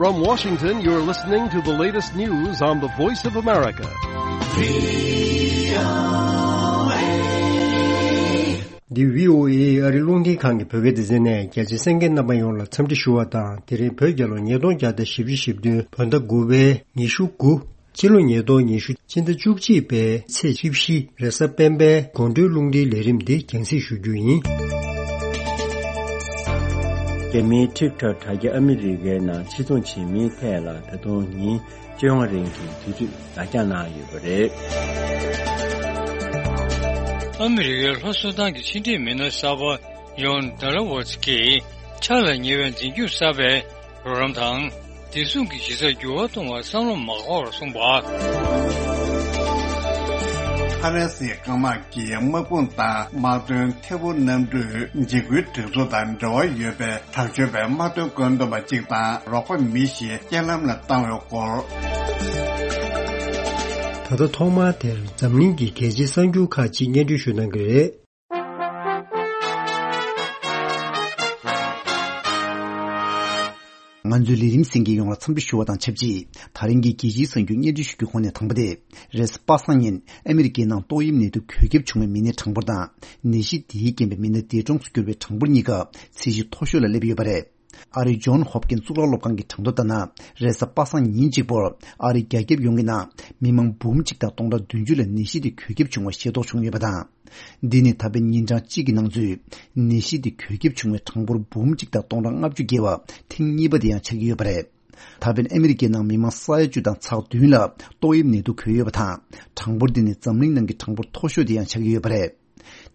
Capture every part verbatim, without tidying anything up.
From Washington, you're listening to the latest news on the Voice of America. འདི་བྷི་ཨོ་ཨེ་ཨ་རི་རླུང་འཕྲིན་ཁང་གི་བོད་སྐད་སྡེ་ཚན་ནས། རྒྱ་ཆེ་གསན་མཁན་རྣམ་པ་ཡོངས་ལ་འཚམས་འདྲི་ཞུ་བ་དང་། དེ་རིང་བོད་རྒྱལ་ལོ་ཉིས་སྟོང་བརྒྱ་དང་བཞི་བཅུ་ཞེ་བདུན། བོད་ཟླ་དགུ་པའི་ཉི་ཤུ་དགུ། ཕྱི་ལོ་ཉིས་སྟོང་ཉི་ཤུ། སྤྱི་ཟླ་བཅུ་གཅིག་པའི་ཚེས་བཅུ་བཞི། རེས་གཟའ་སྤེན་པའི་དགོང་དྲོའི་རླུང་འཕྲིན་ལས་རིམ་འདི་རྒྱང་སྲིང་ཞུ་རྒྱུ་ཡིན། རྒྱ་མིའི་ཊིག་ཊོག་དྲ་རྒྱ་ཨ་མི་རི་ཀའི་ནང་ཕྱིར་ཚོང་བྱེད་མིའི་ཐད་ལ་ད་དུང་ཉིན་བཅོ་ལྔ་རིང་གི་དུས་ཚོད་ལ་རྒྱ་གནང་ཡོད་པ་རེད། ཨ་མི་རི་ཀའི་ལྷོ་སུ་དཱན་གྱི་ཕྱི་འབྲེལ་མི་སྣ་གསར་པ་ཡོན་ཌ་ལ་ཝོ་ཙི་ཀྱིས་ཆག་ལས་ཉེ་བའི་འཛིན་སྐྱོང་གསར་པའི་རོགས་རམ་དང་། བདེ་སྲུང་གི་གཞི་རྩར་འགྱུར་བ་གཏོང་བར་བསམ་བློ་མ་འཁོར་བར་གསུངས་པ། ཧྥ་རན་སིའི་སྐམ་དམག་གིས་དམག་དཔུང་དང་དམག་དོན་ཐད་འཕུར་གནམ་གྲུས་འཇིགས་སྐུལ་སྒྲིག་འཛུགས་དང་འབྲེལ་བ་ཡོད་པའི་དྲག་སྤྱོད་པའི་དམག་དོན་བཀོད་འདོམས་པ་གཅིག་དང་རོགས་པ་མི་བཞི་རྐྱེན་ལམ་ལ་བཏང་བའི་སྐོར། ད་ལྟ་ཐོག་མར་དེར་འཛམ་གླིང་གི་རྒྱལ་སྤྱིའི་གསར་འགྱུར་ཁག་ཅིག་སྙན་སྒྲོན་ཞུ་གནང་གི་རེད། ང་ཚོའི་ལས་རིམ་གསན་མཁན་ཡོངས་ལ་འཚམས་འདྲི་ཞུ་བ་དང་ཆབས་ཅིག་དེ་རིང་གི་རྒྱལ་སྤྱིའི་གསར་འགྱུར་སྙན་སྒྲོན་ཞུ་རྒྱུའི་ཁོངས་ནས་དང་པོ་དེ། རེས་གཟའ་པ་སངས་ཉིན་ཨ་མི་རི་ཀའི་ནང་ཏོག་དབྱིབས་ནད་དུག་འགོས་ཁྱབ་བྱུང་བའི་མི་སྣའི་གྲངས་འབོར་དང་། ནད་གཞི་དེའི་རྐྱེན་པས་མི་སྣ་འདས་གྲོངས་སུ་གྱུར་པའི་གྲངས་འབོར་གཉིས་ཀ་ཚད་གཞི་མཐོ་ཤོས་ལ་སླེབས་ཡོད་པ་རེད། ཨ་རིའི་ཇོན་ཧོབ་ཀིན་གཙུག་ལག་སློབ་ཁང་གི་གྲངས་ཐོ་ལྟར་ན། རེས་གཟའ་པ་སངས་ཉིན་གཅིག་པོར་ཨ་རིའི་རྒྱ་ཁྱབ་ཡོངས་ཀྱི་ནང་མི་མང་འབུམ་གཅིག་དང་སྟོང་ཕྲག་བདུན་ཅུ་ལ་ནད་གཞི་དེ་འགོས་ཁྱབ་བྱུང་བ་ཤེས་རྟོགས་བྱུང་ཡོད་པ་དང་། འདི་ནི་ད་ཕན་ཉིན་གྲངས་གཅིག་གི་ནང་ཚུད་ནད་གཞི་དེ་འགོས་ཁྱབ་བྱུང་བའི་གྲངས་འབོར་འབུམ་གཅིག་དང་སྟོང་ཕྲག་ལྔ་བཅུ་བརྒལ་བ་ཐེངས་གཉིས་པ་དེ་ཡང་ཆགས་ཀྱི་ཡོད་པ་རེད། ད་ཕན་ཨ་མི་རི་ཀའི་ནང་མི་མང་ས་ཡ་བཅུ་དང་ཚེག་བདུན་ལ་ཏོག་དབྱིབས་ནད་དུག་འགོས་ཡོད་པ་དང་། གྲངས་འབོར་འདི་ནི་འཛམ་གླིང་ནང་གི་གྲངས་འབོར་མཐོ་ཤོས་དེ་ཡང་ཆགས་ཀྱི་ཡོད་པ་རེད།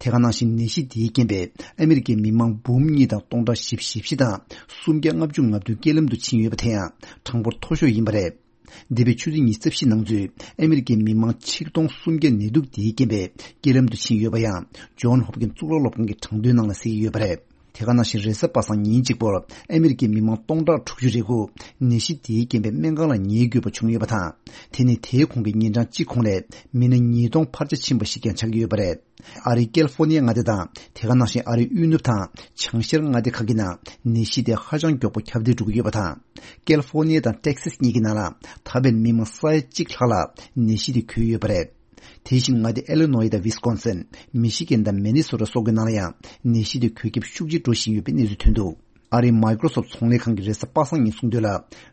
དེ་ག་ནང་བཞིན་ནད་གཞི་དེའི་རྐྱེན་པས་ཨ་མི་རི་ཀའི་མི་མང་འབུམ་གཉིས་དང་སྟོང་ཕྲག་བཞི་བཅུ་ཞེ་བཞི་དང་སུམ་བརྒྱ་ལྔ་བཅུ་ང་བདུན་རྐྱེན་ལམ་དུ་ཕྱིན་ཡོད་པ་དེ་ཡང་གྲངས་འབོར་མཐོ་ཤོས་ཡིན་པ་རེད། འདས་པའི་ཆུ་ཚོད་ཉི་ཤུ་རྩ་བཞི་ནང་ཚུད་ཨ་མི་རི་ཀའི་མི་མང་ཆིག་སྟོང་སུམ་བརྒྱ་ནད་དུག་དེའི་རྐྱེན་པས་རྐྱེན་ལམ་དུ་ཕྱིན་ཡོད་པ་ཡང་ཇོན་ཧོབ་ཀིན་གཙུག་ལག་སློབ་ཁང་གི་གྲངས་ཐོའི་ནང་ལ་གསལ་གྱི་ཡོད་པ་རེད། དེ་ག་ནང་བཞིན་རེས་གཟའ་པ་སངས་ཉིན་གཅིག་པོར་ཨ་མི་རི་ཀའི་མི་མང་སྟོང་ཕྲག་དྲུག་ཅུ་རེ་དགུ་ནད་གཞི་དེའི་རྐྱེན་པས་སྨན་ཁང་ལ་ཉལ་དགོས་པ་བྱུང་ཡོད་པ་དང་། དེ་ནི་དེའི་གོང་གི་ཉིན་གྲངས་གཅིག་གོང་ལས་མི་སྣ་ཉིས་སྟོང་འཕར་ཆ་ཕྱིན་པ་ཞིག་ཀྱང་ཆགས་ཀྱི་ཡོད་པ་རེད། ཨ་རིའི་ཀལ་ཧྥོར་ནི་ཡ་མངའ་སྡེ་དང་དེ་ག་ནང་བཞིན་ཨ་རིའི་དབུས་ནུབ་དང་བྱང་ཤར་མངའ་སྡེ་ཁག་གི་ནང་ནད་གཞི་དེ་ཧ་ཅང་མགྱོགས་པོ་ཁྱབ་གདལ་འགྲོ་གི་ཡོད་པ་དང་། ཀལ་ཧྥོར་ནི་ཡ་དང་ཊེག་སཱས་གཉིས་ཀྱི་ནང་ལ་ད་ཕན་མི་མང་ས་ཡ་གཅིག་ལྷག་ལ་ནད་གཞི་དེ་འགོས་ཡོད་པ་རེད། དེ་བཞིན་མངའ་སྡེ་ཨེ་ལི་ནོའི་དང་ཝིས་ཀོན་སིན། མི་ཤི་གན་དང་མེ་ནི་སོ་ཊ་སོགས་ཀྱི་ནང་ལ་ཡང་ནད་གཞི་དེ་འགོས་ཁྱབ་ཤུགས་ཆེ་འགྲོ་བཞིན་ཡོད་པའི་གནས་ཚུལ་ཐོན་འདུག་ཨ་རིའི་མའི་ཀྲོ་སོབ་ཚོང་ལས་ཁང་གིས་རེས་གཟའ་པ་སངས་ཉིན་གསུངས་དོན་ལ།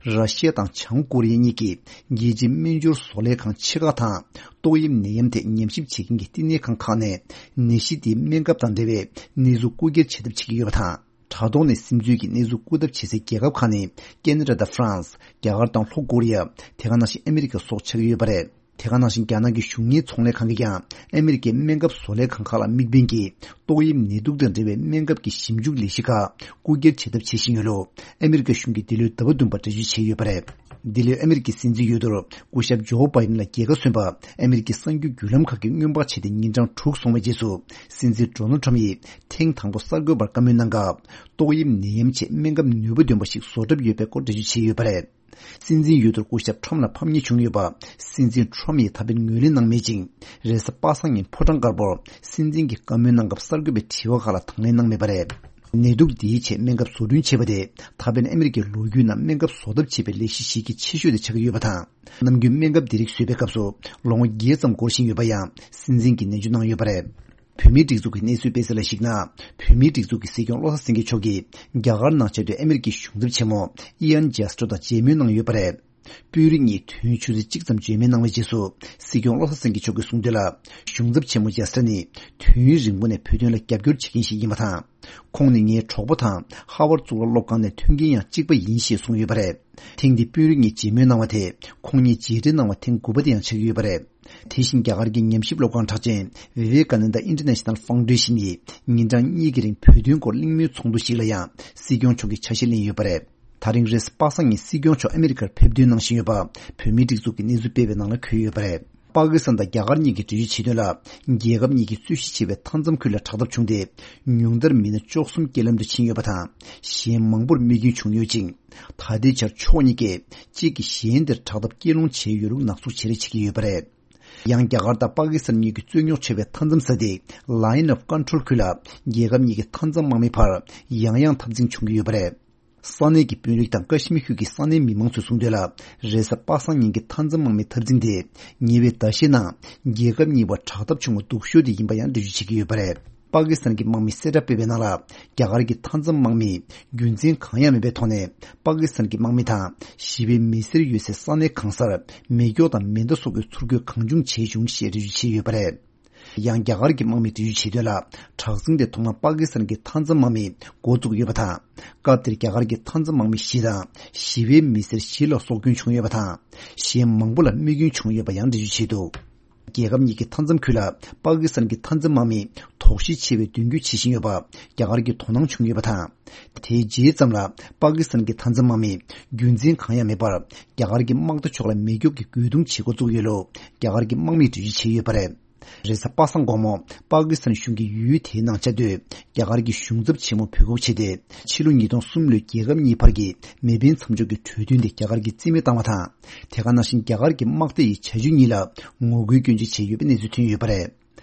ར་ཤི་ཡ་དང་བྱང་ཀོ་རི་ཡ་གཉིས་ཀྱིས་རྒྱལ་སྤྱིའི་སྨན་སྦྱོར་བཟོ་ལས་ཁང་ཆེ་ཁག་དང་ཏོག་དབྱིབས་ནད་ཡམས་ཐད་ཉམས་ཞིབ་བྱེད་མཁན་གྱི་བསྟི་གནས་ཁང་ཁག་ནས་ནད་གཞི་དེའི་སྨན་ཁབ་དང་འབྲེལ་བའི་གནས་ཚུལ་རྐུ་འཁྱེར་བྱེད་ཐབས་བྱེད་ཀྱི་ཡོད་པ་དང་། དྲ་ཐོག་ནས་སིམ་འཛུལ་གྱིས་གནས་ཚུལ་རྐུ་ཐབས་བྱེད་སའི་རྒྱལ་ཁབ་ཁག་ནི་ཀེ་ན་ཌ་དང་ཧྥ་རན་སི། རྒྱ་གར་དང་ལྷོ་ཀོ་རི་ཡ། དེ་ག་ནང་བཞིན་ཨ་མི་རི་ཀ་སོགས་ཆགས་ཀྱི་ཡོད་པ་རེད། དེ་ག་ནང་བཞིན་རྒྱ་ནག་གི་གཞུང་གཉེར་ཚོང་ལས་ཁང་གིས་ཀྱང་ཨ་མི་རི་ཀའི་སྨན་ཁབ་བཟོ་ལས་ཁང་ཁག་ལ་དམིགས་འབེན་གྱིས་ཏོག་དབྱིབས་ནད་དུག་དང་འབྲེལ་བའི་སྨན་ཁབ་ཀྱི་ཞིབ་འཇུག་ལས་གཞི་ཁག་རྐུ་འཁྱེར་བྱེད་ཐབས་བྱེད་བཞིན་ཡོད་ལུགས་ཨ་མི་རི་ཀ་གཞུང་གིས་འདི་ལོའི་ཟླ་བ་བདུན་པར་འགྲེལ་བརྗོད་བྱས་ཡོད་པ་རེད། འདི་ལོའི་ཨ་མི་རི་ཀའི་སྲིད་འཛིན་འོས་བསྡུར་སྐུ་ཞབས་ཇོ་བྷའི་ཌེན་ལ་རྒྱལ་ཁ་སོན་པ་ཨ་མི་རི་ཀའི་གསར་འགྱུར་བརྒྱུད་ལམ་ཁག་གིས་སྔོན་དཔག་བྱས་ཏེ་ཉིན་གྲངས་དྲུག་སོང་བའི་རྗེས་སུ། སྲིད་འཛིན་ཌོ་ནལ་ཁྲམ་ཡིས་ཐེངས་དང་པོ་གསར་འགོད་པར་བཀའ་མོལ་གནང་སྐབས། ཏོག་དབྱིབས་ནད་ཡམས་ཆེད་སྨན་ཁབ་ནུས་པ་ལྡན་པ་ཞིག་བཟོ་གྲབས་ཡོད་པའི་སྐོར་འགྲེལ་བརྗོད་བྱས་ཡོད་པ་རེད། སྲིད་འཛིན་འོས་བསྡུར་སྐུ་ཞབས་ཁྲམ་ལ་ཕམ་ཉེས་བྱུང་ཡོད་པ། སྲིད་འཛིན་ཁྲམ་ཡིས་ད་ཕན་ངོས་ལེན་གནང་མེད་ཅིང་། རེས་གཟའ་པ་སངས་ཉིན་ཕོ་བྲང་དཀར་པོར་སྲིད་འཛིན་གྱིས་བཀའ་མོལ་གནང་སྐབས་གསར་འགོད་པའི་དྲི་བ་ཁག་ལ་དང་ལེན་གནང་མེད་པ་རེད། ནད་དུག་འདིའི་ཆེད་སྨན་ཁབ་བཟོ་སྐྲུན་བྱེད་པ་དེ་ད་ཕན་ཨ་མི་རི་ཀའི་ལོ་རྒྱུས་ནང་སྨན་ཁབ་བཟོ་ཐབས་བྱེད་པའི་ལས་གཞི་ཞིག་གི་ཆེ་ཤོས་དེ་ཆགས་ཀྱི་ཡོད་པ་དང་། ནམ་རྒྱུན་སྨན་ཁབ་འདི་རིགས་བཟོས་པའི་སྐབས་སུ་ལོ་ངོ་བརྒྱད་ཙམ་འགོར་བཞིན་ཡོད་པ་ཡང་སྲིད་འཛིན་གྱིས་ནན་བརྗོད་གནང་ཡོད་པ་རེད། བོད་མིའི་སྒྲིག་འཛུགས་ཀྱི་གནས་ཚུལ་སྤེལ་ས་ལ་གཞིགས་ན། བོད་མིའི་སྒྲིག་འཛུགས་ཀྱི་སྲིད་སྐྱོང་བློ་བཟང་སེང་གེ་མཆོག་གིས་རྒྱ་གར་ནང་བཅའ་སྡོད་ཨ་མི་རི་ཀའི་གཞུང་ཚབ་ཆེན་མོ་ཨི་ཡན་ཇེ་སི་ཊྲོ་དང་མཇལ་མོལ་གནང་ཡོད་པ་རེད། དཔོན་རིགས་གཉིས་དུས་ཡུན་ཆུ་ཚོད་གཅིག་ཙམ་མཇལ་མོལ་གནང་བའི་རྗེས་སུ། སྲིད་སྐྱོང་བློ་བཟང་སེང་གེ་མཆོག་གིས་གསུངས་དོན་ལ། གཞུང་ཚབ་ཆེན་མོ་ཇེ་སི་ཊྲོ་ནི་དུས་ཡུན་རིང་པོ་ནས་བོད་དོན་ལ་རྒྱབ་སྐྱོར་བྱེད་མཁན་ཞིག་ཡིན་པ་དང་། ཁོང་ནི་ངའི་གྲོགས་པོ་དང་ཧ་ཝར་གཙུག་ལག་སློབ་ཁང་ནས་ཐོན་མཁན་ཡང་གཅིག་པ་ཡིན་ཞེས་གསུངས་ཡོད་པ་རེད། ཐེངས་འདི་དཔོན་རིགས་གཉིས་མཇལ་མོལ་གནང་བ་དེ་ཁོང་གཉིས་མཇལ་འཕྲད་གནང་བ་ཐེངས་དགུ་པ་དེ་ཡང་ཆགས་ཀྱི་ཡོད་པ་རེད། དེ་བཞིན་རྒྱ་གར་གྱི་ཉམས་ཞིབ་སློབ་ཁང་གྲགས་ཅན་Vivekananda International Foundation་ཡིས་ཉིན་གྲངས་གཉིས་ཀྱི་རིང་བོད་དོན་སྐོར་གླེང་མོལ་ཚོགས་འདུ་ཞིག་ལ་ཡང་སྲིད་སྐྱོང་མཆོག་གིས་ཆ་ཤས་ལེན་ཡོད་པ་རེད། ད་རིང་རེས་གཟའ་པ་སངས་ཉིན་སྲིད་སྐྱོང་མཆོག་ཨ་མི་རི་ཀར་ཕེབས་འདུན་གནང་བཞིན་ཡོད་པ་བོད་མིའི་སྒྲིག་འཛུགས་ཀྱི་གནས་ཚུལ་སྤེལ་བའི་ནང་ལ་འཁོད་ཡོད་པ་རེད། པ་ཀི་སི་ཐན་དང་རྒྱ་གར་གཉིས་ཀྱིས་འགྲེལ་བརྗོད་བྱས་དོན་ལ། རྒྱལ་ཁབ་གཉིས་ཀྱིས་རྩོད་གཞི་ཆེ་བའི་མཐའ་མཚམས་ཁུལ་ལ་དྲག་འཐབ་བྱུང་སྟེ། ཉུང་མཐར་མི་སྣ་བཅུ་གསུམ་རྐྱེན་ལམ་དུ་ཕྱིན་ཡོད་པ་དང་། གཞན་མང་པོར་རྨས་སྐྱོན་བྱུང་ཡོད་ཅིང་། ད་ལྟའི་ཆར་ཕྱོགས་གཉིས་ཀས་གཅིག་གིས་གཞན་དེར་དྲག་འཐབ་སྐྱེལ་སློང་བྱས་ཡོད་ལུགས་ནག་འཛུགས་བྱེད་རེས་བྱེད་ཀྱི་ཡོད་པ་རེད། ཡང་རྒྱ་གར་དང་པ་ཀི་སི་ཐན་གཉིས་ཀྱི་རྩོད་རྙོག་ཆེ་བའི་མཐའ་མཚམས་ས་སྡེ་Line of Control་ཁུལ་ལ་རྒྱལ་ཁབ་གཉིས་ཀྱི་མཐའ་མཚམས་དམག་མིའི་བར་ཡང་ཡང་འཐབ་འཛིང་བྱུང་གི་ཡོད་པ་རེད། ས་གནས་ཀྱི་དཔོན་རིགས་དང་ཀ་ཤི་མིར་ཁུལ་གྱི་ས་གནས་མི་མང་ཚོས་གསུངས་དོན་ལ། རེས་གཟའ་པ་སངས་ཉིན་གྱི་མཐའ་མཚམས་དམག་མིའི་འཐབ་འཛིང་དེ། ཉེ་བའི་ཟླ་ཤས་ནང་རྒྱལ་ཁབ་གཉིས་བར་དྲག་འཐབ་བྱུང་བ་སྡུག་ཤོས་དེ་ཡིན་པ་ཡང་འགྲེལ་བརྗོད་བྱེད་ཀྱི་ཡོད་པ་རེད། པ་ཀི་སི་ཐན་གྱི་དམག་མིས་གསལ་བསྒྲགས་སྤེལ་བའི་ནང་ལ། རྒྱ་གར་གྱི་མཐའ་མཚམས་དམག་མིས་རྒྱུ་མཚན་གང་ཡང་མེད་པའི་ཐོག་ནས། པ་ཀི་སི་ཐན་གྱི་དམག་མི་དང་ཞི་བའི་མི་སེར་ཡོད་སའི་ས་གནས་གང་སར་མེ་སྒྱོགས་དང་མེ་མདའ་སོགས་ཀྱི་ཚུར་རྒོལ་གང་བྱུང་བྱས་བྱུང་ཞེས་འགྲེལ་བརྗོད་བྱས་ཡོད་པ་རེད། ཡང་རྒྱ་གར་གྱི་དམག་མིས་འགྲེལ་བརྗོད་བྱས་དོན་ལ། དྲག་ཟིང་དེ་ཐོག་མར་པ་ཀི་སི་ཐན་གྱི་མཐའ་མཚམས་དམག་མིས་འགོ་བཙུགས་ཡོད་པ་དང་། སྐབས་དེར་རྒྱ་གར་གྱི་མཐའ་མཚམས་དམག་མི་བཞི་དང་ཞི་བའི་མི་སེར་བཞི་ལ་སྲོག་སྐྱོན་བྱུང་ཡོད་པ་དང་། གཞན་མང་པོ་ལ་རྨས་སྐྱོན་བྱུང་ཡོད་པ་ཡང་འགྲེལ་བརྗོད་བྱས་འདུག་རྒྱལ་ཁབ་གཉིས་ཀྱི་མཐའ་མཚམས་ཁུལ་ལ་པ་ཀི་སི་ཐན་གྱི་མཐའ་མཚམས་དམག་མིས་དོགས་གཞི་ཆེ་བའི་མདུན་སྐྱོད་བྱེད་བཞིན་ཡོད་པ་རྒྱ་གར་གྱིས་དོ་སྣང་བྱུང་ཡོད་པ་དང་། དེའི་རྗེས་ཙམ་ལ་པ་ཀི་སི་ཐན་གྱི་མཐའ་མཚམས་དམག་མིས་རྒྱུ་མཚན་གང་ཡང་མེད་པར་རྒྱ་གར་གྱི་དམག་མཐའ་ཕྱོགས་ལ་མེ་སྒྱོགས་ཀྱི་རྒོལ་རྡུང་བྱེད་འགོ་བཙུགས་ཡོད་ལུགས་རྒྱ་གར་གྱི་དམག་མིས་འགྲེལ་བརྗོད་བྱས་ཡོད་པ་རེད། རེས་གཟའ་པ་སངས་དགོང་མོ་པ་ཀི་སི་ཐན་གཞུང་གིས་ཡུལ་དེའི་ནང་བཅའ་སྡོད་རྒྱ་གར་གྱི་གཞུང་ཚབ་ཆེན་མོ་འབོད་འགུག་བྱས་ཏེ། ཕྱི་ལོ་ཉིས་སྟོང་གསུམ་ལོའི་རྒྱལ་ཁབ་གཉིས་བར་གྱི་མེ་འཕེན་མཚམས་འཇོག་གི་གྲོས་མཐུན་དེ་རྒྱ་གར་གྱིས་རྩིས་མེད་བཏང་བ་དང་། དེ་ག་ནང་བཞིན་རྒྱ་གར་གྱི་དམག་སྡེ་ཡི་བྱ་སྤྱོད་གཉིས་ལ་ངོ་རྒོལ་སྐྱོན་བརྗོད་བྱས་ཡོད་པའི་གནས་ཚུལ་ཐོན་ཡོད་པ་རེད།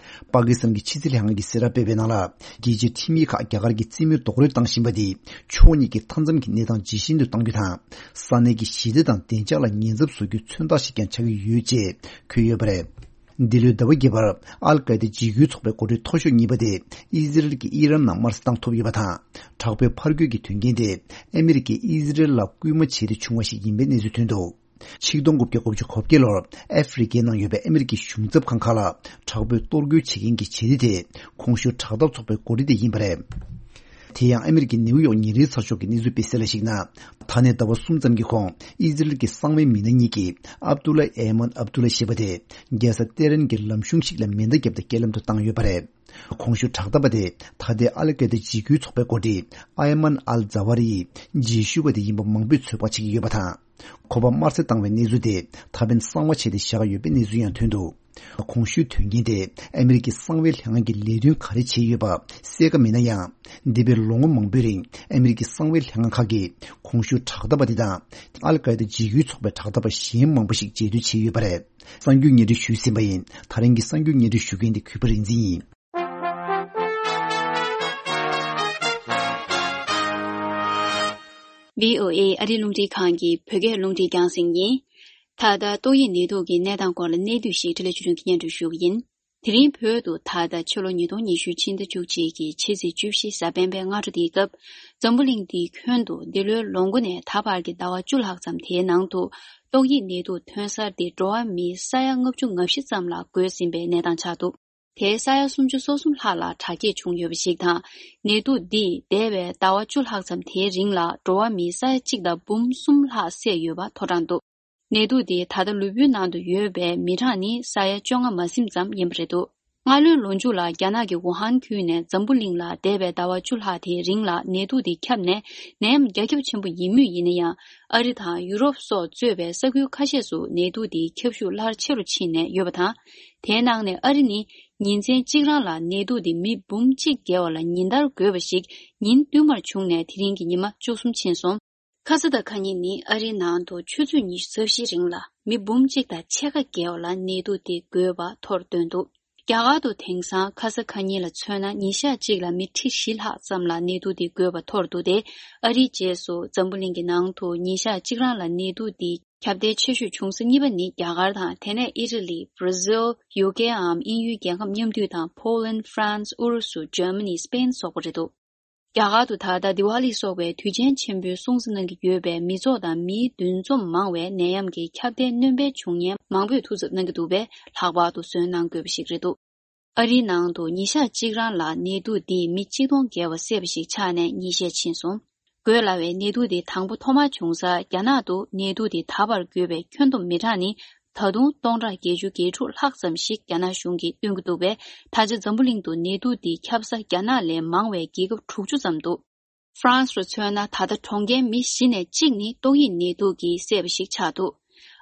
པ་ཀི་སི་ཐན་གྱི་ཕྱི་སྲིད་ལྷན་ཁང་གིས་གསལ་བསྒྲགས་སྤེལ་བའི་ནང་ལ། རྒྱལ་སྤྱིའི་ཁྲིམས་ཡིག་ཁག་རྒྱ་གར་གྱིས་རྩིས་མེད་རྡོག་རོལ་བཏང་བཞིན་པ་འདིས་ཕྱོགས་གཉིས་ཀྱི་མཐའ་མཚམས་ཀྱི་གནས་སྟངས་ཇེ་ཞན་དུ་གཏང་རྒྱུ་དང་། ས་གནས་ཀྱི་ཞི་བདེ་དང་བདེ་འཇགས་ལ་ཉེན་ཚབས་བཟོ་རྒྱུའི་མཚོན་རྟགས་ཤིག་ཀྱང་ཆགས་ཀྱི་ཡོད་ཅེས་འཁོད་ཡོད་པ་རེད། འདི་ལོའི་ཟླ་བ་བརྒྱད་པར་ཨལ་ཀའི་ད་འཇིགས་སྐུལ་ཚོགས་པའི་འགོ་ཁྲིད་མཐོ་ཤོས་གཉིས་པ་དེ་ཨི་ཟི་རལ་གྱི་ཨི་རན་ནང་དམར་གསོད་བཏང་ཐུབ་ཡོད་པ་དང་། དྲག་པོའི་ཕར་རྒོལ་གྱི་དོན་རྐྱེན་དེ་ཨ་མི་རི་ཀས་ཨི་ཟི་རལ་ལ་སྐུལ་མ་བྱས་ཏེ་བྱུང་བ་ཞིག་ཡིན་པའི་གནས་ཚུལ་ཐོན་འདུག་ཆིག་སྟོང་དགུ་བརྒྱ་དགུ་བཅུ་གོ་བརྒྱད་ལོར་ཨ་ཧྥེ་རི་ཀའི་ནང་ཡོད་པའི་ཨ་མི་རི་ཀའི་གཞུང་ཚབ་ཁང་ཁག་ལ་དྲག་པོས་གཏོར་རྒོལ་བྱེད་མཁན་གྱི་བྱེད་གཏེ་དེ་གོང་ཞུས་དྲག་འཐབ་ཚོགས་པའི་འགོ་ཁྲིད་དེ་ཡིན་པ་རེད། དེ་ཡང་ཨ་མི་རི་ཀའི་ནིའུ་ཡོག་ཉིན་རེའི་ཚགས་ཤོག་གིས་གནས་ཚུལ་སྤེལ་གསལ་ལ་གཞིགས་ན། ད་ནས་ཟླ་བ་གསུམ་ཙམ་གྱི་གོང་ཨི་ཟི་རལ་གྱི་གསང་བའི་མི་སྣ་གཉིས་ཀྱིས་ཨབ་ཏུ་ལ་ཨེ་མན་ཨབ་ཏུ་ལ་ཞེས་པ་དེ་རྒྱལ་ས་ཏེ་རན་གྱི་ལམ་གཞུང་ཞིག་ལ་མེ་མདའ་བརྒྱབ་སྟེ་རྐྱེན་ལམ་དུ་བཏང་ཡོད་པ་རེད། གོང་ཞུས་དྲག་འཐབ་པ་དེ་ད་ལྟའི་ཨལ་ཀའི་ད་འཇིགས་སྐུལ་ཚོགས་པའི་འགོ་ཁྲིད་ཨ་ཡ་མན་ཨལ་ཛ་ཝ་རི་ཡི་རྗེས་ཤུལ་བ་དེ་ཡིན་པ་མང་པོས་ཚོད་དཔག་བྱེད་ཀྱི་ཡོད་པ་དང་། ཁོ་པ་དམར་གསོད་བཏང་བའི་གནས་ཚུལ་དེ་ད་ཕན་གསང་བ་བྱས་ཏེ་བཞག་ཡོད་པའི་གནས་ཚུལ་ཡང་ཐོན་འདུག་གོང་ཞུས་དོན་རྐྱེན་དེ་ཨ་མི་རི་ཀའི་གསང་བའི་ལྷན་ཁང་གི་ལས་དོན་ག་རེ་བྱས་ཡོད་པ་གསལ་ཁ་མེད་ན་ཡང་། འདས་པའི་ལོ་ངོ་མང་པོའི་རིང་ཨ་མི་རི་ཀའི་གསང་བའི་ལྷན་ཁང་ཁག་གིས་གོང་ཞུས་དྲག་འཐབ་པ་དེ་དང་། ཨལ་ཀའི་ད་འཇིགས་སྐུལ་ཚོགས་པའི་དྲག་འཐབ་པ་གཞན་མང་པོ་ཞིག་རྗེས་མཐུད་བྱས་ཡོད་པ་རེད། གསར་འགྱུར་སྙན་སྒྲོན་ཞུས་ཟིན་པ་ཡིན། ད་རིང་གི་གསར་འགྱུར་སྙན་སྒྲོན་ཞུ་མཁན་དེ་གུས་པ་རིག་འཛིན་ཡིན། བྷི་ཨོ་ཨེ་ཨ་རིའི་རླུང་འཕྲིན་ཁང་གི་བོད་སྐད་རླུང་འཕྲིན་རྒྱང་སྲིང་ཡིན། ད་ལྟ་ཏོག་དབྱིབས་ནད་དུག་གི་གནས་སྟངས་སྐོར་ལ་གནད་བསྡུས་ཤིག་འཕྲིན་ལས་ཆོས་སྒྲོན་གྱིས་སྙན་སྒྲོན་ཞུ་གི་ཡིན། དེ་རིང་བོད་དུ་ད་ལྟ་ཕྱི་ལོ་ཉིས་སྟོང་ཉི་ཤུ་ཕྱི་ཟླ་བཅུ་གཅིག་གི་ཕྱི་ཚེས་བཅུ་བཞི་གཟའ་སྤེན་པའི་སྔ་དྲོ་འདིའི་སྐབས། འཛམ་བུ་གླིང་འདིའི་ཁྱོན་དུ་འདི་ལོའི་ལོ་མགོ་ནས་ད་བར་གྱི་ཟླ་བ་བཅུ་ལྷག་ཙམ་དེའི་ནང་དུ་ཏོག་དབྱིབས་ནད་དུག་ཐོན་གསར་འདི་འགྲོ་བ་མིའི་ས་ཡ་ལྔ་བཅུ་ང་བཞི་ཙམ་ལ་འགོས་ཟིན་པའི་གནས་སྟངས་ཆགས་འདུག་དེའི་ས་ཡ་སུམ་ཅུ་སོ་གསུམ་ལྷག་ལ་དྲག་སྐྱེད་བྱུང་ཡོད་པ་ཞིག་དང་། ནད་དུག་འདིས་འདས་པའི་ཟླ་བ་བཅུ་ལྷག་ཙམ་དེའི་རིང་ལ་འགྲོ་བ་མིའི་ས་ཡ་གཅིག་དང་འབུམ་གསུམ་ལྷག་བསད་ཡོད་པ་ཐོ་བཀྲག་འདུག་ནད་དུག་དེ་ད་ལྟ་ལུས་པོའི་ནང་དུ་ཡོད་པའི་མི་གྲངས་ནི་ས་ཡ་བཅོ་ལྔ་མ་ཟིན་ཙམ་ཡིན་པ་རེད་འདུག་སྔ་ལོའི་ལོ་མཇུག་ལ་རྒྱ་ནག་གི་ཝུ་ཧན་ཁུལ་ནས་འཛམ་བུ་གླིང་ལ་འདས་པའི་ཟླ་བ་བཅུ་ལྷག་དེའི་རིང་ལ་ནད་དུག་དེ་ཁྱབ་ནས་ནད་ཡམས་རྒྱ་ཁྱབ་ཆེན་པོ་ཡིན་མུས་ཡིན་ན་ཡང་། ཨ་རི་དང་ཡུ་རོབ་སོགས་གཙོས་པའི་ས་ཁུལ་ཁ་ཤས་སུ་ནད་དུག་དེའི་ཁྱབ་ཤུགས་སླར་ཆེ་རུ་ཕྱིན་ནས་ཡོད་པ་དང་། དེའི་ནང་ནས་ཨ་རི་ནི་ཉིན་མཚན་གཅིག་རང་ལ་ནད་དུག་དེ་མི་འབུམ་གཅིག་བརྒལ་བ་ལ་ཉིན་ལྟར་འགོས་པ་ཞིག་ཉིན་བསྟུད་མར་བྱུང་ནས་དེ་རིང་གི་ཉི་མ་བཅུ་གསུམ་ཕྱིན་སོང་། ཁ་ས་དང་ཁ་ཉིན་ནི་ཨ་རིའི་ནང་དུ་ཆུ་ཚོད་ཉི་ཤུ་རྩ་བཞིའི་རིང་ལ་མི་འབུམ་གཅིག་དང་ཕྱེད་ཀ་བརྒལ་བ་ལ་ནད་དུག་དེ་འགོས་པ་ཐོར་བཏོན་འདུག་རྒྱ་གར་དུ་དེང་སང་ཁ་ས་ཁ་ཉིན་ལ་མཚོན་ན་ཉིན་ཞག་གཅིག་ལ་མི་ཁྲི་བཞི་ལྷག་ཙམ་ལ་ནད་དུག་དེ་འགོས་པ་ཐོར་འདུག་སྟེ། ཨ་རིའི་རྗེས་སུ་འཛམ་བུ་གླིང་གི་ནང་དུ་ཉིན་ཞག་གཅིག་རང་ལ་ནད་དུག་དེ་ཁྱབ་གདལ་ཆེ་ཤོས་བྱུང་ས་གཉིས་པ་ནི་རྒྱ་གར་དང་། དེ་ནས་ཨི་ཊ་ལི། བྷར་ཛིལ། ཡུ་ཀེའམ་དབྱིན་ཡུལ་རྒྱལ་ཁབ་མཉམ་འདུས་དང་། ཕོ་ལན། ཧྥ་རན་སི། ཨུ་རུ་སུ། འཇར་མ་ནི། སི་པེན་སོགས་པ་རེད་འདུག་རྒྱ་གར་དུ་ད་ལྟ་དི་ཝཱ་ལི་སོགས་པའི་དུས་ཆེན་ཆེན་པོའི་སྲུང་བརྩི་གནང་གི་ཡོད་པའི་མི་ཚོགས་དང་མིའི་འདུ་འཛོམས་མང་བས་ནད་ཡམས་ཀྱི་ཁྱབ་གདལ་སྣོན་སྤེལ་བྱུང་ཉེན་མང་པོས་ཐུགས་འཚབ་གནང་གི་འདུག་པས། ལྷག་པར་དུ་བཟོད་གནང་དགོས་པ་ཞིག་རེད་འདུག་ཨ་རིའི་ནང་དུ་ཉིན་ཞག་གཅིག་རང་ལ་ནད་དུག་འདིས་མི་གཅིག་སྟོང་བརྒལ་བ་བསད་པ་ཞིག་ཆགས་ནས་ཉིན་ཤས་ཕྱིན་སོང་། འགོས་སླ་བའི་ནད་དུག་འདི་དང་པོ་ཐོག་མར་བྱུང་ས་རྒྱ་ནག་ཏུ་ནད་དུག་འདི་ད་བར་འགོས་པའི་ཁྱོན་བསྡོམས་མི་གྲངས་ནི། ད་དུང་སྟོང་ཕྲག་བརྒྱད་ཅུ་གྱ་དྲུག་ལྷག་ཙམ་ཞིག་རྒྱ་ནག་གཞུང་གིས་སྟོན་གྱི་འདུག་པས། ད་ཆ་འཛམ་བུ་གླིང་དུ་ནད་དུག་འདི་ཁྱབ་ས་རྒྱ་ནག་ལས་མང་བའི་རྒྱལ་ཁབ་དྲུག་ཅུ་ཙམ་འདུག་ཧྥ་རན་སི་རུ་མཚོན་ན། ད་ལྟ་གྲོངས་མཁན་མི་བཞི་ནས་གཅིག་ནི་ཏོག་དབྱིབས་ནད་དུག་གིས་བསད་པ་ཞིག་ཆགས་འདུག་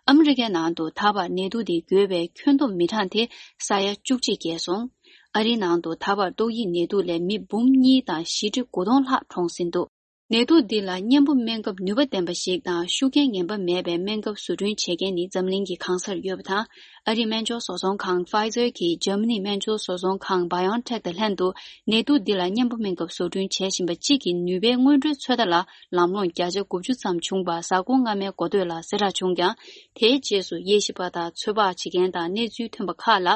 ཨ་མི་རི་ཀའི་ནང་དུ་ད་བར་ནད་དུག་འདི་འགོས་པའི་ཁྱོན་བསྡོམས་མི་གྲངས་དེ་ས་ཡ་བཅུ་གཅིག་བརྒལ་སོང་། ཨ་རིའི་ནང་དུ་ད་བར་ཏོག་དབྱིབས་ནད་དུག་ལས་མི་འབུམ་གཉིས་དང་བཞི་ཁྲི་དགུ་སྟོང་ལྷག་གྲོངས་ཟིན་འདུག་ནད་དུག་འདི་ལ་གཉེན་པོ་སྨན་ཁབ་ནུས་པ་ལྡན་པ་ཞིག་དང་ཤུགས་རྐྱེན་ངན་པ་མེད་པའི་སྨན་ཁབ་བཟོ་སྐྲུན་བྱེད་མཁན་ནི་འཛམ་གླིང་གི་གང་སར་ཡོད་པ་དང་། ཨ་རིའི་སྨན་སྦྱོར་བཟོ་ཚོང་ཁང་Pfizer གིས་འཇར་མ་ནིའི་སྨན་སྦྱོར་བཟོ་ཚོང་ཁང་BioNTech དང་ལྷན་དུ་ནད་དུག་འདི་ལ་གཉེན་པོ་སྨན་ཁབ་བཟོ་སྐྲུན་བྱེད་བཞིན་པ་གཅིག་གི་ནུས་པའི་སྔོན་འགྲོའི་ཚོད་ལྟ་ལ་ལམ་ལྷོང་བརྒྱ་ཆ་དགུ་བཅུ་ཙམ་བྱུང་བ་གཟའ་འཁོར་སྔ་མའི་འགོ་སྟོད་ལ་གསལ་བསྒྲགས་བྱུང་ཀྱང་། དེའི་རྗེས་སུ་དབྱེ་ཞིབ་པ་དང་ཚོད་དཔག་བྱེད་མཁན་དང་གནས་ཚུལ་ཐོན་པ་ཁག་ལ་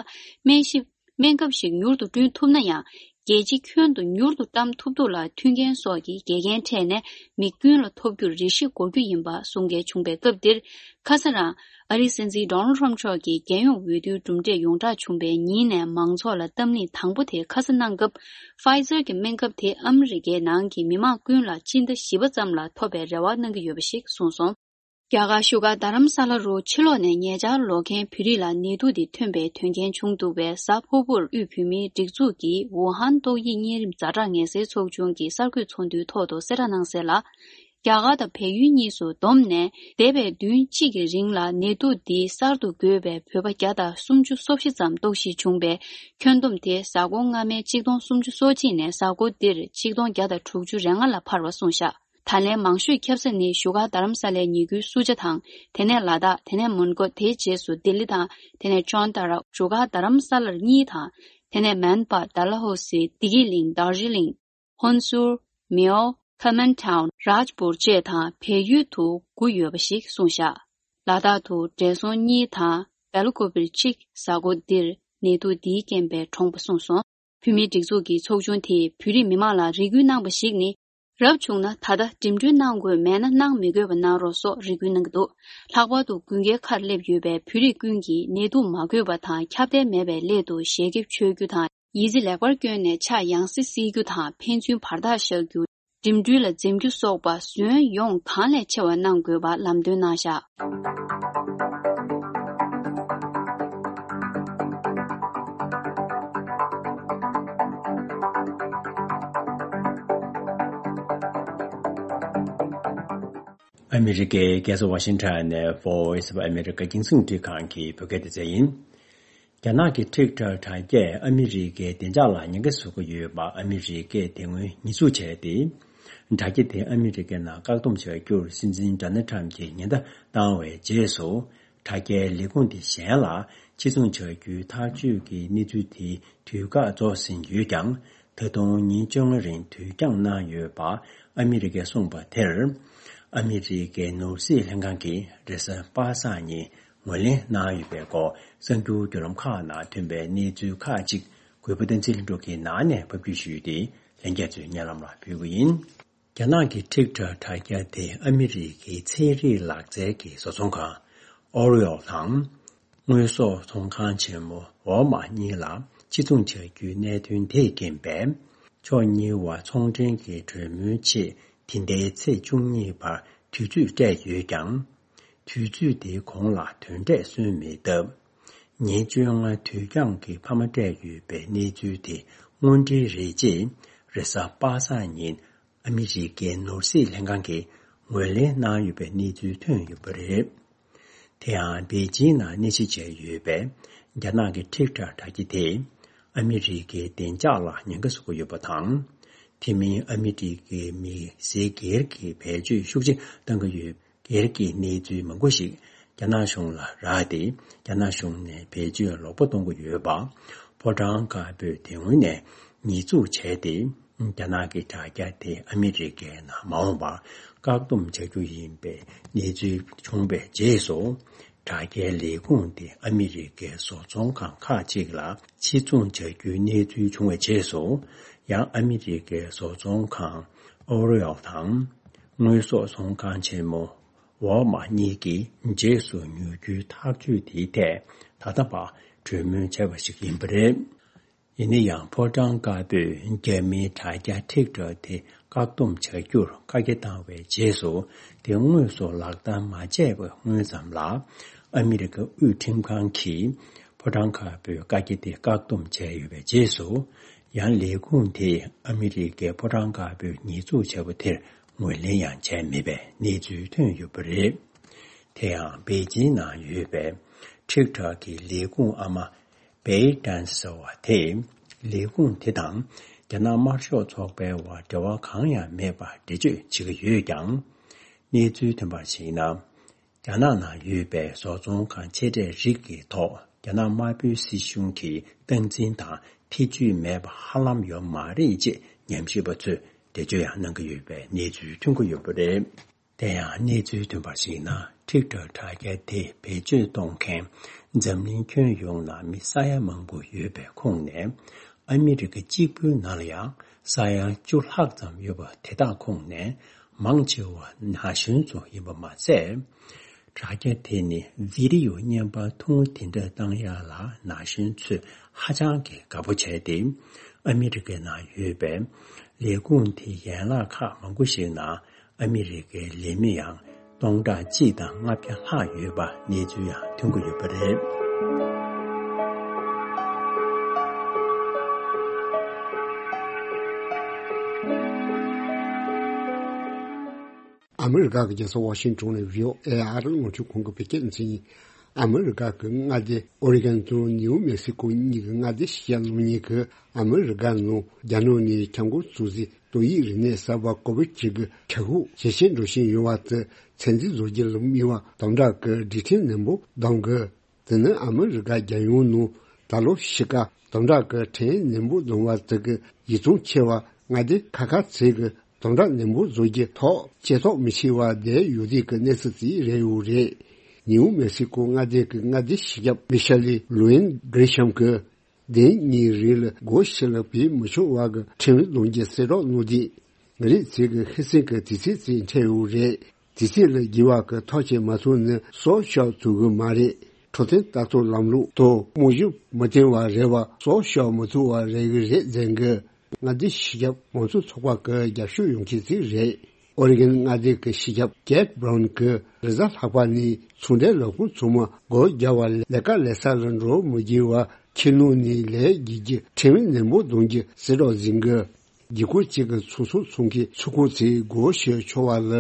སྨན་ཞིབ། སྨན་ཁབ་ཞིག་མྱུར་དུ་བསྐྲུན་ཐུབ་ན་ཡང་། རྒྱལ་སྤྱི་ཁྱོན་དུ་མྱུར་དུ་བཀྲམ་ཐུབ་ཐུབ་ལ་མཐུན་རྐྱེན་སོགས་ཀྱི་འགལ་རྐྱེན་འཕྲད་ནས་མི་ཀུན་ལ་ཐོབ་རྒྱུར་རེ་ཞིག་འགོར་རྒྱུ་ཡིན་པ་གསུང་མཁན་བྱུང་བའི་སྐབས་འདིར། ཁ་ས་རང་ཨ་རིའི་སྲིད་འཛིན་Donald Trump མཆོག་གིས་རྒྱལ་ཡོངས་འོས་བསྡུའི་གྲུབ་འབྲས་ཡོངས་བསྒྲགས་བྱུང་བའི་ཉིན་ནས་མང་ཚོགས་ལ་གཏམ་གླེང་དང་པོ་དེ་ཁ་ས་གནང་སྐབས། Pfizer གྱི་སྨན་ཁབ་དེ་ཨ་མི་རི་ཀའི་ནང་གི་མི་མང་ཀུན་ལ་སྤྱི་ཟླ་བཞི་པ་ཙམ་ལ་ཐོབ་པའི་རེ་བ་གནང་གི་ཡོད་པ་ཞིག་གསུངས་སོང་། རྒྱ་གར་བཞུགས་སྒར་རྡ་རམ་ས་ལ་རུ་ཕྱི་ལོགས་ནས་ཉེ་ཆར་ལོག་མཁན་བོད་རིགས་ལ་ནད་དུག་འདི་ཐོན་པའི་དོན་རྐྱེན་བྱུང་འདུག་པས། གཟའ་ཕུར་བུར་དབུས་བོད་མིའི་སྒྲིག་འཛུགས་ཀྱི་ཝུ་ཧན་ཏོག་དབྱིབས་གཉན་རིམས་ཛ་དྲག་ངལ་སེལ་ཚོགས་ཆུང་གི་གསར་འགོད་ཚོགས་འདུའི་ཐོག་ཏུ་གསལ་བསྒྲགས་གནང་གསལ་ལ། རྒྱ་གར་དང་བལ་ཡུལ་གཉིས་སུ་བསྡོམས་ནས་འདས་པའི་བདུན་གཅིག་གི་རིང་ལ་ནད་དུག་འདི་གསར་དུ་འགོས་པའི་བོད་པ་བརྒྱ་དང་སུམ་ཅུ་སོ་བཞི་ཙམ་རྟོག་ཞིབ་བྱུང་བས། ཁྱོན་བསྡོམས་དེ་གཟའ་འཁོར་སྔ་མའི་ཆིག་སྟོང་སུམ་ཅུ་སོ་གཅིག་ནས་གཟའ་འཁོར་འདིར་ཆིག་སྟོང་བརྒྱ་དང་དྲུག་ཅུ་རེ་ལྔ་ལ་འཕར་བ་གསུངས་བཞག་ད་ལན་མང་ཤོས་ཁྱབ་ས་ནི་བཞུགས་སྒར་རྡ་རམ་ས་ལའི་ཉེ་ཁུལ་སུ་ཇཱ་དང་། དེ་ནས་ལ་དྭགས། དེ་ནས་མོན་གྷོ། དེའི་རྗེས་སུ་ལྡི་ལི་དང་། དེ་ནས་ཅོན་ཏ་ར། བཞུགས་སྒར་རྡ་རམ་ས་ལར་གཉིས་དང་། དེ་ནས་མན་པ། ཌལ་ཧོ་སི། བདེ་སྐྱིད་གླིང་། དར་ཇི་ལིང་། ཧོན་སུར། མེའོ། ཁ་མན་ཊའུན། རཱཇ་པུར་བཅས་དང་བལ་ཡུལ་དུ་དགུ་ཡོད་པ་ཞིག་གསུངས་བཞག་ལ་དྭགས་དུ་བགྲེས་སོང་གཉིས་དང་བེལ་ཀོ་བིར་གཅིག་གཟའ་འཁོར་འདིར་ནད་དུག་འདིའི་རྐྱེན་པས་གྲོངས་པ་གསུངས་སོང་། བོད་མིའི་སྒྲིག་འཛུགས་ཀྱི་ཚོགས་ཆུང་དེས་བོད་རིགས་མི་མང་ལ་རེ་སྐུལ་གནང་བ་ཞིག་ནི། རབ་བྱུང་ན་ད་ལྟ་འགྲིམ་འགྲུལ་གནང་དགོས་མེད་ན་གནང་མི་དགོས་པ་གནང་རོགས་སོགས་རེ་སྐུལ་གནང་གི་འདུག་ལྷག་པར་དུ་དགུན་ཁའི་ཁར་སླེབས་ཡོད་པའི་བོད་རིགས་ཀུན་གྱིས་ནད་དུག་མ་འགོས་པ་དང་ཁྱབ་གདལ་མེད་པའི་སླད་དུ་ཞལ་ཁེབས་མཆོད་རྒྱུ་དང་། ཡི་ཙི་ལེགས་པར་བསྐྱོན་ནས་ཕྱག་ཡང་སེ་བསིལ་རྒྱུ་དང་ཕན་ཚུན་བར་ཐག་བཞག་རྒྱུ། འགྲིམ་འགྲུལ་ལ་འཛེམ་རྒྱུ་སོགས་པ་ཟོན་ཡོང་གང་ལས་ཆེ་བ་གནང་དགོས་པ་ལམ་སྟོན་གནང་བཞག་ཨ་མི་རི་ཀའི་རྒྱལ་ས་ཝ་ཤིང་ཊོན་ནས་Voice of America རྒྱང་སྲིང་འཕྲིན་ཁང་གི་བོད་སྐད་སྡེ་ཚན་ཡིན། རྒྱ་ནག་གི་ཊིག་ཊོག་དྲ་རྒྱས་ཨ་མི་རི་ཀའི་བདེ་འཇགས་ལ་ཉེན་ཁ་བཟོ་གི་ཡོད་པ་ཨ་མི་རི་ཀས་དེ་སྔོན་ཉེས་འཛུགས་བྱས་ཏེ། དྲ་རྒྱ་དེ་ཨ་མི་རི་ཀའི་ནང་བཀག་སྡོམ་བྱ་རྒྱུར་སྲིད་འཛིན་ཌོ་ནལ་ཊམ་གྱིས་ཉེན་བརྡ་བཏང་བའི་རྗེས་སུ། དྲ་རྒྱའི་ལས་ཁུངས་དེ་གཞན་ལ་ཕྱིར་ཚོང་བྱ་རྒྱུའི་ཐག་གཅོད་ཀྱི་གནས་ཚུལ་དེའི་དུས་བཀག་རྫོགས་ཟིན་ཡོད་ཀྱང་། ད་དུང་ཉིན་བཅོ་ལྔ་རིང་དུས་འགྱངས་གནང་ཡོད་པ་ཨ་མི་རི་ཀས་གསུངས་པ་དེར། ཨ་མི་རི་ཀའི་ནོར་སྲིད་ལྷན་ཁང་གིས་རེས་གཟའ་པ་སངས་ཉིན་ངོས་ལེན་གནང་ཡོད་པའི་སྐོར་གསར་འགྱུར་བརྒྱུད་ལམ་ཁག་ནང་ཐོན་པའི་གནས་ཚུལ་ཁག་ཅིག་གུས་པ་བསྟན་འཛིན་ལྷུན་གྲུབ་ཀྱིས་ནང་ནས་ཕབ་སྒྱུར་ཞུས་ཏེ་ལྷན་རྒྱས་ཚོའི་སྙན་ལམ་ལ་ཕུལ་གྱི་ཡིན། རྒྱ་ནག་གི་ཊིག་ཊོག་དྲ་རྒྱ་དེ་ཨ་མི་རི་ཀའི་ཚན་རིག་ལག་རྩལ་གྱི་བཟོ་ཚོང་ཁང་L'Oreal དང་། དངོས་ཟོག་ཚོང་ཁང་ཆེན་མོ་ཝོལ་མཱ་གཉིས་ལ་ཕྱིར་ཚོང་བྱ་རྒྱུའི་གནད་དོན་དེས་རྐྱེན་པས། ཕྱོགས་གཉིས་བར་ཚོང་འབྲེལ་གྱི་གྲོས་མོལ་ཆེད་འདི་ཟླའི་ཚེས་བཅུ་གཉིས་བར་དུས་ཚོད་སྤྲད་ཡོད་ཀྱང་། དུས་ཚོད་དེའི་གོང་ལ་དོན་འབྲས་སོན་མེད་སྟབས། ཉིན་བཅོ་ལྔ་དུས་འགྱངས་ཀྱི་འཕར་མ་སྤྲད་ཡོད་པའི་གནས་ཚུལ་དེ་དངོས་འབྲེལ་རེད་ཅེས་རེས་གཟའ་པ་སངས་ཉིན་ཨ་མི་རི་ཀའི་ནོར་སྲིད་ལྷན་ཁང་གིས་ངོས་ལེན་གནང་ཡོད་པའི་གནས་ཚུལ་ཐོན་ཡོད་པ་རེད། དེ་ཡང་པེ་ཅིང་ནང་གནས་གཞི་བྱས་ཡོད་པའི་རྒྱ་ནག་གི་ཊིག་ཊོག་དྲ་རྒྱ་དེ་ཨ་མི་རི་ཀའི་བདེ་འཇགས་ལ་ཉེན་ཁ་བཟོ་གི་ཡོད་པ་དང་། དེ་མིན་ཨ་མི་རི་ཀའི་མི་སེར་སྒེར་གྱི་བེད་སྤྱོད་ཤུགས་ཆེ་གཏང་གི་ཡོད། སྒེར་གྱི་གནས་ཚུལ་མང་པོ་ཞིག་རྒྱ་ནག་གཞུང་ལ་རག་སྟེ། རྒྱ་ནག་གཞུང་ནས་བེད་སྤྱོད་ལོག་པ་གཏོང་གི་ཡོད་པ། ཕོ་བྲང་དཀར་པོས་དེ་སྔོན་ནས་ཉེས་འཛུགས་བྱས་ཏེ། རྒྱ་ནག་གི་དྲ་རྒྱ་དེ་ཨ་མི་རི་ཀའི་ནང་མ་འོངས་པར་བཀག་སྡོམ་བྱ་རྒྱུ་ཡིན་པའི་གནས་ཚུལ་བྱུང་བའི་རྗེས་སུ། དྲ་རྒྱའི་ལས་ཁུངས་དེ་ཨ་མི་རི་ཀའི་བཟོ་ཚོང་ཁང་ཁག་ཅིག་ལ་ཕྱིར་ཚོང་བྱ་རྒྱུའི་གནས་ཚུལ་བྱུང་བའི་རྗེས་སུ། ཡང་ཨ་མི་རི་ཀའི་བཟོ་ཚོང་ཁང་L'Oreal དང་། དངོས་ཟོག་ཚོང་ཁང་ཆེན་མོ་ཝོལ་མཱ་གཉིས་ཀྱིས་རྗེས་སུ་ཉོ་རྒྱུའི་ཐག་གཅོད་དེའི་ཐད་ད་ལྟ་བར་གྲོས་མོལ་བྱས་པ་ཞིག་ཡིན་པ་རེད། ཡིན་ན་ཡང་ཕོ་བྲང་དཀར་པོས་རྒྱ་མིའི་དྲ་རྒྱ་ཊིག་ཊོག་དེ་བཀག་སྡོམ་བྱ་རྒྱུར་བཀའ་རྒྱ་བཏང་བའི་རྗེས་སུ། དེ་དངོས་སུ་ལག་བསྟར་མ་བྱས་པའི་སྔོན་ཙམ་ལ། ཨ་མི་རི་ཀ་དབུས་ཁྲིམས་ཁང་གིས་ཕོ་བྲང་དཀར་པོའི་བཀའ་རྒྱ་དེ་བཀག་སྡོམ་བྱས་ཡོད་པའི་རྗེས་སུ། ཡང་ལས་ཁུངས་དེས་ཨ་མི་རི་ཀའི་ཕོ་བྲང་དཀར་པོའི་ཉེས་འཛུགས་བྱས་པ་དེར་ངོས་ལེན་ཡང་བྱས་མེད་པའི་གནས་ཚུལ་ཐོན་ཡོད་པ་རེད། དེ་ཡང་པེ་ཅིན་ནང་ཡོད་པའི་ཊིག་ཊོག་གི་ལས་ཁུངས་ཨ་མ་བེ་ཏན་ཟེར་བ་དེས་ལས་ཁུངས་དེ་དང་ རྒྱ་ནག་དམར་ཤོག་ཚོགས་པའི་དབར་འབྲེལ་བ་གང་ཡང་མེད་པར་འགྲེལ་བརྗོད་བྱེད་ཀྱི་ཡོད་ཀྱང་། གནས་ཚུལ་ཐོན་པར་གཞིགས་ན། རྒྱ་ནག་ནང་ཡོད་པའི་བཟོ་ཚོང་ཁང་ཆེ་གྲས་རིགས་ཀྱི་ཐོག་རྒྱ་ནག་དམར་པོའི་སྲིད་གཞུང་གི་སྟངས་འཛིན་དང་ཐེ་ཇུས་མེད་པ་ཧ་ལམ་ཡོད་མ་རེད་ཅེས་ཉམས་ཞིབ་པ་ཚོས་འགྲེལ་བརྗོད་ཡང་གནང་གི་ཡོད་པའི་གནས་ཚུལ་ཐོན་གྱི་ཡོད་པ་རེད། དེ་ཡང་གནས་ཚུལ་ཐོན་པར་གཞིགས་ན། ཊིག་ཊོག་དྲ་རྒྱ་དེ་བེད་སྤྱོད་གཏོང་མཁན་འཛམ་གླིང་ཁྱོན་ཡོངས་ནང་མི་ས་ཡ་མང་པོ་ཡོད་པའི་ཁོངས་ནས། ཨ་མི་རི་ཀ་གཅིག་པུའི་ནང་ལ་ཡང་ས་ཡ་བཅུ་ལྷག་ཙམ་ཡོད་པ་དེ་དག་ཁོངས་ནས་མང་ཆེ་བ་ན་གཞོན་ཚོ་ཡིན་པ་མ་ཟད། དྲ་རྒྱ་དེ་ནི་བི་ཌི་ཡོ་བརྙན་པར་ཐུང་ངུ་དེ་འདྲ་བཏང་ཡག་ལ་ན་གཞོན་ཚོས་ཧ་ཅང་གི་དགའ་པོ་བྱས་ཏེ། ཨ་མི་རི་ཀའི་ནང་ཡོད་པའི་ལས་ཁུངས་དེའི་ཡན་ལག་ཁག་མང་པོ་ཞིག་ནང་ཨ་མི་རི་ཀའི་ལས་མི་ཡང་སྟོང་ཕྲག་གཅིག་དང་ལྔ་བརྒྱ་ལྷག་ཡོད་པ་གནས་ཚུལ་ཡང་ཐོན་གྱི་ཡོད་པ་རེད། ཨ་མི་རི་ཀ་གི་རྒྱལ་ས་ཝ་ཤིང་ཊོན་ནས་བྷི་ཨོ་ཨེ་ཨ་རི་རླུང་འཕྲིན་ཁང་གི་བོད་སྐད་སྡེ་ཚན་ཡིན། ཨ་མི་རི་ཀ་གི་མངའ་སྡེ་ཨོ་རི་གན་དང་ནིའུ་མེག་སི་ཀོ་གཉིས་ཀྱི་མངའ་སྡེ་སྤྱི་ཁྱབ་རྣམ་གཉིས་ཀྱིས་ཨ་མི་རི་ཀ་ནང་རྒྱ་ནག་ནས་འཆར་འགོད་བཟོ་རྩིས་ཏོག་དབྱིབས་རིམས་ནད་གསར་པ་ཀོ་བིཌ་བཅུ་དགུ་ཁྱབ་ཤུགས་ཇེ་ཆེར་འགྲོ་བཞིན་ཡོད་པ་དེ་ཚོད་འཛིན་བཟོ་རྒྱུ་ལ་དམིགས་པ་དམ་དྲག་གི་སྒྲིག་ཁྲིམས་ནན་པོ་གདམ་དགོས། དེ་ནི་ཨ་མི་རི་ཀ་རྒྱལ་ཡོངས་ནང་ད་ལོ་ཕྱི་ཀ་དམ་དྲག་གི་ཁྲིམས་ནན་པོ་བསྡོམས་པ་དེ་གི་ཡིད་ཚིམ་ཆེ་བ་མངའ་སྡེ་ཁག་ཁག་ཚིག་གི་དམ་དྲག་ནན་པོ་བཟོ་རྒྱུ་ཐོག་ལྕེ་ཐོག་མི་ཆེ་བ་བསྡད་ཡོད་དུས་ཀྱི་གནས་ཚུལ་ཞིག་རེད་ཡོད་རེད། ནིའུ་མེག་སི་ཀོ་མངའ་སྡེ་གི་མངའ་སྡེ་སྤྱི་ཁྱབ་མི་ཤ་ལི་ལུ་ཨེན་གྷི་རི་ཤམ་གྱིས་བདུན་གཉིས་རིང་ལ་སྒོ་ཕྱི་ལ་བུད་མི་ཆོག་པ་གི་ཁྲིམས་བསྡོམས་རྒྱུ་གསལ་བསྒྲགས་གནང་དུས། ང་རང་ཚོའི་ཧིན་སངས་ཀྱི་དུས་ཚོད་ཅིག་འཕྲད་ཡོད་རེད། དུས་ཚོད་ལ་འགྱུར་བ་གི་ཐག་གཅོད་མ་ཐུབ་ན་སྲོག་སྐྱོབ་ཐུབ་ཀྱི་མ་རེད། འཕྲོད་བསྟེན་ལྟ་རྟོག་ལམ་ལུགས་ཐོག་རྨང་གཞི་མ་བཏིང་བ་རེད་པ་སྲོག་སྐྱོབ་མ་ཐུབ་པ་རེད་ཀྱི་རེད་ཟེར་གི། མངའ་སྡེ་སྤྱི་ཁྱབ་མང་གཙོ་ཚོགས་པ་གི་རྒྱབ་སྐྱོར་ཡོང་མཁན་ཞིག་རེད། ཨོ་རི་གན་མངའ་སྡེ་གི་སྤྱི་ཁྱབ་ཀེད་བྷ་རོན་གྱིས་རེས་གཟའ་ལྷག་པ་ནས་ཚོང་འབྲེལ་ལས་ཁུངས་ཚང་མ་སྒོ་རྒྱག་པ་ལས་ཀ་ལས་ས་ལ་འགྲོ་མི་དགོས་པ་ཁྱིམ་ནང་ནས་ལས་བགྱིད་རྒྱུ་ཁྲིམས་ནན་པོ་གདམ་རྒྱུ་གསལ་བསྒྲགས་ཟིན་གི། རྒྱལ་ཁབ་གཅིག་གི་ཚོང་ཟོག་ཚོང་མཁན་ཚོགས་ཁང་ཚོས་སྒོ་ཕྱེ་ཆོག་པ་ལ་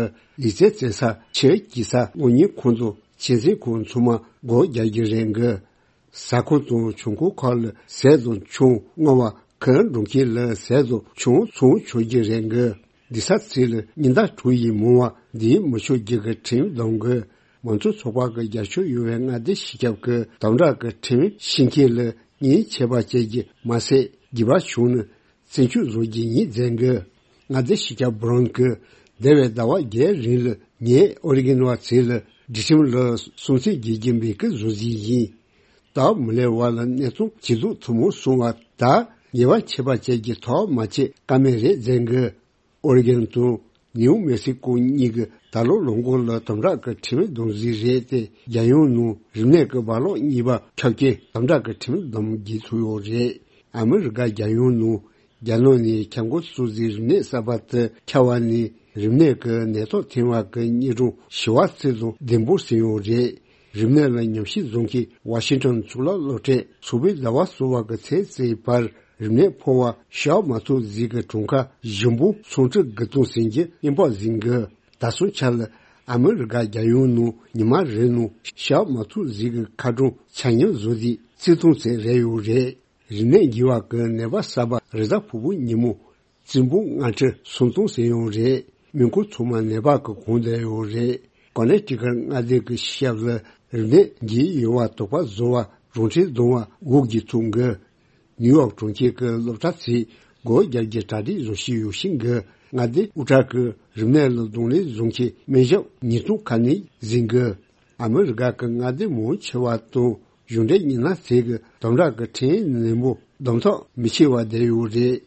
ལུས་རྩལ་རྩེད་ས་ཆེད་སྐྱེད་ས་གློག་བརྙན་ཁང་དང་ཆེད་ཚན་ཁང་ཚང་མ་སྒོ་རྒྱག་རྒྱུ་རེད་གི། ཟ་ཁང་དང་ཆང་ཁང་ཁག་ལ་ཟས་དང་ཆང་མངགས་པ་གི་འགྲོ་མཁན་ལ་ཟས་དང་ཆང་ཚོང་ཆོག་རྒྱུ་རེད་གི། སྡོད་ས་ཚོ་ལ་ཉིན་ལྟར་དྲུག་ཡི་མང་བ་སྡོད་མི་ཆོག་རྒྱུ་གི་ཁྲིམས་གདམ་གི། མང་གཙོ་ཚོགས་པ་གི་རྒྱབ་སྐྱོར་ཡོད་པའི་མངའ་སྡེ་སྤྱི་ཁྱབ་ཀྱིས་དམ་དྲག་གི་ཁྲིམས་ཕྱིན་མཁན་ལ་ཉེས་ཆད་པ་བཅད་རྒྱུ་མ་ཟད་འགྱུར་བ་བྱུང་ན་བཙོན་འཇུག་བཟོ་རྒྱུ་ཡིན་ཟེར་གི། མངའ་སྡེ་སྤྱི་ཁྱབ་བྷ་རོན་གྱིས་འདས་པའི་ཟླ་བ་བརྒྱད་རིང་ལ་ངས་ཨོ་རི་གན་བ་ཚོ་ལ་སྒྲིག་ཁྲིམས་ལ་སྲུང་བརྩི་བྱེད་རྒྱུ་མེད་ཀི་བཟོ་རྩིས་ཡིན། སྟབས་མི་ལེགས་པ་ལ་གནས་ཚང་ཇེ་སྡུག་ཐུབ་མོ་སོང་བ་དང་ཉེས་པ་ཆད་པ་བཅད་རྒྱུ་ཐག་མ་ཆོད་ཀ་མེད་རེད་ཟེར་གི། ཨོ་རི་གན་དང་ནིའུ་མེག་སི་ཀོ་གཉིས་ཀྱིས་ད་ལོ་ལོ་འགོ་ལ་དམ་དྲག་གི་ཁྲིམས་བསྡོམས་རྩིས་རེད་དེ་རྒྱལ་ཡོངས་ནང་རིམས་ནད་ཀྱི་རྦ་ཀློག་གཉིས་པ་ཁྱབ་རྐྱེན་དམ་དྲག་གི་ཁྲིམས་བསྡོམས་བྱེད་ཐུབ་ཡོད་རེད། ཨ་མི་རི་ཀ་རྒྱལ་ཡོངས་ནང་རྒྱ་ནག་ནས་ཁྱབ་འགོ་བཙུགས་རྗེས་རིམས་ནད་གསར་པ་དེ་ཁྱབ་པ་ནས་རིམས་ནད་ཀྱི་ནད་ཐོག་ཐོན་པ་གི་དངོས་གྲངས་ཞི་བ་ཚོ་དང་ལྡན་པོ་ཟིན་ཡོད་རེད། རིམས་ནད་ལ་ཉམས་ཞིབ་བཟོ་མཁན་ཝ་ཤིང་ཊོན་གཙུག་ལག་སློབ་གྲྭས་ཚོགས་པའི་ཟླ་བ་གསུམ་པ་གི་ཚེས་གཅིག་བར་རིམས་ནད་ཕོག་པ་གཤགས་མ་ཐུབ་ཟིག་གི་གྲངས་ཀ་ཞིམ་པོ་སུམ་ཁྲི་དགུ་སྟོང་ཟིན་གྱི་སྙན་པོ་ཟིན་གི། ད་སོང་ཆ་ལ་ཨ་མི་རི་ཀ་རྒྱལ་ཡོངས་ནང་ཉི་མ་རེ་ནང་གཤགས་མ་ཐུབ་ཟིག་གི་ཁ་གྲངས་ཆ་སྙོམས་བཟོ་རྩིས་རྩིས་སྟོང་ཚད་རེད་ཡོད་རེད། རིམས་ནད་འགོས་པ་གི་ནད་པ་གསར་པ་རེས་གཟའ་ཕུར་བུ་ཉིན་མོ་བཙུན་པོ་ལྔ་ཁྲི་སུམ་སྟོང་ཟིན་ཡོད་རེད། མི་ཁོ་ཚང་མ་ནད་པ་གི་གོང་དུ་ཡོད་རེད། ཀོ་ནེ་ཊི་ཀཊ་མངའ་སྡེ་གི་ཤར་ལ་རིམས་ནད་འགོས་ཡོད་པ་དོགས་པ་བཟོ་བ་རང་འཁྲིའི་སྡོམ་པ་འགོག་རྒྱུ་ཐུག་གི། ནིའུ་ཡོག་གྲོང་ཁྱེར་གྱི་སློབ་གྲྭ་ཚོས་སྒོ་རྒྱག་རྒྱུ་གྲ་སྒྲིག་བཟོ་བཞིན་ཡོད་ཤིང་གི། མངའ་སྡེ་དབུ་གྲལ་གྱི་རིམས་ནད་ལ་གདོང་ལེན་བཟོ་མཁན་སྨན་ཞབས་ཉིས་སྟོང་ཁ་ནས་ཟིན་གི། ཨ་མི་རི་ཀ་གི་མངའ་སྡེ་མང་ཆེ་བ་དང་གཞུང་འབྲེལ་མི་སྣ་ཚོས་ཀྱི་དམ་དྲག་གི་ཁྲིམས་ནན་པོ་གདམ་ཐབས་མི་ཆེ་བ་བསྡད་ཡོད་རེད།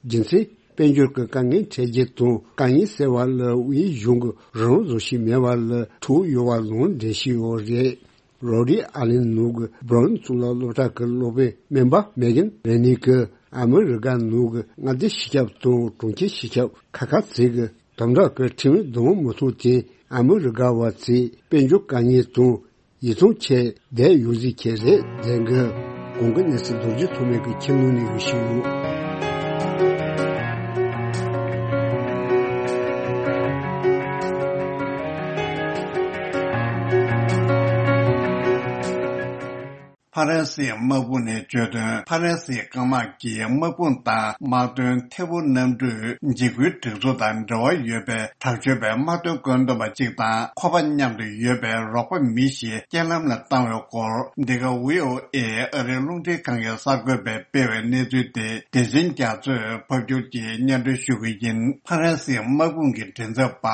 རྒྱུ་མཚན། དཔལ་འབྱོར་གྱི་དཀའ་ངལ་འཕྲད་རྒྱུ་དང་དཀའ་ངལ་སེལ་བ་ལ་དབུས་གཞུང་གི་རང་བཟོ་ཞིག་མེད་པ་ལ་ཐུག་ཡོད་པ་ལུང་འདྲེན་བྱས་ཡོད་རེད། རོ་ཌི་ཨ་ལན་ནུབ་ཀྱི་བྷ་རོན་གཙུག་ལག་སློབ་གྲྭ་གི་སློབ་དཔོན་སྨན་པ་མེ་གན་རེ་ནི་ཀི་ཨ་མི་རི་ཀ་ནུབ་ཀྱི་མངའ་སྡེ་སྤྱི་ཁྱབ་དང་གྲོང་ཁྱེར་སྤྱི་ཁྱབ་ཁག་ཁག་ཚོས་ཀྱི་དམ་དྲག་གི་ཁྲིམས་འདོན་མུ་མཐུད་དེ་ཨ་མི་རི་ཀ་བ་ཚོས་དཔལ་འབྱོར་དཀའ་ངལ་དང་ཡིད་ཚིམ་ཆེད་བསྡད་ཡོད་ཟིག་ཁྱེད་རེད་ལྡན་གི། གོང་གི་གནས་ཚུལ་རྡོ་རྗེ་ཐོགས་མེད་ཀྱི་ཁྱིམ་ནང་ནས་ཞུ་ཞུ། ཕ་རན་སིའི་དམག་དཔུང་ནས་བརྗོད་དོན། ཕ་རན་སིའི་རྐང་དམག་གིས་དམག་དཔུང་དང་དམག་དོན་ཐད་འཕུར་གནམ་གྲུའི་འཇིགས་སྐུལ་སྒྲིག་འཛུགས་དང་འབྲེལ་བ་ཡོད་པའི་དྲག་སྤྱོད་པའི་དམག་དོན་བཀོད་འདོམས་པ་གཅིག་དང་ཁོ་པ་མཉམ་དུ་ཡོད་པའི་རོགས་པ་མི་ཞིག་རྐྱེན་ལམ་ལ་བཏང་བའི་སྐོར། འདི་ག་ཝི་ཨོ་ཨེ་ཨ་རིའི་རླུང་འཕྲིན་ཁང་གི་གསར་འགོད་པས་སྤེལ་བའི་གནས་ཚུལ་དེ་བདེ་ཆེན་རྒྱ་མཚོས་ཕབ་སྒྱུར་གྱིས་སྙན་སྒྲོན་ཞུ་གི་ཡིན། ཕ་རན་སིའི་དམག་དཔུང་གི་མགྲིན་ཚབ་པ་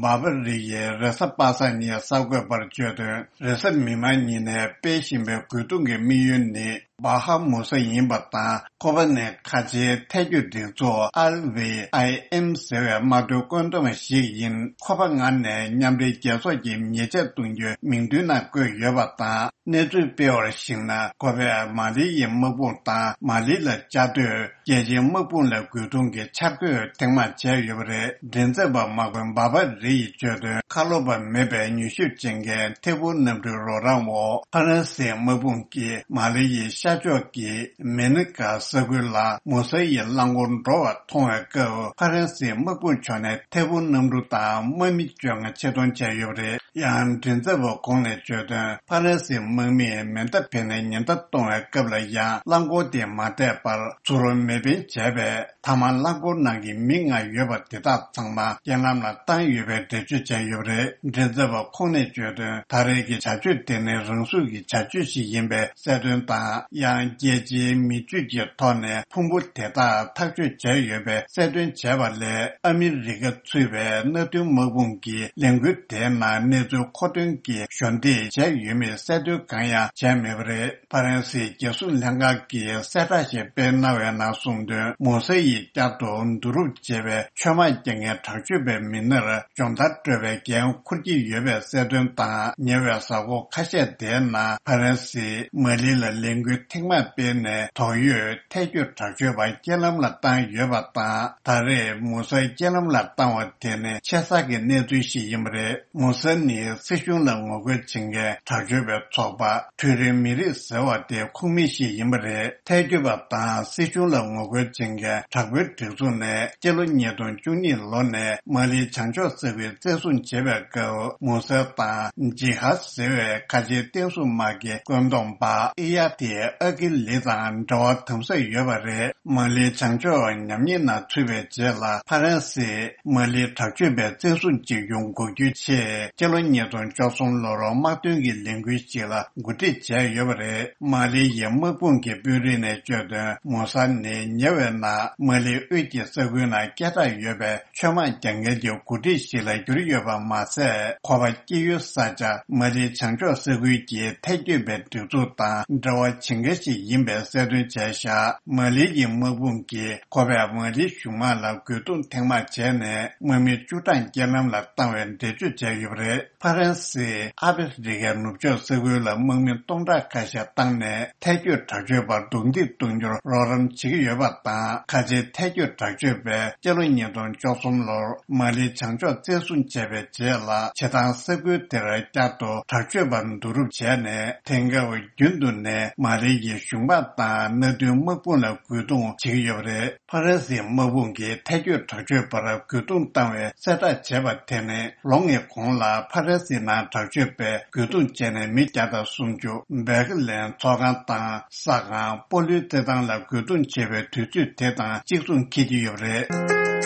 འབར་བ་རི་ཡི་རེ་ས་པ་ས་ནིའི་གསར་འགོད་པར་བརྗོད་དོན། རེས་གཟའ་མིག་དམར་ཉིན་ནས་སྤེལ་བཞིན་པའི་རྒོལ་རྡུང་གི་དམིགས་ཡུལ་ནི་བྷ་ཧ་མུ་ས་ཡིན་པ་དང་། ཁོ་པ་ནི་ཁ་ཆེའི་ཐལ་སྐྱོད་སྒྲིག་འཛུགས་ཨལ་ཝི་ཨའི་ཨེམ་ཟེར་བའི་དམག་དོན་བཀོད་འདོམས་ཤིག་ཡིན། ཁོ་པ་ང་ནས་མཉམ་འབྲེལ་རྒྱལ་ཚོགས་ཀྱི་ཉེས་ཆད་གཏོང་རྒྱུའི་མིང་ཐོའི་ནང་བཀོད་ཡོད་པ་དང་། གནས་ཚུལ་སྤེལ་བར་གཞིགས་ན། ཁོ་པས་མ་ལི་ཡི་དམག་དཔུང་དང་མ་ལི་ལ་བཅའ་སྡོད། རྒྱལ་སྤྱིའི་དམག་དཔུང་ལ་རྒོལ་རྡུང་གི་འཆར་འགོད་ཐེངས་མང་བྱས་ཡོད་པ་རེད། མགྲིན་ཚབ་པ་དམག་དཔོན་འབར་བ་རི་ཡིས་བརྗོད་དོན། ཁ་ལོ་པ་མེད་པའི་མྱུལ་ཞིབ་བྱེད་མཁན་ཐད་འཕུར་གནམ་གྲུའི་རོགས་རམ་འོག་ཕ་རན་སིའི་དམག་དཔུང་གིས་མ་ལི་ཡི་ཤར་ཕྱོགས་ཀྱི་མེ་ནི་ཀ་ས་ཁུལ་ལ་མུ་ས་ཡི་རླངས་འཁོར་འགྲོ་བ་མཐོང་བའི་སྐབས། ཕ་རན་སིའི་དམག་དཔུང་ཕྱོགས་ནས་ཐད་འཕུར་གནམ་གྲུ་དང་དམག་མི་བཅོ་ལྔ་ཆེད་གཏོང་བྱས་ཡོད་པ་རེད། ཡང་མགྲིན་ཚབ་པ་ཁོང་ནས་བརྗོད་དོན། ཕ་རན་སིའི་དམག་མིས་མེ་མདའ་འཕེན་ནས་ཉེན་བརྡ་གཏོང་བའི་སྐབས་ལ་ཡང་རླངས་འཁོར་དེ་མ་བསྡད་པར་ཚུར་མེ་འཕེན་བྱས་པས། མཐའ་མ་རླངས་འཁོར་ནང་གི་མི་ལྔ་ཡོད་པ་དེ་དག་ཚང་མ་རྐྱེན་ལམ་ལ་བཏང་ཡོད་པའི་འགྲེལ་བརྗོད་བྱས་ཡོད་པ་རེད། མགྲིན་ཚབ་པ་ཁོང་ནས་བརྗོད་དོན། ད་རེས་ཀྱི་བྱ་སྤྱོད་དེ་ནི་རང་སྲུང་གི་བྱ་སྤྱོད་ཞིག་ཡིན་པའི་གསལ་སྟོན་དང་། ཡང་རྒྱལ་སྤྱིའི་མི་སྤྱོད་ཀྱི་ཐོག་ནས་ཕུང་པོ་དེ་དག་ཐག་གཅོད་བྱས་ཡོད་པའི་གསལ་སྟོན་བྱས་པ་ལས། ཨ་མི་རི་ཀ་ཚུད་པའི་མནའ་མཐུན་དམག་དཔུང་གིས་ལས་འགུལ་དེའི་ནང་གནས་ཚུལ་མཁོ་འདོན་གྱིས་གཞོགས་འདེགས་བྱས་ཡོད་མེད་གསལ་སྟོན་གང་ཡང་བྱས་མེད་པ་རེད། ཕ་རན་སིའི་རྒྱལ་སྲུང་ལྷན་ཁང་གིས་གསལ་བསྒྲགས་ཤིག་སྤེལ་གནང་བའི་ནང་གསུངས་དོན། མུ་ས་ཡི་བསྐྱར་དུ་བསྡུ་རུབ་བྱས་པའི་ཆོས་དམག་རྒྱག་མཁན་དྲག་སྤྱོད་པའི་མི་སྣར་སྦྱོང་བརྡར་སྤྲོད་པའི་འགན་འཁུར་གྱི་ཡོད་པའི་གསལ་སྟོན་དང་། ཉེ་བའི་གཟའ་འཁོར་ཁ་ཤས་དེའི་ནང་ཕ་རན་སིས་མ་ལི་ལ་ལས་འགུལ་ཐེངས་མང་སྤེལ་ནས། དོགས་ཡོད་ཐལ་སྐྱོད་དྲག་སྤྱོད་པ་རྐྱེན་ལམ་ལ་བཏང་ཡོད་པ་དང་། ད་རེས་མུ་སར་རྐྱེན་ལམ་ལ་བཏང་བ་དེ་ནི་ཆེ་ས་གི་གནས་ཚུལ་ཞིག་ཡིན་པ་རེད། མུ་སར་ནི་སྲིད་གཞུང་ལ་ངོ་རྒོལ་བྱེད་མཁན་དྲག་སྤྱོད་པའི་ཚོགས་པ་འཕྲུལ་རིག་མི་རིགས་ཟེར་བ་དེའི་ཁོངས་མི་ཞིག་ཡིན་པ་རེད། ཐལ་སྐྱོད་པ་དང་སྲིད་གཞུང་ལ་ངོ་རྒོལ་བྱེད་མཁན་དྲག་པོའི་སྒྲིག་འཛུགས་ནས་སྤྱི་ལོ་ཉིས་སྟོང་བཅུ་གཉིས་ལོ་ནས་མ་ལིའི་བྱང་ཕྱོགས་ས་ཁུལ་བཙན་བཟུང་བྱེད་པའི་སྐབས། མུ་སར་དང་ཇི་ཧ་ཟེར་བའི་ཁ་ཆེའི་བསྟན་སྲུང་དམག་གི་བཀོད་འདོམས་པ་ཨི་ཡ་ཏི་ཨ་ཀི་ལི་དང་འབྲེལ་བ་དམ་ཟབ་ཡོད་པ་རེད། མ་ལིའི་བྱང་ཕྱོགས་ཉམས་ཉེས་ནང་ཚུད་པའི་རྗེས་ལ། ཕ་རན་སིས་མ་ལིའི་དྲག་སྤྱོད་པའི་བཙན་བཟུང་བྱེད་རྒྱུ་འགོག་རྒྱུའི་ཆེད། སྤྱི་ལོ་ཉིས་སྟོང་བཅུ་གསུམ་ལོར་དམག་དོན་གྱི་ལས་འགུལ་ཞིག་ལ་གོ་སྒྲིག་བྱས་ཡོད་པ་རེད། མ་ལི་ཡི་དམག་དཔུང་གི་དཔོན་རིགས་ནས་བརྗོད་དོན། མུ་སར་ནི་ཉེ་བའི་ནང་མ་ལིའི་དབུས་ཀྱི་ས་ཁུལ་ནང་སྐད་གྲགས་ཡོད་པའི་ཆོས་དམག་རྒྱག་མཁན་གྱི་འགོ་ཁྲིད་ཞིག་ལ་གྱུར་ཡོད་པ་མ་ཟད། ཁོ་པ་སྐྱེས་ཡུལ་ས་ཆ་མ་ལིའི་བྱང་ཕྱོགས་ས་ཁུལ་གྱི་ཐལ་སྐྱོད་པའི་སྒྲིག་འཛུགས་དང་འབྲེལ་བ་བྱེད་མཁན་ཞིག་ཡིན་པའི་གསལ་སྟོན་བྱས་བཞག་མ་ལི་ཡི་དམག་དཔུང་གིས་ཁོ་པས་མ་ལིའི་གཞུང་དམག་ལ་རྒོལ་རྡུང་ཐེངས་མང་བྱས་ནས། དམག་མི་བཅུ་གྲངས་རྐྱེན་ལམ་ལ་བཏང་བའི་འགྲེལ་བརྗོད་བྱས་ཡོད་པ་རེད། ཕ་རན་སིས་ཨ་ཕི་རི་ཀའི་ནུབ་ཕྱོགས་ས་ཁུལ་ལ་དམག་མི་སྟོང་ཕྲག་ཁ་ཤས་བཏང་ནས། ཐལ་སྐྱོད་དྲག་སྤྱོད་པར་རྡུང་རྡེག་གཏོང་རྒྱུར་རོགས་རམ་བྱེད་ཀྱི་ཡོད་པ་དང་། ཁ་ཆེའི་ཐལ་སྐྱོད་དྲག་སྤྱོད་པས་སྤྱི་ལོ་ཉིས་སྟོང་བཅུ་གསུམ་ལོར་མ་ལིའི་བྱང་ཕྱོགས་བཙན་བཟུང་བྱས་པའི་རྗེས་ལ། བྱེ་ཐང་ས་ཁུལ་དེར་བསྐྱར་དུ་དྲག་སྤྱོད་པར་བསྡུ་རུབ་བྱས་ནས། དེང་སྐབས་རྒྱུན་དུ་ནས་མ་ལི་ཡི་གཞུང་དམག་དང་མནའ་མཐུན་དམག་དཔུང་ལ་རྒོལ་རྡུང་བྱེད་ཀྱི་ཡོད་པ་རེད། ཕ་རན་སིའི་དམག་དཔུང་གིས་ཐལ་སྐྱོད་དྲག་སྤྱོད་པར་རྒོལ་རྡུང་བཏང་བའི་གསལ་བསྒྲགས་བྱས་པ་དེ་ནི། ལོ་ལྔའི་གོང་ལ་ཕ་རན་སིའི་ནང་དྲག་སྤྱོད་པས་རྒོལ་རྡུང་བྱས་ནས་མི་བརྒྱ་དང་སུམ་ཅུ། བེར་ཀེ་ལིན་ཚོགས་ཁང་དང་ས་ཁང་། སྤོ་ལོའི་རྩེད་ཐང་ལ་རྒོལ་རྡུང་བྱས་པའི་དུས་ཚོད་དེ་དང་གཅིག་མཚུངས་འཁེལ་གྱི་ཡོད་པ་རེད།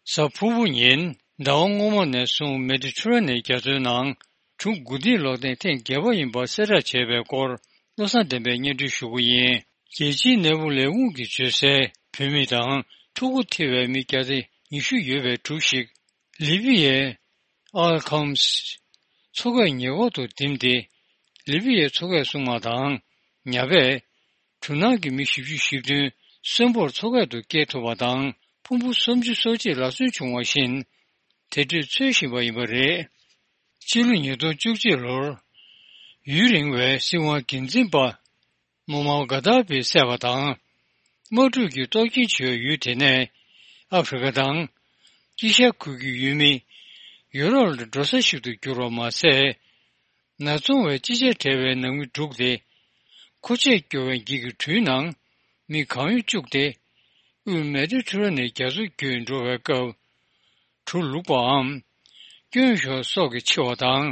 གཟའ་ཕུར་བུ་ཉིན་ཟླ་བ་སྔོན་མ་ནས་བཟུང་མེ་ཌི་ཊེ་རེ་ནི་རྒྱ་མཚོའི་ནང་གྲུ་དགུ་ཐིག་སློག་ཐེངས་ཐེངས་བརྒྱད་པ་ཡིན་པ་གསལ་བསྒྲགས་བྱས་པའི་སྐོར། བློ་བཟང་བསྟན་པས་སྙན་སྒྲོན་ཞུ་གི་ཡིན། རྒྱལ་སྤྱིའི་ནད་འབུ་ལས་ཁུངས་ཀྱིས་བརྗོད་གསལ། བུད་མེད་དང་ཕྲུ་གུ་ཐེ་བའི་མི་བརྒྱ་དང་ཉི་ཤུ་ཡོད་པའི་གྲུ་ཞིག་ལི་བི་ཡའི་ཨལ་ཁམས་མཚོ་ཁའི་ཉེ་འཁོར་དུ་ལྡིམ་སྟེ། ལི་བི་ཡའི་མཚོ་ཁའི་སྲུང་དམག་དང་ཉ་པས་གྲུ་ནང་གི་མི་བཞི་བཅུ་ཞེ་བདུན་གསོན་པོར་མཚོ་ཁ་དུ་སྐྱེལ་ཐུབ་པ་དང་། ཕུང་པོ་སུམ་ཅུ་སོ་གཅིག་ལག་སོན་བྱུང་བ་བཞིན། དེ་འཕྲོས་འཚོལ་བཞིན་པ་ཡིན་པ་རེད། ཕྱི་ལོ་ཉིས་སྟོང་བཅུ་གཅིག་ལོར། ཡུན་རིང་བའི་སྲིད་དབང་སྒེར་འཛིན་པ། མོ་མའོ་གྷ་དྷ་པིས་བསད་པ་དང་། དམག་འཁྲུག་གི་གཏོར་སྐྱོན་བྱས་པའི་ཡུལ་དེ་ནས། ཨ་ཧྥེ་རི་ཁ་དང་། དཀྱིལ་ཤར་ཁུལ་གྱི་ཡུལ་མི། ཡུ་རོབ་ལ་འགྲོ་ས་ཞིག་ཏུ་གྱུར་བ་མ་ཟད། ནག་ཚོང་བས་ཅི་བྱས་བྲལ་བའི་ནང་མི་དྲུག་སྟེ། མཁོ་ཆས་སྐྱོར་བའི་འགྱིག་གི་གྲུའི་ནང་མི་གང་ཡོད་བཅུག་སྟེ། མེ་ཌི་ཊེ་རེ་ནི་རྒྱ་མཚོ་བརྒྱུད་འགྲོ་བའི་སྐབས། གྲུ་ལུག་པའམ། སྐྱོན་ཤོར་སོགས་ཀྱིས་འཆི་བ་དང་།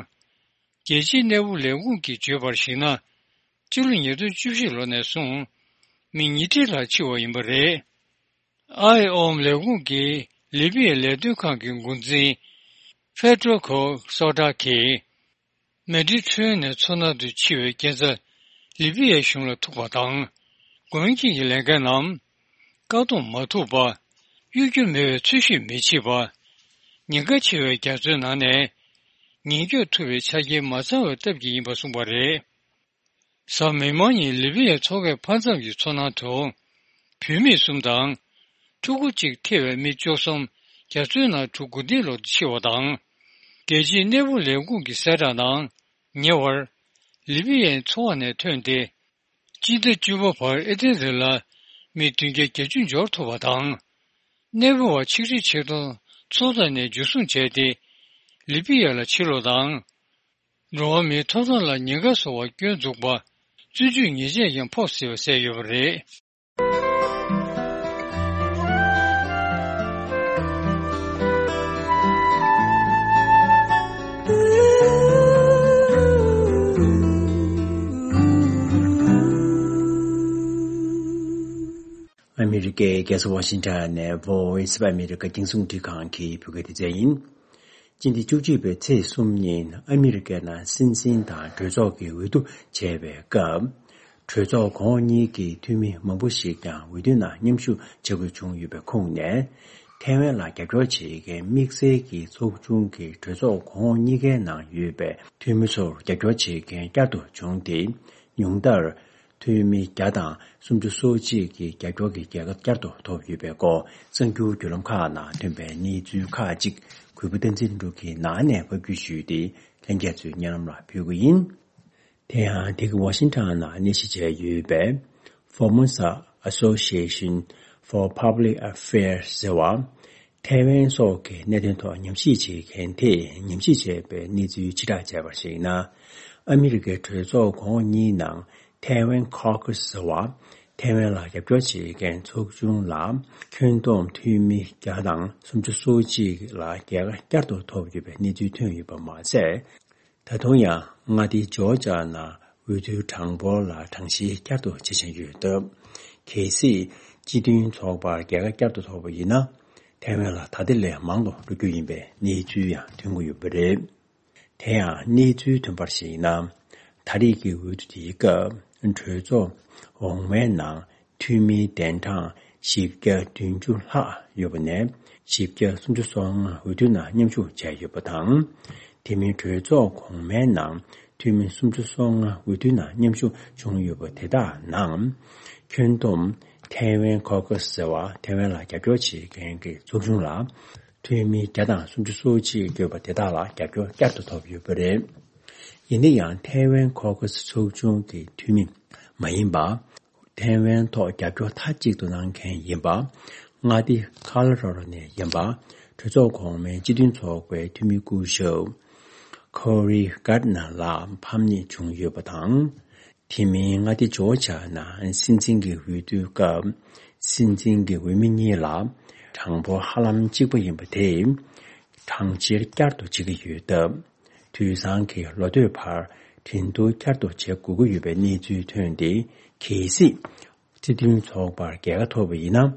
རྒྱལ་སྤྱིའི་གནས་བབ་ལས་ཁུངས་ཀྱིས་བརྗོད་པར་གཞིགས་ན། སྤྱི་ལོ་ཉིས་སྟོང་བཅུ་བཞི་ལོ་ནས་བཟུང་། མི་ཉིས་ཁྲི་ལྷག་འཆི་བ་ཡིན་པ་རེད། ཨའི་ཨོམ་ལས་ཁུངས་ཀྱི་ལི་པི་ཡའི་ལས་དོན་ཁང་གི་འགོ་འཛིན། ཕེ་ཏྲོ་ཁོ་སོ་ཏྲ་གིས། མེ་ཌི་ཊེ་རེ་ནི་མཚོ་ནང་དུ་འཆི་བའི་རྐྱེན་རྩ་ལི་པི་ཡའི་གཞུང་ལ་ཐུག་པ་དང་། འགོག་རྐྱེན་གྱི་ལས་འགན་ནམ། བཀག་སྡོམ་མ་ཐུབ་པ། གཡོལ་རྒྱུ་མེད་པའི་འཚོལ་ཞིབ་མི་བྱེད་པ། ཉེན་ཁ་ཆེ་བའི་རྒྱ་མཚོའི་ནང་ནས། ཉེན་སྐྱོབ་ཐུབ་པའི་ཆ་རྐྱེན་མ་ཚང་བའི་སྟབས་ཀྱིས་ཡིན་པ་གསུངས་པ་རེད། གཟའ་མིག་དམར་ཉིན་ལི་པི་ཡའི་མཚོ་ཁའི་མཐའ་མཚམས་ཀྱི་མཚོ་ནང་དུ། བུད་མེད་གསུམ་དང་། ཕྲུ་གུ་གཅིག་ཐེ་བའི་མི་བཅུ་གསུམ་རྒྱ་མཚོའི་ནང་གྲུ་འགོ་ཐེངས་ལོག་ཏུ་འཆི་བ་དང་། རྒྱལ་སྤྱིའི་གནས་བབ་ལས་ཁུངས་ཀྱི་གསལ་བསྒྲགས་ནང་ཉེ་བར། ལི་པི་ཡའི་མཚོ་བ་ནས་ཐོན་ཏེ། སྤྱི་ཟླ་བཅུ་པ་བར་ཨེ་ཐན་རི་ལ་མི་བདུན་བརྒྱ་བརྒྱད་ཅུ་འབྱོར་ཐུབ་པ་དང་། གནས་སྤོ་བ་ཆིག་ཁྲི་ཆིག་སྟོང་མཚོ་ཐོག་ནས་འཇུ་བཟུང་བྱས་ཏེ། ལི་པི་ཡ་ལ་ཕྱིར་ལོག་དང་། འགྲོ་བ་མིའི་ཐོབ་ཐང་ལ་ཉེན་ཁ་བཟོ་བར་སྐྱོན་འཛུགས་པ། བཙོན་འཇུག་ཉེས་ཆད་ཀྱང་ཕོག་སྲིད་པ་གསལ་ཡོད་པ་རེད། ཨ་མི་རི་ཀའི་རྒྱལ་ས་ཝ་ཤིང་ཊོན་ནས་Voice of America་རྒྱང་སྲིང་རླུང་འཕྲིན་ཁང་གི་བོད་སྐད་སྡེ་ཚན་ཡིན། སྤྱི་ཟླ་བཅུ་གཅིག་པའི་ཚེས་གསུམ་ཉིན་ཨ་མི་རི་ཀའི་ནང་སྲིད་འཛིན་དང་གྲོས་ཚོགས་ཀྱི་འོས་བསྡུ་བྱས་པའི་སྐབས། གྲོས་ཚོགས་གོང་འོག་གཉིས་ཀྱི་འཐུས་མི་མང་པོ་ཞིག་ཀྱང་འོས་བསྡུའི་ནང་མཉམ་ཞུགས་བྱ་དགོས་བྱུང་ཡོད་པའི་ཁོངས་ནས། ཐའེ་ཝན་ལ་རྒྱབ་སྐྱོར་བྱེད་མཁན་དམིགས་བསལ་གྱི་ཚོགས་ཆུང་གི་གྲོས་ཚོགས་གོང་འོག་གཉིས་ཀའི་ནང་ཡོད་པའི་འཐུས་མི་ཚོར་རྒྱབ་སྐྱོར་བྱེད་མཁན་བསྐྱར་དུ་བྱུང་སྟེ། ཉུང་མཐར། འཐུས་མི་བརྒྱ་དང་སུམ་ཅུ་སོ་གཅིག་གི་རྒྱབ་སྐྱོར་གྱི་རྒྱལ་ཁ་བསྐྱར་དུ་ཐོབ་ཡོད་པའི་སྐོར་གསར་འགྱུར་བརྒྱུད་ལམ་ཁག་ནང་ཐོན་པའི་གནས་ཚུལ་ཁག་ཅིག་གུས་པ་བསྟན་འཛིན་ལྷུན་གྲུབ་ཀྱིས་ནང་ནས་ཕབ་སྒྱུར་ཞུས་ཏེ་ལྷན་རྒྱས་ཚོའི་སྙན་ལམ་ལ་ཕུལ་གྱི་ཡིན། དེ་ཡང་འདི་ག་ཝ་ཤིང་ཊོན་ནང་གནས་གཞི་བྱས་ཡོད་པའི་Formosa Association for Public Affairs་ཟེར་བ། ཐའེ་ཝན་སོགས་ཀྱི་གནད་དོན་ཐོག་ཉམས་ཞིབ་བྱེད་མཁན་དེས་ཉམས་ཞིབ་བྱས་པའི་གནས་ཚུལ་ཕྱིར་བསྒྲགས་བྱས་པར་གཞིགས་ན། ཨ་མི་རི་ཀའི་གྲོས་ཚོགས་གོང་འོག་གཉིས་ནང་ཐའེ་ཝན་ཁོ་ཁུ་སི་ཟེར་བ། ཐའེ་ཝན་ལ་རྒྱབ་སྐྱོར་བྱེད་མཁན་ཚོགས་ཆུང་ལ་ཁྱོན་བསྡོམས་འཐུས་མི་བརྒྱ་དང་སུམ་ཅུ་སོ་གཅིག་ལ་རྒྱལ་ཁ་བསྐྱར་དུ་ཐོབ་ཡོད་པའི་གནས་ཚུལ་ཐོན་ཡོད་པ་མ་ཟད། ད་དུང་ཡང་མངའ་སྡེ་ཇོར་ཇ་ནང་འོས་བསྡུའི་གྲངས་འབོར་ལ་གྲངས་བཤེར་བསྐྱར་དུ་བྱེད་བཞིན་ཡོད་སྟབས། གལ་སྲིད་སྤྱི་མཐུན་ཚོགས་པར་རྒྱལ་ཁ་བསྐྱར་དུ་ཐོབ་པ་ཡིན་ན། ཐའེ་ཝན་ལ་ད་ལྟ་ལས་མང་དུ་འགྲོ་རྒྱུ་ཡིན་པའི་གནས་ཚུལ་ཡང་ཐོན་གྱི་ཡོད་པ་རེད། དེ་ཡང་གནས་ཚུལ་ཐོན་པར་གཞིགས་ན། ད་རེས་ཀྱི་འོས་བསྡུ་དེའི་སྐབས་གྲོས་ཚོགས་འོག་མའི་ནང་འཐུས་མིའི་གདན་གྲངས་བཞི་བརྒྱ་བདུན་ཅུ་ལྷག་ཡོད་པ་ནས་བཞི་བརྒྱ་སུམ་ཅུ་སོ་ལྔ་འོས་བསྡུ་ནང་མཉམ་ཞུགས་བྱས་ཡོད་པ་དང་། དེ་མིན་གྲོས་ཚོགས་གོང་མའི་ནང་འཐུས་མི་སུམ་ཅུ་སོ་ལྔ་འོས་བསྡུ་ནང་མཉམ་ཞུགས་བྱུང་ཡོད་པ་དེ་དག་ནང་། ཁྱོན་བསྡོམས་ཐའེ་ཝན་ཁོ་ཁུ་སི་ཟེར་བ་ཐའེ་ཝན་ལ་རྒྱབ་སྐྱོར་བྱེད་མཁན་གྱི་ཚོགས་ཆུང་ལ། འཐུས་མི་བརྒྱ་དང་སུམ་ཅུ་སོ་གཅིག་ཡོད་པ་དེ་དག་ལ་རྒྱབ་སྐྱོར་བསྐྱར་དུ་ཐོབ་ཡོད་པ་རེད། ཡིན་ན་ཡང་ཐའེ་ཝན་ཁོ་ཁུ་སི་ཚོགས་ཆུང་གི་འཐུས་མི་མ་ཡིན་པ། ཐའེ་ཝན་ཐོག་རྒྱབ་སྐྱོར་མཐའ་གཅིག་ཏུ་གནང་མཁན་ཡིན་པ། མངའ་སྡེ་ཁ་ལ་རོ་རོ་ནས་ཡིན་པ། གྲོས་ཚོགས་གོང་མའི་སྤྱི་མཐུན་ཚོགས་པའི་འཐུས་མི་སྐུ་ཞབས་Cory Gardner་ལགས་ཕམ་ཉེས་བྱུང་ཡོད་པ་དང་། དེ་མིན་མངའ་སྡེ་ཇོར་ཇ་ནང་སྲིད་འཛིན་གྱི་འོས་བསྡུའི་སྐབས། སྲིད་འཛིན་གྱི་འོས་མི་གཉིས་ལ་གྲངས་འབོར་ཧ་ལམ་གཅིག་པ་ཡིན་པ་དེས། གྲངས་བཤེར་བསྐྱར་དུ་བྱེད་ཀྱི་ཡོད་སྟབས། དུས་སང་གི་ལོ་སྟོད་བར་འགྲན་བསྡུར་བསྐྱར་དུ་བྱེད་དགོས་ཀྱི་ཡོད་པའི་གནས་ཚུལ་ཐོན་ཏེ། གལ་སྲིད་སྲིད་དོན་ཚོགས་པར་རྒྱལ་ཁ་ཐོབ་པ་ཡིན་ན།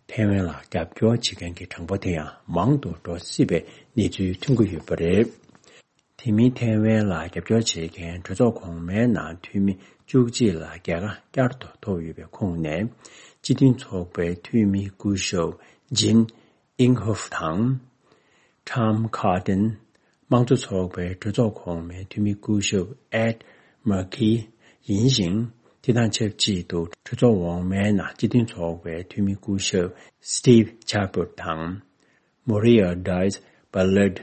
ཐའེ་ཝན་ལ་རྒྱབ་སྐྱོར་བྱེད་མཁན་གྱི་གྲངས་འབོར་དེ་ཡང་མང་དུ་འགྲོ་སྲིད་པའི་གནས་ཚུལ་ཐོན་གྱི་ཡོད་པ་རེད། དེ་མིན་ཐའེ་ཝན་ལ་རྒྱབ་སྐྱོར་བྱེད་མཁན་གྲོས་ཚོགས་གོང་མའི་ནང་འཐུས་མི་བཅུ་གཅིག་ལ་རྒྱལ་ཁ་བསྐྱར་དུ་ཐོབ་ཡོད་པའི་ཁོངས་ནས། སྤྱི་མཐུན་ཚོགས་པའི་འཐུས་མི་སྐུ་ཞབས་Jean Inhofe་དང་། Tom Cotton། དམངས་གཙོ་ཚོགས་པའི་གྲོས་ཚོགས་གོང་མའི་འཐུས་མི་སྐུ་ཞབས་Ed Markey་ཡིན་ཞིང་། དེ་དང་ཆབས་ཅིག་ཏུ་གྲོས་ཚོགས་འོག་མའི་ནང་སྤྱི་མཐུན་ཚོགས་པའི་འཐུས་མི་སྐུ་ཞབས་Steve Chabot་དང་། Maria Diaz-Balart།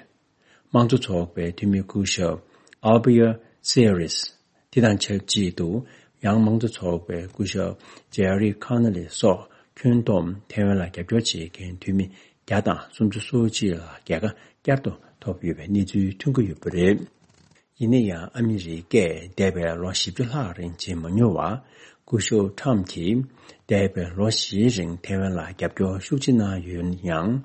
དམངས་གཙོ་ཚོགས་པའི་འཐུས་མི་སྐུ་ཞབས་Albert Seales། དེ་དང་ཆབས་ཅིག་ཏུ་ཡང་དམངས་གཙོ་ཚོགས་པའི་སྐུ་ཞབས་Gerry Connolly་སོགས་ཁྱོན་བསྡོམས་ཐའེ་ཝན་ལ་རྒྱབ་སྐྱོར་བྱེད་མཁན་འཐུས་མི་བརྒྱ་དང་སུམ་ཅུ་སོ་གཅིག་ལ་རྒྱལ་ཁ་བསྐྱར་དུ་ཐོབ་ཡོད་པའི་གནས་ཚུལ་ཐོན་གྱི་ཡོད་པ་རེད། ཡིན་ན་ཡང་ཨ་མི་རི་ཀས་འདས་པའི་ལོ་བཞི་བཅུ་ལྷག་རིང་བྱེད་མ་མྱོང་བ། སྐུ་ཞབས་ཁྲམ་གྱིས་འདས་པའི་ལོ་བཞིའི་རིང་ཐའེ་ཝན་ལ་རྒྱབ་སྐྱོར་ཤུགས་ཆེ་གནང་ཡོད་ཡང་།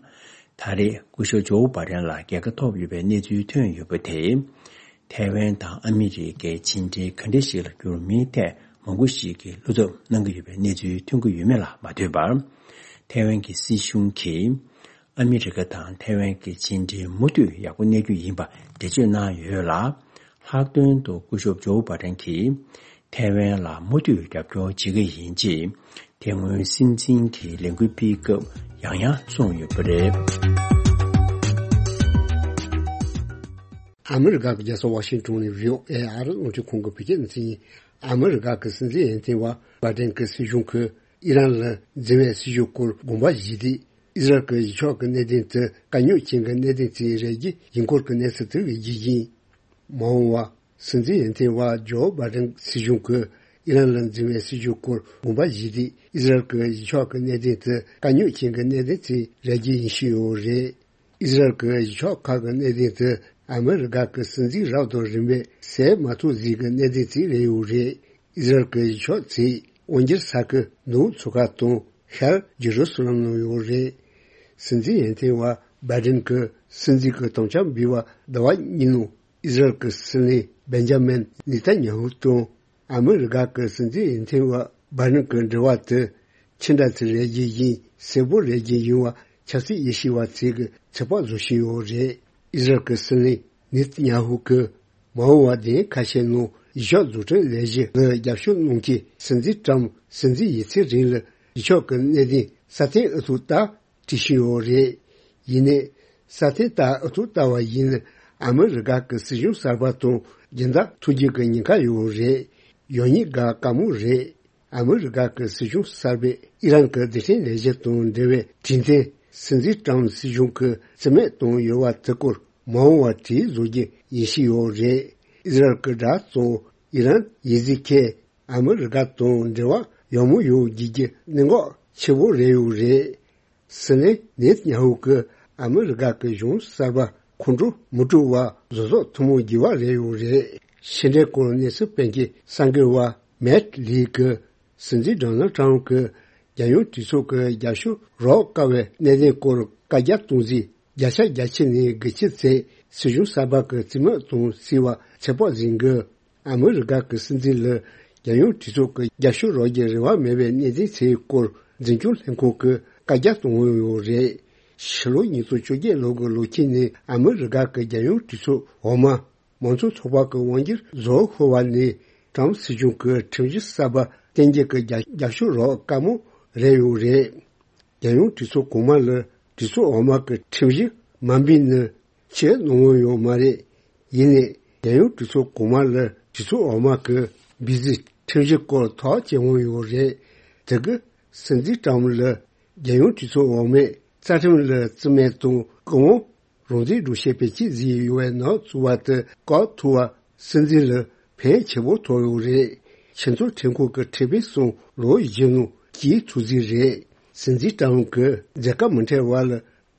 ད་རེས་སྐུ་ཞབས་ཇོ་བྷ་དན་ལ་རྒྱལ་ཁ་ཐོབ་ཡོད་པའི་གནས་ཚུལ་ཐོན་ཡོད་པ་དེས། ཐའེ་ཝན་དང་ཨ་མི་རི་ཀའི་ཕྱི་འབྲེལ་ག་འདྲ་ཞིག་ལ་འགྱུར་མིན་ཐད་མང་པོ་ཞིག་གིས་བློ་འཚབ་གནང་གི་ཡོད་པའི་གནས་ཚུལ་ཐོན་གྱི་ཡོད་མེད་ལ་མ་ལྟོས་པར། ཐའེ་ཝན་གྱི་སྲིད་གཞུང་གིས། ཨ་མི་རི་ཀ་དང་ཐའེ་ཝན་གྱི་ཕྱི་འབྲེལ་མུ་མཐུད་ཡག་པོ་གནས་རྒྱུ་ཡིན་པ་འགྲེལ་བརྗོད་གནང་ཡོད་ལ། ལྷག་དོན་དུ་སྐུ་ཞབས་ཇོ་བྷ་དན་གྱིས་ཐའེ་ཝན་ལ་མུ་མཐུད་རྒྱབ་སྐྱོར་བྱེད་ཀྱི་ཡིན་ཅེས་དེ་སྔོན་སྲིད་འཛིན་གྱི་ལས་འགུལ་སྤེལ་སྐབས་ཡང་ཡང་གསུངས་ཡོད་པ་རེད། ཨ་མི་རི་ཀ་གི་རྒྱལ་ས་ཝ་ཤིང་ཏོན་ནས་བྷི་ཨོ་ཨེ་ཨ་རི་རླུང་འཕྲིན་ཁང་གི་བོད་སྐད་སྡེ་ཚན་ཡིན། ཨ་མི་རི་ཀ་གི་སྲིད་འཛིན་འོས་ཐོན་པ་བྷ་དན་གྱི་སྲིད་གཞུང་གིས་ཨི་རན་ལ་འཛིན་པའི་སྲིད་ཇུས་སྐོར་དགོངས་པ་བཞེས་ཏེ། ཨི་ཟི་རལ་གྱི་གཞི་ཕྱོགས་ཀྱི་གནད་དོན་དེ་དཀའ་རྙོག་ཅན་གྱི་གནད་དོན་ཞིག་རེད་ཅེས་ཡིན་སྐོར་གྱི་གནས་ཚུལ་དེ་གི་རྒྱུ་རྐྱེན། མ་འོངས་པར་སྲིད་འཛིན་འོས་ཐོན་པ་ཇོ་བྷ་དན་སྲིད་གཞུང་གིས་ཨི་རན་ལ་འཛིན་པའི་སྲིད་ཇུས་སྐོར་དགོངས་པ་བཞེས་ཏེ། ཨི་ཟི་རལ་གྱི་གཞི་ཕྱོགས་ཀྱི་གནད་དོན་དེ་དཀའ་རྙོག་ཅན་གྱི་གནད་དོན་ཞིག་རེད་ཅེས་ཡིན་ཞུས་ཡོད་རེད། ཨི་ཟི་རལ་གྱི་གཞི་ཕྱོགས་ཁག་གི་གནད་དོན་དེ་ཨ་མི་རི་ཀ་གི་སྲིད་འཛིན་རབ་དང་རིམ་པས་སེལ་མ་ཐུབ་ཟིན་གྱི་གནད་དོན་ཞིག་རེད་ཡོད་རེད། ཨི་ཟི་རལ་གྱི་གཞི་ཕྱོགས་ཚོས་དབང་སྒྱུར་ས་ཁུལ་ནུབ་མཚོ་ཁ་དང་ཤར་ཇེ་རུ་སི་ལམ་ནང་ཡོད་རེད། སྲིད་འཛིན་འོས་ཐོན་པ་བྷའི་ཌེན་གྱིས་སྲིད་འཛིན་གྱི་དམ་བཅའ་འབུལ་བ་ཟླ་བ་གཉིས་ནང་ཨི་ཟི་རལ་གྱི་སྲིད་བློན་བེན་ཇ་མིན་ནེ་ཐན་ཉ་ཧུ་དང་ཨ་མི་རི་ཀ་གི་སྲིད་འཛིན་འོས་ཐོན་པ་བྷའི་ཌེན་གྱི་འབྲེལ་བ་དེ་ཕྱི་འདྲ་ཚིག་རེ་བཞིན་ཡིན་གསལ་པོ་རེ་བཞིན་ཡིན་པ་ཆབ་སྲིད་དབྱེ་ཞིབ་པ་ཚོས་ཀྱི་ཚོད་དཔག་བཟོ་བཞིན་ཡོད་རེད། ཨི་ཟི་རལ་གྱི་སྲིད་བློན་ནེ་ཐན་ཉ་ཧུ་གིས་མ་འོངས་པར་དེ་ཁ་ཤས་ནང་གཞི་ཕྱོགས་འཛུགས་སྐྲུན་ལས་གཞི་ལ་རྒྱབ་སྐྱོར་གནང་ཆེད་སྲིད་འཛིན་ཀྲམ་སྲིད་འཛིན་ཡིན་ཚེ་རིང་ལ་གཞི་ཕྱོགས་ཀྱི་གནད་དོན་སྲ་བརྟན་ཨུ་ཐུག་ལྟར་བྲིས་བཞིན་ཡོད་རེད། ཡིན་ནའི་སྲ་བརྟན་ལྟར་ཨུ་ཐུག་ལྟ་བ་ཡིན་ན་ཨ་མི་རི་ཀ་གི་སྲིད་གཞུང་གསར་པ་དང་སྦྱིན་བདག་ཐུག་རྒྱུ་གི་ཉེན་ཁ་ཡོད་རེད། ཡོང་ཉེན་ག་དཀའ་མོ་རེད། ཨ་མི་རི་ཀ་གི་སྲིད་གཞུང་གསར་པས་ཨི་རན་གྱི་རྡུལ་ཕྲན་ལས་གཞི་དང་འབྲེལ་བའི་གྲོས་མཐུན་སྲིད་འཛིན་ཀྲམ་སྲིད་གཞུང་གིས་རྩིས་མེད་བཏང་ཡོད་པ་དེ་སྐོར་མ་འོངས་པར་གྲོས་བཟོ་རྒྱུ་ཡིན་བཞིན་ཡོད་རེད། ཨི་ཟི་རལ་གྱི་དགྲ་གཙོ་ཨི་རན་ཡིན་ཚེ་ཁེ་ཨ་མི་རི་ཀ་དང་འབྲེལ་བ་ཡག་མོ་ཡོང་རྒྱུ་གི་གནད་འགག་ཆེ་བོ་རེད་ཡོད་རེད། སྲིད་བློན་ནེ་ཐན་ཉ་ཧུ་གིས་ཨ་མི་རི་ཀ་གི་གཞུང་གསར་པ་ཁོང་ཁྲོ་མི་སྤྲོ་བར་བཟོ་ཚོགས་ཐུན་མོང་བརྒྱུད་པ་རེད་ཡོད་རེད། ཕྱི་འབྲེལ་སྐོར་གནས་ཚུལ་སྤེལ་མཁན་གསར་འགོད་པ་མེད་ལི་གིས་སྲིད་འཛིན་ཌོ་ནལ་ཊམ་གྱིས་རྒྱལ་ཡོངས་གྲོས་ཚོགས་ཀྱི་རྒྱབ་སྐྱོར་རག་དཀའ་བའི་གནད་དོན་སྐོར་བཀའ་རྒྱ་གཏོང་རྩིས་བརྒྱ་ཆ་བརྒྱ་ཁྱེར་ནས་དགུ་ཁྱེར་ཚད་སྲིད་གཞུང་གསར་པ་གི་རྩིས་མེད་གཏོང་སྲིད་པ་ཚོད་དཔག་ཟིན་དགོས། ཨ་མི་རི་ཀ་གི་སྲིད་འཛིན་ལ་རྒྱལ་ཡོངས་གྲོས་ཚོགས་ཀྱི་རྒྱབ་སྐྱོར་རག་རྒྱུ་རེ་བ་མེད་པའི་གནད་དོན་ཚོའི་སྐོར་འཛིན་སྐྱོང་ལྷན་ཁང་གིས་བཀའ་རྒྱ་གཏོང་ཡོད་རེད། ཕྱི་ལོ་ཉིས་སྟོང་བཅོ་བརྒྱད་ལོ་གི་ལོ་དཀྱིལ་ནས་ཨ་མི་རི་ཀ་གི་རྒྱལ་ཡོངས་གྲོས་ཚོགས་འོག་མ་མང་གཙོ་ཚོགས་པ་གི་དབང་སྒྱུར་རྫོགས་ཤོར་བ་ནས་ཀྲམ་སྲིད་གཞུང་གི་ཁྲིམས་གཞི་གསར་པ་གཏན་འཁེལ་གྱི་རྒྱབ་རྒྱབ་སྐྱོར་རག་དཀའ་མོ་རེད་ཡོད་རེད། རྒྱལ་ཡོངས་གྲོས་ཚོགས་གོང་མ་ལ་གྲོས་ཚོགས་འོག་མ་གི་ཁྲིམས་གཞི་མ་འབུལ་ན་ཕྱིར་གནང་ཡོད་མ་རེད། ཡིན་ནའི་རྒྱལ་ཡོངས་གྲོས་ཚོགས་གོང་མ་ལ་གྲོས་ཚོགས་འོག་མ་གི་འབུལ་རྩིས་ཁྲིམས་གཞི་སྐོར་ཐག་བཅད་འོང་ཡོད་རེད། དེ་གི་སྲིད་འཛིན་ཀྲམ་ལ་རྒྱལ་ཡོངས་གྲོས་ཚོགས་འོག་མས་རྩ་ཁྲིམས་ལ་རྩིས་མེད་དང་སྐུ་དབང་རང་བཙན་སྒྲུབ་བྱེད་བེད་སྤྱོད་བཟོས་ཡོད་པའི་ནག་བཙུགས་པ་དེ་བཀག་ཐུབ་པ་སྲིད་འཛིན་ལ་ཕན་ཆེ་བོ་ཐོགས་ཡོད་རེད། ཆེས་མཐོའི་ཁྲིམས་ཁང་གི་ཁྲིམས་དཔོན་གསུམ་ལོ་བཞི་ནང་སྐྱེལ་ཐུབ་རྩིས་རེད། སྲིད་འཛིན་ཀྲམ་གྱིས་མཛད་ཁ་མི་འཕྲད་བར་ལ་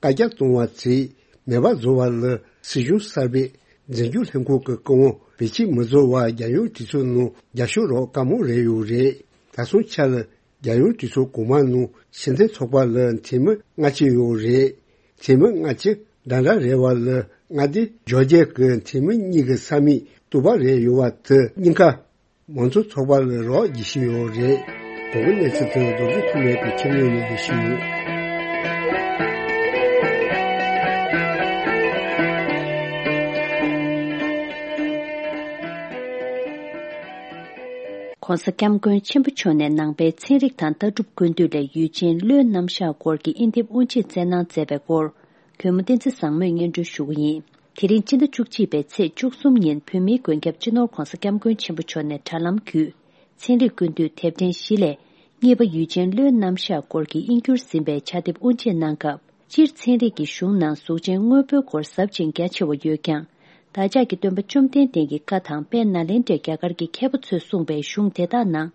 བཀའ་རྒྱ་གཏོང་བ་ཚོས་མེད་པ་བཟོ་བ་ལ་སྲིད་གཞུང་གསར་པས་འཛིན་སྐྱོང་ལྷན་ཁང་གི་སྐུ་དབང་བེད་སྤྱོད་མི་བཟོ་བར་རྒྱལ་ཡོངས་གྲོས་ཚོགས་ནང་རྒྱབ་སྐྱོར་རག་དཀའ་མོ་རེད་ཡོད་རེད། ད་སོང་ཆ་ལ་རྒྱལ་ཡོངས་གྲོས་ཚོགས་གོང་མ་ནང་སྤྱི་མཐུན་ཚོགས་པ་ལ་འཐུས་མི་ལྔ་བཅུ་ཡོད་རེད། འཐུས་མི་ལྔ་བཅུ་འདྲ་འདྲ་རེད་བ་ལ་མངའ་སྡེ་བརྒྱད་ཀྱི་འཐུས་མི་གཉིས་ཀྱི་ས་མིག་གཏུག་པ་རེད་ཡོད་བ་དེ་གཉིས་ཀ་མང་གཙོ་ཚོགས་པ་ལ་རག་རྒྱུ་ཞིག་ཡོད་རེད། གོང་གི་གནས་ཚུལ་དེ་རྡོ་རྗེ་ཐོགས་མེད་ཀྱི་ཁྱིམ་ནང་ནས་ཞུས་ཡོད། ༸གོང་ས་༸སྐྱབས་མགོན་ཆེན་པོ་མཆོག་ནས་ནང་པའི་ཚན་རིག་དང་ལྟ་གྲུབ་ཀུན་བཏུས་ལས་ཡུལ་ཅན་བློའི་རྣམ་གཞག་སྐོར་གྱི་དབྱེ་དེབ་དབུ་འབྱེད་སྩལ་གནང་མཛད་པའི་སྐོར། གུས་མོ་བསྟན་འཛིན་བཟང་མོས་སྙན་སྒྲོན་ཞུ་གི་ཡིན། དེ་རིང་སྤྱི་ཟླ་བཅུ་གཅིག་པའི་ཚེས་བཅུ་གསུམ་ཉིན་བོད་མིའི་མགོན་སྐྱབས་སྤྱི་ནོར་༸གོང་ས་༸སྐྱབས་མགོན་ཆེན་པོ་མཆོག་ནས་དྲ་ལམ་བརྒྱུད། ཚན་རིག་ཀུན་བཏུས་དེབ་ཕྲེང་བཞི་ལས། གཉིས་པ་ཡུལ་ཅན་བློའི་རྣམ་གཞག་སྐོར་གྱི་དབྱིན་བསྒྱུར་ཟིན་པའི་ཕྱག་དེབ་དབུ་འབྱེད་གནང་སྐབས། སྤྱིར་ཚན་རིག་གི་གཞུང་ནང་གཟུགས་ཅན་དངོས་པོའི་སྐོར་ཟབ་ཅིང་རྒྱ་ཆེ་བ་ཡོད་ཀྱང་། བདག་ཅག་གི་སྟོན་པ་བཅོམ་ལྡན་འདས་ཀྱི་བཀའ་དང་དཔལ་ནཱ་ལེནྡྲའི་རྒྱ་གར་གྱི་མཁས་པ་ཚོས་གསུངས་པའི་གཞུང་དེ་དག་ནང་།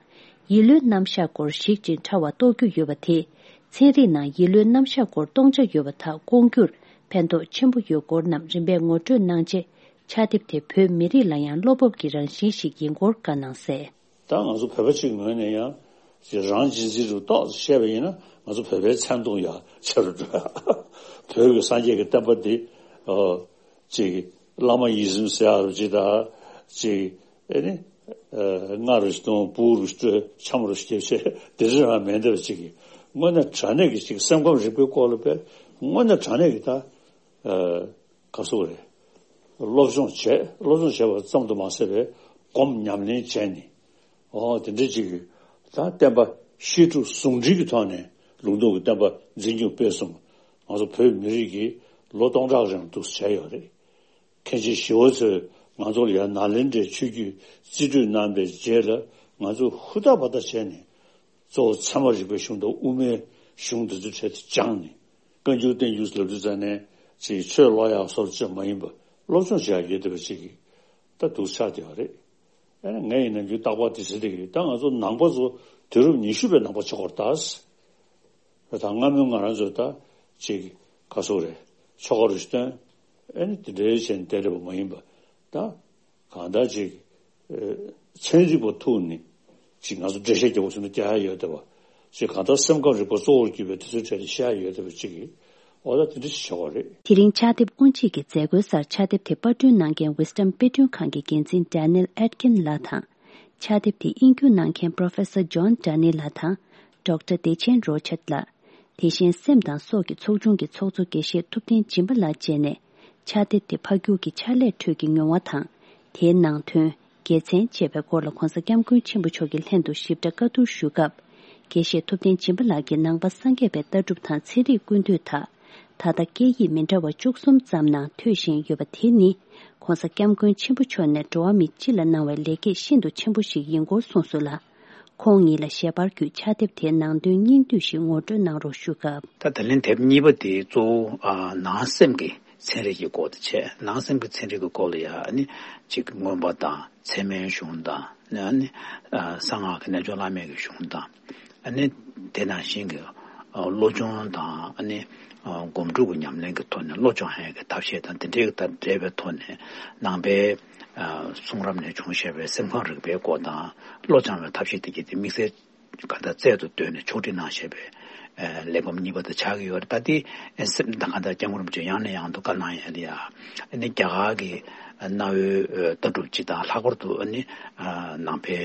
ཡིད་བློའི་རྣམ་གཞག་སྐོར་ཞིབ་ཅིང་ཕྲ་བ་རྟོགས་རྒྱུ་ཡོད་པ་དེས། ཚན་རིག་ནང་ཡིད་བློའི་རྣམ་གཞག་སྐོར་སྟོང་ཆ་ཡོད་པ་དག་སྐོང་རྒྱུར་ཕན་ཐོགས་ཆེན་པོ་ཡོད་སྐོར་རྣམས་རིམ་པས་ངོ་སྤྲོད་གནང་རྗེས། ཕྱག་དེབ་དེ་བོད་མི་རིགས་ལ་ཡང་བློ་སྤོབས་ཀྱི་རང་བཞིན་ཞིག་ཡིན་སྐོར་བཀའ་གནང་གསལ། ད་ང་ཚོ་བོད་པ་གཅིག་ངོས་ནས་ཡང་ཅིག་རང་གཅེས་འཛིན་རུ་ཏོག་ཙམ་བཤད་པ་ཡིན་ན། ང་ཚོ་བོད་པའི་མཚན་མཐོང་ཡག་ཆེ་རུ་འགྲོ། བོད་ཀྱི་སངས་རྒྱས་ཀྱི་བསྟན་པ་འདི་ཨོ་ཅིག་བླ་མ་ཡིད་བཞིན་ཟེར་ཡག་རུ་ཅིག་དང་ཅིག་ཨེ་ནི་ཨ་རྔ་རུ་ཞིག་གཏོང་། སྤུ་གུ་རུ་ཞིག་སྤྲོད། འཆམ་རུ་ཞིག་སྐྱེ་བྱས་དེ་འདྲ་རང་མེད་འདྲ་བ་ཅིག་གིས་དངོས་གནས་དྲང་གནས་ཀྱི་ཅིག་སེམས་ཁམས་རིག་པའི་སྐོར་ལ་དཔེ་དངོས་གནས་དྲང་གནས་ཀྱི་ད་ཨ་ག་སོག་རེད། སློབ་སྦྱོང་བྱས། སློབ་སྦྱོང་བྱས་པ་ཙམ་དུ་མ་ཟད་པའི་སྒོམ་ཉམས་ལེན་བྱས་ནས། ཨོ་དེ་འདྲ་ཅིག་གིས་ད་བསྟན་པ་བཤད་སྒྲུབ་ཟུང་འབྲེལ་གྱི་ཐོག་ནས་ལུང་སྟོང་གི་བསྟན་པ་འཛིན་སྐྱོང་སྤེལ་གསུམ་ང་ཚོ་བོད་མི་རིགས་ཀྱིས་ལོ་སྟོང་ཕྲག་རིང་འདུག་བྱས་ཡོད་རེད། མཁན་ཆེན་ཞི་བ་འཚོས་ང་ཚོ་ལ་ཡང་ནཱ་ལེནྡྲའི་ཆོས་བརྒྱུད་རྩིས་སྤྲོད་གནང་པའི་རྗེས་ལ་ང་ཚོས་ཧུར་ཐག་འབད་ཐག་བྱས་ནས། གཙོ་བོ་ཚད་མ་རིག་པའི་གཞུང་དང་དབུ་མའི་གཞུང་འདི་ཚོའི་གྲས་དེ་སྦྱངས་ནས། བཀའ་འགྱུར་བསྟན་འགྱུར་ལབ་དུས་ཙ་ནས་ཅིག་ཆོས་ཀློག་ཡག་སོགས་ཅིག་མ་ཡིན་པ་སློབ་སྦྱོང་བྱེད་ཡག་ཡོད་བསྡད་པ་ཅིག་གིས་ད་འདུག་ཆགས་བསྡད་པ་རེད། ཨ་ནི་ངས་ཡིན་ན་རྒྱུན་རྟག་པར་དེ་ཟེར་བསྡད་ཀྱི་ཡོད། ད་ང་ཚོ་ནང་པ་ཚོ་དུས་རབས་ཉི་ཤུ་པའི་ནང་པ་ཆགས་ཀྱི་ཡོད་རེད་ད། ད་སྔ་མོའི་ང་རང་ཚོས་ད་ཅིག་ག་སོག་རེད། ཆོ་ག་རུ་ཞིག་བཏོན། ཨ་ནི་དེ་འདྲའི་བྱས་ནས་བསྡད་བསྡད་པ་མ་ཡིན་པ་ད། གང་ལྟར་ཅིག་ཨ་ཚན་རིག་པ་ཐུག་ནས་ཅིག་ང་ཚོ་འགྲེལ་བཤད་རྒྱག་དགོས་བྱུང་ན་རྒྱག་ཡག་ཡོད་བསྡད་པ། ཅིག་གང་ལྟར་སེམས་ཁམས་རིག་པ་གཙོ་བོར་གྱུར་པའི་དེ་ཚོའི་གྲས་ལ་བཤད་ཡག་ཡོད་བསྡད་པ་ཅིག་གིས་འོ་ད་དེ་འདྲ་ཞིག་བྱེད་དགོས་རེད། དེ་རིང་ཕྱག་དེབ་དབུ་འབྱེད་ཀྱི་མཛད་སྒོའི་སར་ཕྱག་དེབ་དེ་པར་སྐྲུན་གནང་མཁན་Wisdom་དཔེ་སྐྲུན་ཁང་གི་འགན་འཛིན་Daniel Etkin་ལགས་དང་། ཕྱག་དེབ་དེ་དབྱིན་སྒྱུར་གནང་མཁན་Professor John Daly་ལགས་དང་Doctor Decheng Rochette་ལགས། དེ་བཞིན་སེམས་དང་སྲོག་གི་ཚོགས་ཆུང་གི་ཚོགས་གཙོ་དགེ་བཤེས་ཐུབ་བསྟན་སྦྱིན་པ་ལགས་བཅས་ནས་ཕྱག་དེབ་དེ་ཕབ་སྒྱུར་གྱི་ཕྱག་ལས་ཁྲོད་ཀྱི་མྱོང་བ་དང་། དེའི་ནང་དོན། དགེ་མཚན་བཅས་པའི་སྐོར་ལ་༧གོང་ས་༧སྐྱབས་མགོན་ཆེན་པོ་མཆོག་གི་ལྷན་དུ་ཞིབ་ཕྲ་བཀའ་བསྡུར་ཞུ་སྐབས། དགེ་བཤེས་ཐུབ་བསྟན་སྦྱིན་པ་ལགས་ཀྱིས་ནང་པ་སངས་རྒྱས་པའི་ལྟ་གྲུབ་དང་ཚན་རིག་ཀུན་བཏུས་དག་ད་ལྟ་སྐད་ཡིག་མི་འདྲ་བ་བཅུ་གསུམ་ཙམ་ནང་ཐོས་བཞིན་ཡོད་པ་དེ་ནི། ༧གོང་ས་༧སྐྱབས་མགོན་ཆེན་པོ་མཆོག་ནས་འགྲོ་བ་མི་སྤྱི་ལ་གནང་བའི་ལེགས་སྐྱེས་ཤིན་ཏུ་ཆེན་པོ་ཞིག་ཡིན་སྐོར་གསུངས་སོང་ལ། ཁོང་ཉིད་ལ་ཞལ་པར་བརྒྱུད་ཕྱག་དེབ་དེའི་ནང་དོན་སྙིང་བསྡུས་ཤིག་ངོ་སྤྲོད་གནང་རོགས་ཞུ་སྐབས། ད་ད་ལན་དེབ་གཉིས་པ་དེ་གཙོ་བོ་ཨ་ནང་སེམས་ཀྱི་ཚན་རིག་གི་སྐོར་དུ་བྱས། ནང་སེམས་ཀྱི་ཚན་རིག་གི་སྐོར་ལ་ཡང་ནི་གཅིག་མངོན་པ་དང་ཚད་མའི་གཞུང་དང་ནི་ཨ་ནི་ཨ་གསང་སྔགས་ཀྱི་རྣལ་འབྱོར་བླ་མེད་ཀྱི་གཞུང་དང་། ཨ་ནི་དེ་ནང་བཞིན་གྱི་ཨ་བློ་སྦྱོང་དང་ཨ་ནི་ཨ་སྒོམ་སྒྲུབ་ཀྱི་ཉམས་ལེན་གྱི་ཐོག་ནས་བློ་སྦྱོང་ཡག་གི་ཐབས་ཤེས་དང་དེ་འདྲའི་དང་འབྲེལ་བའི་ཐོག་ནས་ནང་པའི་ཨ་གསུང་རབ་ནས་བྱུང་བཞག་པའི་སེམས་ཁམས་རིག་པའི་སྐོར་དང་བློ་སྦྱང་བའི་ཐབས་ཤེས་དེ་གྱད་དེ་དམིགས་བསལ་གང་ལྟར་རྩལ་དུ་བཏོན་ནས་ཕྱོགས་སྒྲིག་གནང་བཞག་པའི་ཨ་གླེགས་བམ་གཉིས་པ་དེ་ཆགས་ཀྱི་ཡོད་རེད། ད་དེ་ཨ་སེམས་དང་གང་ལྟར་སྐྱབས་མགོན་རིན་པོ་ཆེ་ཡང་ནས་ཡང་དུ་བཀའ་གནང་ཡག་ལ་ཡ། ཨ་ནི་རྒྱ་གར་གྱི་གནའ་བོའི་ལྟ་གྲུབ་སྤྱི་དང་ལྷག་པར་དུ་ཨ་ནི་ནང་པའི་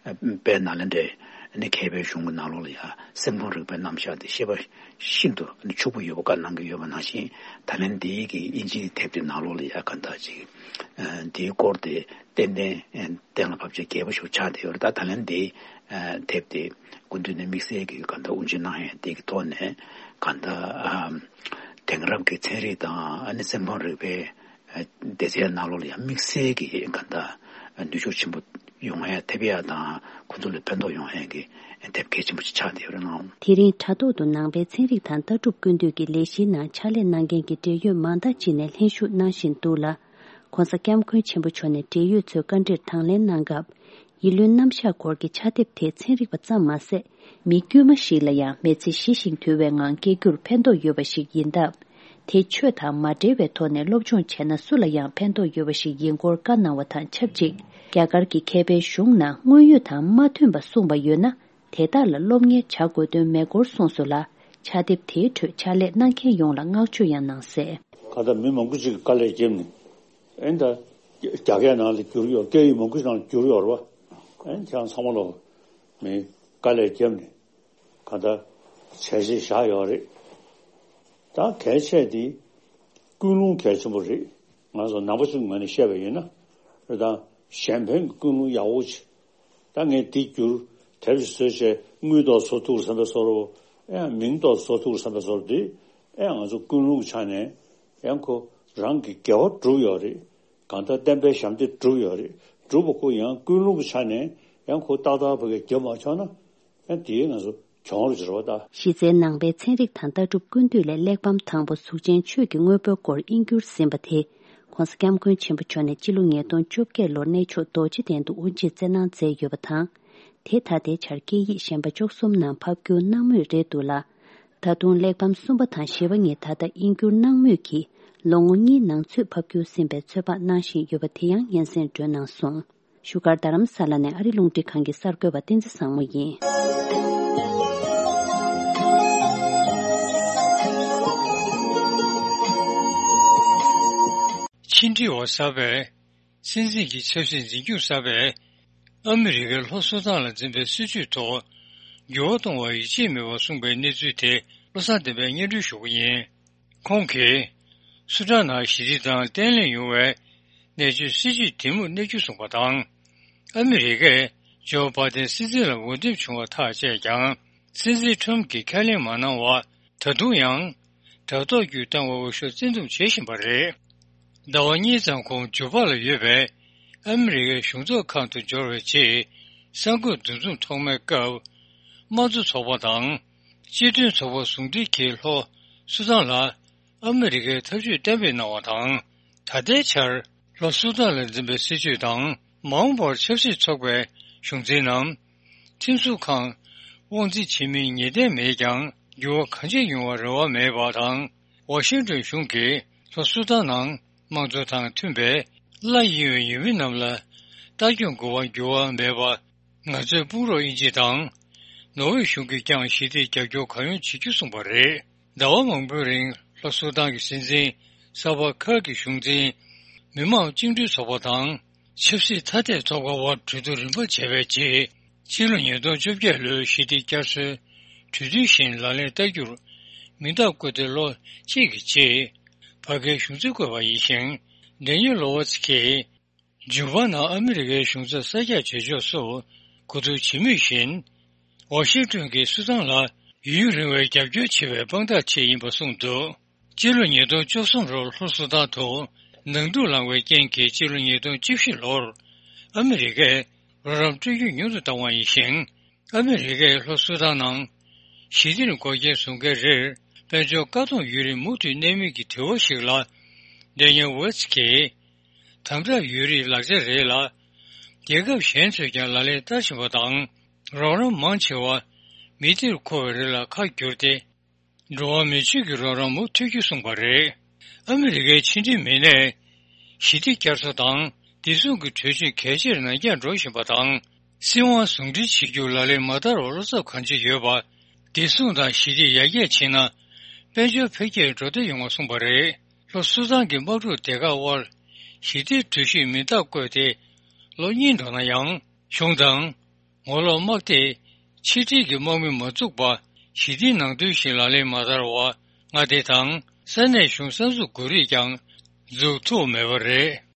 དཔལ་ནཱ་ལེནྡྲའི་ནི་མཁས་པའི་གཞུང་གི་ནང་ལོགས་ལ་ཡང་སེམས་ཁམས་རིག་པའི་རྣམ་གཞག་དེ་ཤེས་པ་ཤིན་ཏུ་ཕྱུག་པོ་ཡོད་པ་བཀའ་གནང་གི་ཡོད་པ་ནང་བཞིན། ད་ལན་འདིའི་གི་དབྱིན་ཇིའི་དེབ་དེ་ནང་ལོགས་ལ་ཡང་གང་ལྟར་ཅིག་འདིའི་སྐོར་དེ་ཏན་ཏན་གཏན་ལ་ཕབ་ཆེ་རྒྱས་པོ་ཞིག་ཆགས་བསྡད་ཡོད་རེད། ད་ད་ལན་འདིའི་དེབ་དེ་སྐུ་མདུན་ནས་དམིགས་བསལ་གྱི་གང་ལྟར་དབུ་འབྱེད་གནང་ཡས་དེ་གི་ཐོག་ནས་གང་ལྟར་དེང་རབས་ཀྱི་ཚན་རིག་དང་ཨ་ནི་སེམས་ཁམས་རིག་པའི་སྡེ་ཚན་ནང་ལོགས་ལ་ཡང་དམིགས་བསལ་གྱི་གང་ལྟར་ནུས་ཤུགས་ཆེན་པོ་ཡོང་ཡ་ཐེབས་ཡ་དང་ཁོ་ཚོ་ལ་ཕན་ཐོགས་ཡོང་ཡ་གི་དེབ་གལ་ཆེན་པོ་ཞིག་ཆགས་བསྡད་ཡོད་རེད་ལགས། དེ་རིང་དྲ་ཐོག་ཏུ་ནང་པའི་ཚན་རིག་དང་ལྟ་གྲུབ་ཀུན་བཏུས་ཀྱི་ལས་གཞིའི་ནང་ཕྱག་ལས་གནང་མཁན་གྱི་འབྲེལ་ཡོད་མང་དག་ཅིག་ནས་ལྷན་ཞུགས་གནང་བཞིན་འདུག་ལ། ༸གོང་ས་༸སྐྱབས་མགོན་ཆེན་པོ་མཆོག་ནས་འབྲེལ་ཡོད་ཚོའི་བཀའ་འདྲིར་དང་ལེན་གནང་སྐབས། ཡིད་བློའི་རྣམ་གཞག་སྐོར་གྱི་ཕྱག་དེབ་དེ་ཚན་རིག་པ་ཙམ་མ་ཟད། མི་དཀྱུས་མ་ཞིག་ལ་ཡང་མི་ཚེ་ཞི་ཞིང་དུལ་བའི་ངང་སྐྱེལ་རྒྱུར་ཕན་ཐོགས་ཡོད་པ་ཞིག་ཡིན་སྟབས། དེ་ཆོས་དང་མ་འབྲེལ་བའི་ཐོག་ནས་སློབ་སྦྱོང་བྱས་ན་སུ་ལ་ཡང་ཕན་ཐོགས་ཡོད་པ་ཞིག་ཡིན་སྐོར་བཀའ་གནང་བ་དང་ཆབས་ཅིག་རྒྱ་གར་གྱི་མཁས་པའི་གཞུང་ནང་དངོས་ཡོད་དང་མ་མཐུན་པ་གསུངས་པ་ཡོད་ན། དེ་དག་ལ་སློབ་གཉེར་བྱ་དགོས་དོན་མེད་སྐོར་གསུངས་སོང་ལ། ཕྱག་དེབ་དེའི་ཁྲོད་ཕྱག་ལས་གནང་མཁན་ཡོངས་ལ་བསྔགས་བརྗོད་ཡང་གནང་གསལ། གང་ལྟར་མི་མང་པོ་ཅིག་གིས་དཀའ་ལས་བརྒྱབ་ནས། ཨེ་ད། རྒྱ་སྐད་ནང་ལ་བསྒྱུར་ཡོད། སྐད་ཡིག་མང་པོ་ཞིག་ནང་ལ་བསྒྱུར་ཡོད་རེད་བ། ཨེ་ཁྱེད་རང་ཚང་མ་ལོ། མི་དཀའ་ལས་བརྒྱབ་ནས། གང་ལྟར་བྱས་རྗེས་བཞག་ཡོད་རེད། ད་གལ་ཆེ་དེ། ཀུན་སློང་གལ་ཆེན་པོ་རེད། ང་ཚོ་ནང་པ་ཚོའི་ངོས་ནས་བཤད་པ་ཡིན་ན། རེད་ད། གཞན་ཕན་གྱི་ཀུན་སློང་ཡག་པོ་ཅིག་ད་ངས་འདི་བསྒྱུར། དེབ་ཅིག་བཟོས་བྱས་དངུལ་ཏོག་ཙམ་བཟོ་ཐུབ་བསམ་པའི་བཟོ་འདྲ། ཨེ་མིང་ཏོག་ཙམ་བཟོ་ཐུབ་བསམ་པའི་བཟོ་འདྲ་འདི། ཨེ་ང་ཚོ་ཀུན་སློང་གི་ཆ་ནས་ཡང་ཁོ་རང་གི་དགེ་བ་བསྒྲུབས་ཡོད་རེད། གང་ལྟར་བསྟན་པའི་ཞབས་འདེགས་བསྒྲུབས་ཡོད་རེད། བསྒྲུབས་པ་ཁོ་ཡང་ཀུན་སློང་གི་ཆ་ནས་ཡང་ཁོ་ཏག་ཏག་ཕ་གིར་བརྒྱབ་མ་ཆོག་ན། ཡང་དེའི་ང་ཚོ་གྱོང་རུ་འགྱུར་བ་ད། གཞི་རྩའི་ནང་པའི་ཚན་རིག་དང་ལྟ་གྲུབ་ཀུན་བཏུས་ལས་གླེགས་བམ་དང་པོ་གཟུགས་ཅན་ཆོས་ཀྱི་དངོས་པོའི་སྐོར་དབྱིན་བསྒྱུར་ཟིན་པ་དེ། ༸གོང་ས་༸སྐྱབས་མགོན་ཆེན་པོ་མཆོག་ནས་སྤྱི་ལོ་ཉིས་སྟོང་བཅོ་བརྒྱད་ལོར་གནས་མཆོག་རྡོ་རྗེ་གདན་དུ་དབུ་འབྱེད་སྩལ་གནང་མཛད་ཡོད་པ་དང་། དེ་ད་ལྟའི་ཆར་སྐད་ཡིག་གཞན་པ་བཅུ་གསུམ་ནང་ཕབ་བསྒྱུར་གནང་མུས་རེད་འདུག་ལ། ད་དུང་གླེགས་བམ་གསུམ་པ་དང་བཞི་པ་གཉིས་ད་ལྟ་དབྱིན་བསྒྱུར་གནང་མུས་ཀྱིས། ལོ་ངོ་གཉིས་ནང་ཚུད་ཕབ་སྒྱུར་ཟིན་པའི་ཚོད་དཔག་གནང་བཞིན་ཡོད་པ་དེ་ཡང་སྙན་སེང་སྒྲོན་གནང་སོང་། བཞུགས་སྒར་རྡ་རམ་ས་ལ་ནས་ཨ་རི་རླུང་འཕྲིན་ཁང་གི་གསར་འགོད་པ་བསྟན་འཛིན་བཟང་མོ་ཡིན། ཕྱི་འབྲེལ་བ་གསར་པས། སྲིད་འཛིན་གྱི་ཆབ་སྲིད་འཛིན་སྐྱོང་གསར་པས། ཨ་མི་རི་ཀའི་ལྷོ་སུ་དཱན་ལ་འཛིན་པའི་སྲིད་བྱུས་ཐོག་འགྱུར་བ་གཏོང་བར་ཡིད་ཆེས་མེད་པར་གསུངས་པའི་གནས་ཚུལ་དེ་བློ་བཟང་བསྟན་པས་སྙན་སྒྲོན་ཞུ་གི་ཡིན། ཁོང་གིས། སུ་དཱན་ནང་ཞི་བདེ་དང་བརྟན་ལྷིང་ཡོང་བའི་གནད་སྤྱོད་སྲིད་ཇུས་དེ་མུ་གནས་རྒྱུ་གསུངས་པ་དང་། ཨ་མི་རི་ཀས་ཇོ་བྷ་དན་སྲིད་འཛིན་ལ་འོས་འདེམས་བྱུང་བ་ཐག་བཅད་ཀྱང་། སྲིད་འཛིན་ཁྲམ་གྱིས་ཁས་ལེན་མ་གནང་བར་ད་དུང་ཡང་དྲ་ཐོག་བརྒྱུད་བཏང་བའི་འོས་ཤོག་བཙན་འདུམ་བྱེད་བཞིན་པ་རེད། ཟླ་བ་གཉིས་ཙམ་གོང་ཇུ་པ་ལ་ཡོད་པའི་ཨ་མི་རི་ཀའི་གཞུང་ཚབ་ཁང་དུ་འབྱོར་བའི་རྗེས། གསར་འགོད་འདུ་འཛོམས་ཐོག་མའི་སྐབས། དམངས་གཙོ་ཚོགས་པ་དང་། སྤྱི་མཐུན་ཚོགས་པ་ཟུང་འབྲེལ་གྱིས་ལྷོ་སུ་དཱན་ལ་ཨ་མི་རི་ཀའི་ཐབས་ཇུས་གཏན་འབེབས་གནང་བ་དང་། ད་ལྟའི་ཆར་ལྷོ་སུ་དཱན་ལ་འཛིན་པའི་སྲིད་བྱུས་དང་མ་འོངས་པར་ཆབ་སྲིད་ཚོགས་པའི་གཞུང་འཛིན་ནམ། ཁྲིམས་བཟོ་ཁང་དབང་འཛིན་བྱེད་མིན་ངེས་གཏན་མེད་ཀྱང་། འགྱུར་བ་གང་ཆེ་ཡོང་བར་རེ་བ་མེད་པ་དང་། ཝ་ཤིང་ཏོན་གཞུང་གིས་ལྷོ་སུ་དཱན་ནང་དམངས་གཙོ་དང་མཐུན་པའི་གླ་ཡིན་པའི་ཡུལ་མི་རྣམས་ལ་ལྟ་སྐྱོང་དགོས་པར་འགྱུར་བ་མེད་པ། ང་ཚོའི་དཔུང་རོགས་དབྱིན་ཇི་དང་ནོར་ཝེ་གཞུང་གིས་ཀྱང་ཞི་བདེར་རྒྱབ་སྐྱོར་གང་ཡོང་བྱེད་རྒྱུ་གསུངས་པ་རེད། ཟླ་བ་མང་པོའི་རིང་ལྷོ་སུ་དཱན་གྱི་སྲིད་འཛིན་སལ་ཝ་ཁར་གྱི་གཞུང་འཛིན། མི་དམངས་བཅིངས་འགྲོལ་ཚོགས་པ་དང་། ཆབ་སྲིད་ཐ་དད་ཚོགས་པ་དབར་གྲོས་བསྡུར་རིམ་པ་བྱས་པའི་རྗེས། ཕྱི་ལོ་ཉིས་སྟོང་བཅོ་བརྒྱད་ལོའི་ཞི་བདེ་བསྐྱར་གསོའི་གྲོས་མཐུན་བཞིན་ལག་ལེན་བསྟར་རྒྱུར་མིང་རྟགས་བཀོད་དེ་ལོ་གཅིག་གི་རྗེས། བར་བརྒལ་གཞུང་འཛིན་བསྐོས་པ་ཡིན་ཞིང་། ཌེ་ནིལ་ལོ་ཝེ་ཚི་ཀིས་ཇུ་པ་ནང་ཨ་མི་རི་ཀའི་གཞུང་ཚབ་གསར་རྒྱག་བྱེད་ཕྱོགས་སུ་གོ་བསྡུར་བྱེད་མུས་བཞིན། ཝ་ཤིང་ཏོན་གྱིས་སུ་དཱན་ལ་ཡུན་རིང་བའི་རྒྱབ་སྐྱོར་བྱེད་པའི་དཔང་རྟགས་ཆེད་ཡིན་པ་གསུངས་འདུག། སྤྱི་ལོ་ཉིས་སྟོང་བཅུ་གསུམ་ལོར་ལྷོ་སུ་དཱན་དུ་ནང་འཁྲུག་ལངས་པའི་རྐྱེན་གྱིས། སྤྱི་ལོ་ཉིས་སྟོང་བཅུ་བཞི་ལོར་ཨ་མི་རི་ཀས་རོགས་རམ་སྤྲོད་རྒྱུ་ཉུང་དུ་བཏང་བ་ཡིན་ཞིང་། ཨ་མི་རི་ཀས་ལྷོ་སུ་དཱན་ནང་ཞི་བདེར་འགོག་རྐྱེན་བཟོ་མཁན་རེར་དཔལ་འབྱོར་བཀག་སྡོམ་ཡོད་རིགས་མུ་མཐུད་གནས་མིན་གྱི་དྲི་བ་ཞིག་ལ། ཌེ་ནིལ་ཝེ་ཚི་ཀིས། དམ་དྲག་ཡོད་རིགས་ལག་ཆ་རེད་ལ། རྒྱལ་ཁབ་གཞན་ཚོས་ཀྱང་ལག་ལེན་བསྟར་བཞིན་པ་དང་། རོགས་རམ་མང་ཆེ་བ་མི་སྡེར་མཁོ་བའི་རིགས་ལ་ཁ་བསྒྱུར་ཏེ། འགྲོ་བ་མི་ཆོས་ཀྱི་རོགས་རམ་མུ་མཐུད་རྒྱུ་གསུངས་པ་རེད། ཨ་མི་རི་ཀའི་ཕྱི་འབྲེལ་མི་སྣས། ཞི་བདེ་བསྐྱར་གསོ་དང་བདེ་སྲུང་གི་གྲོས་ཆོད་གལ་ཆེར་ནར་འགྱངས་འགྲོ་བཞིན་པ་དང་། སྲིད་དབང་ཟུང་འབྲེལ་བྱེད་རྒྱུར་ལག་ལེན་མ་བསྟར་བར་བློ་འཚབ་གང་ཆེ་ཡོད་པ། བདེ་སྲུང་དང་ཞི་བདེ་ཡར་རྒྱས་ཕྱིན་ན། དཔལ་འབྱོར་འཕེལ་རྒྱས་འགྲོ་བདེ་ཡོང་བ་གསུངས་པ་རེད། ལྷོ་སུ་དཱན་གྱི་དམག་འཁྲུག་སྡེ་ཁག་དབར་ཞི་བདེའི་གྲོས་གཞིར་མིང་རྟགས་བཀོད་དེ་ལོ་གཉིས་འགྲོ་ན་ཡང་། གཞུང་དང་། ངོ་ལོག་དམག་སྡེས་ཕྱི་འབྲེལ་གྱི་དམག་མི་མ་བཙུགས་པར་ཞི་བདེའི་ནང་དོན་བཞིན་ལག་ལེན་མ་བསྟར་བར་མངའ་སྡེ་དང་ས་གནས་གཞུང་གསར་འཛུགས་དགོས་རིགས་ཀྱང་འཛུགས་ཐུབ་མེད་པ་རེད།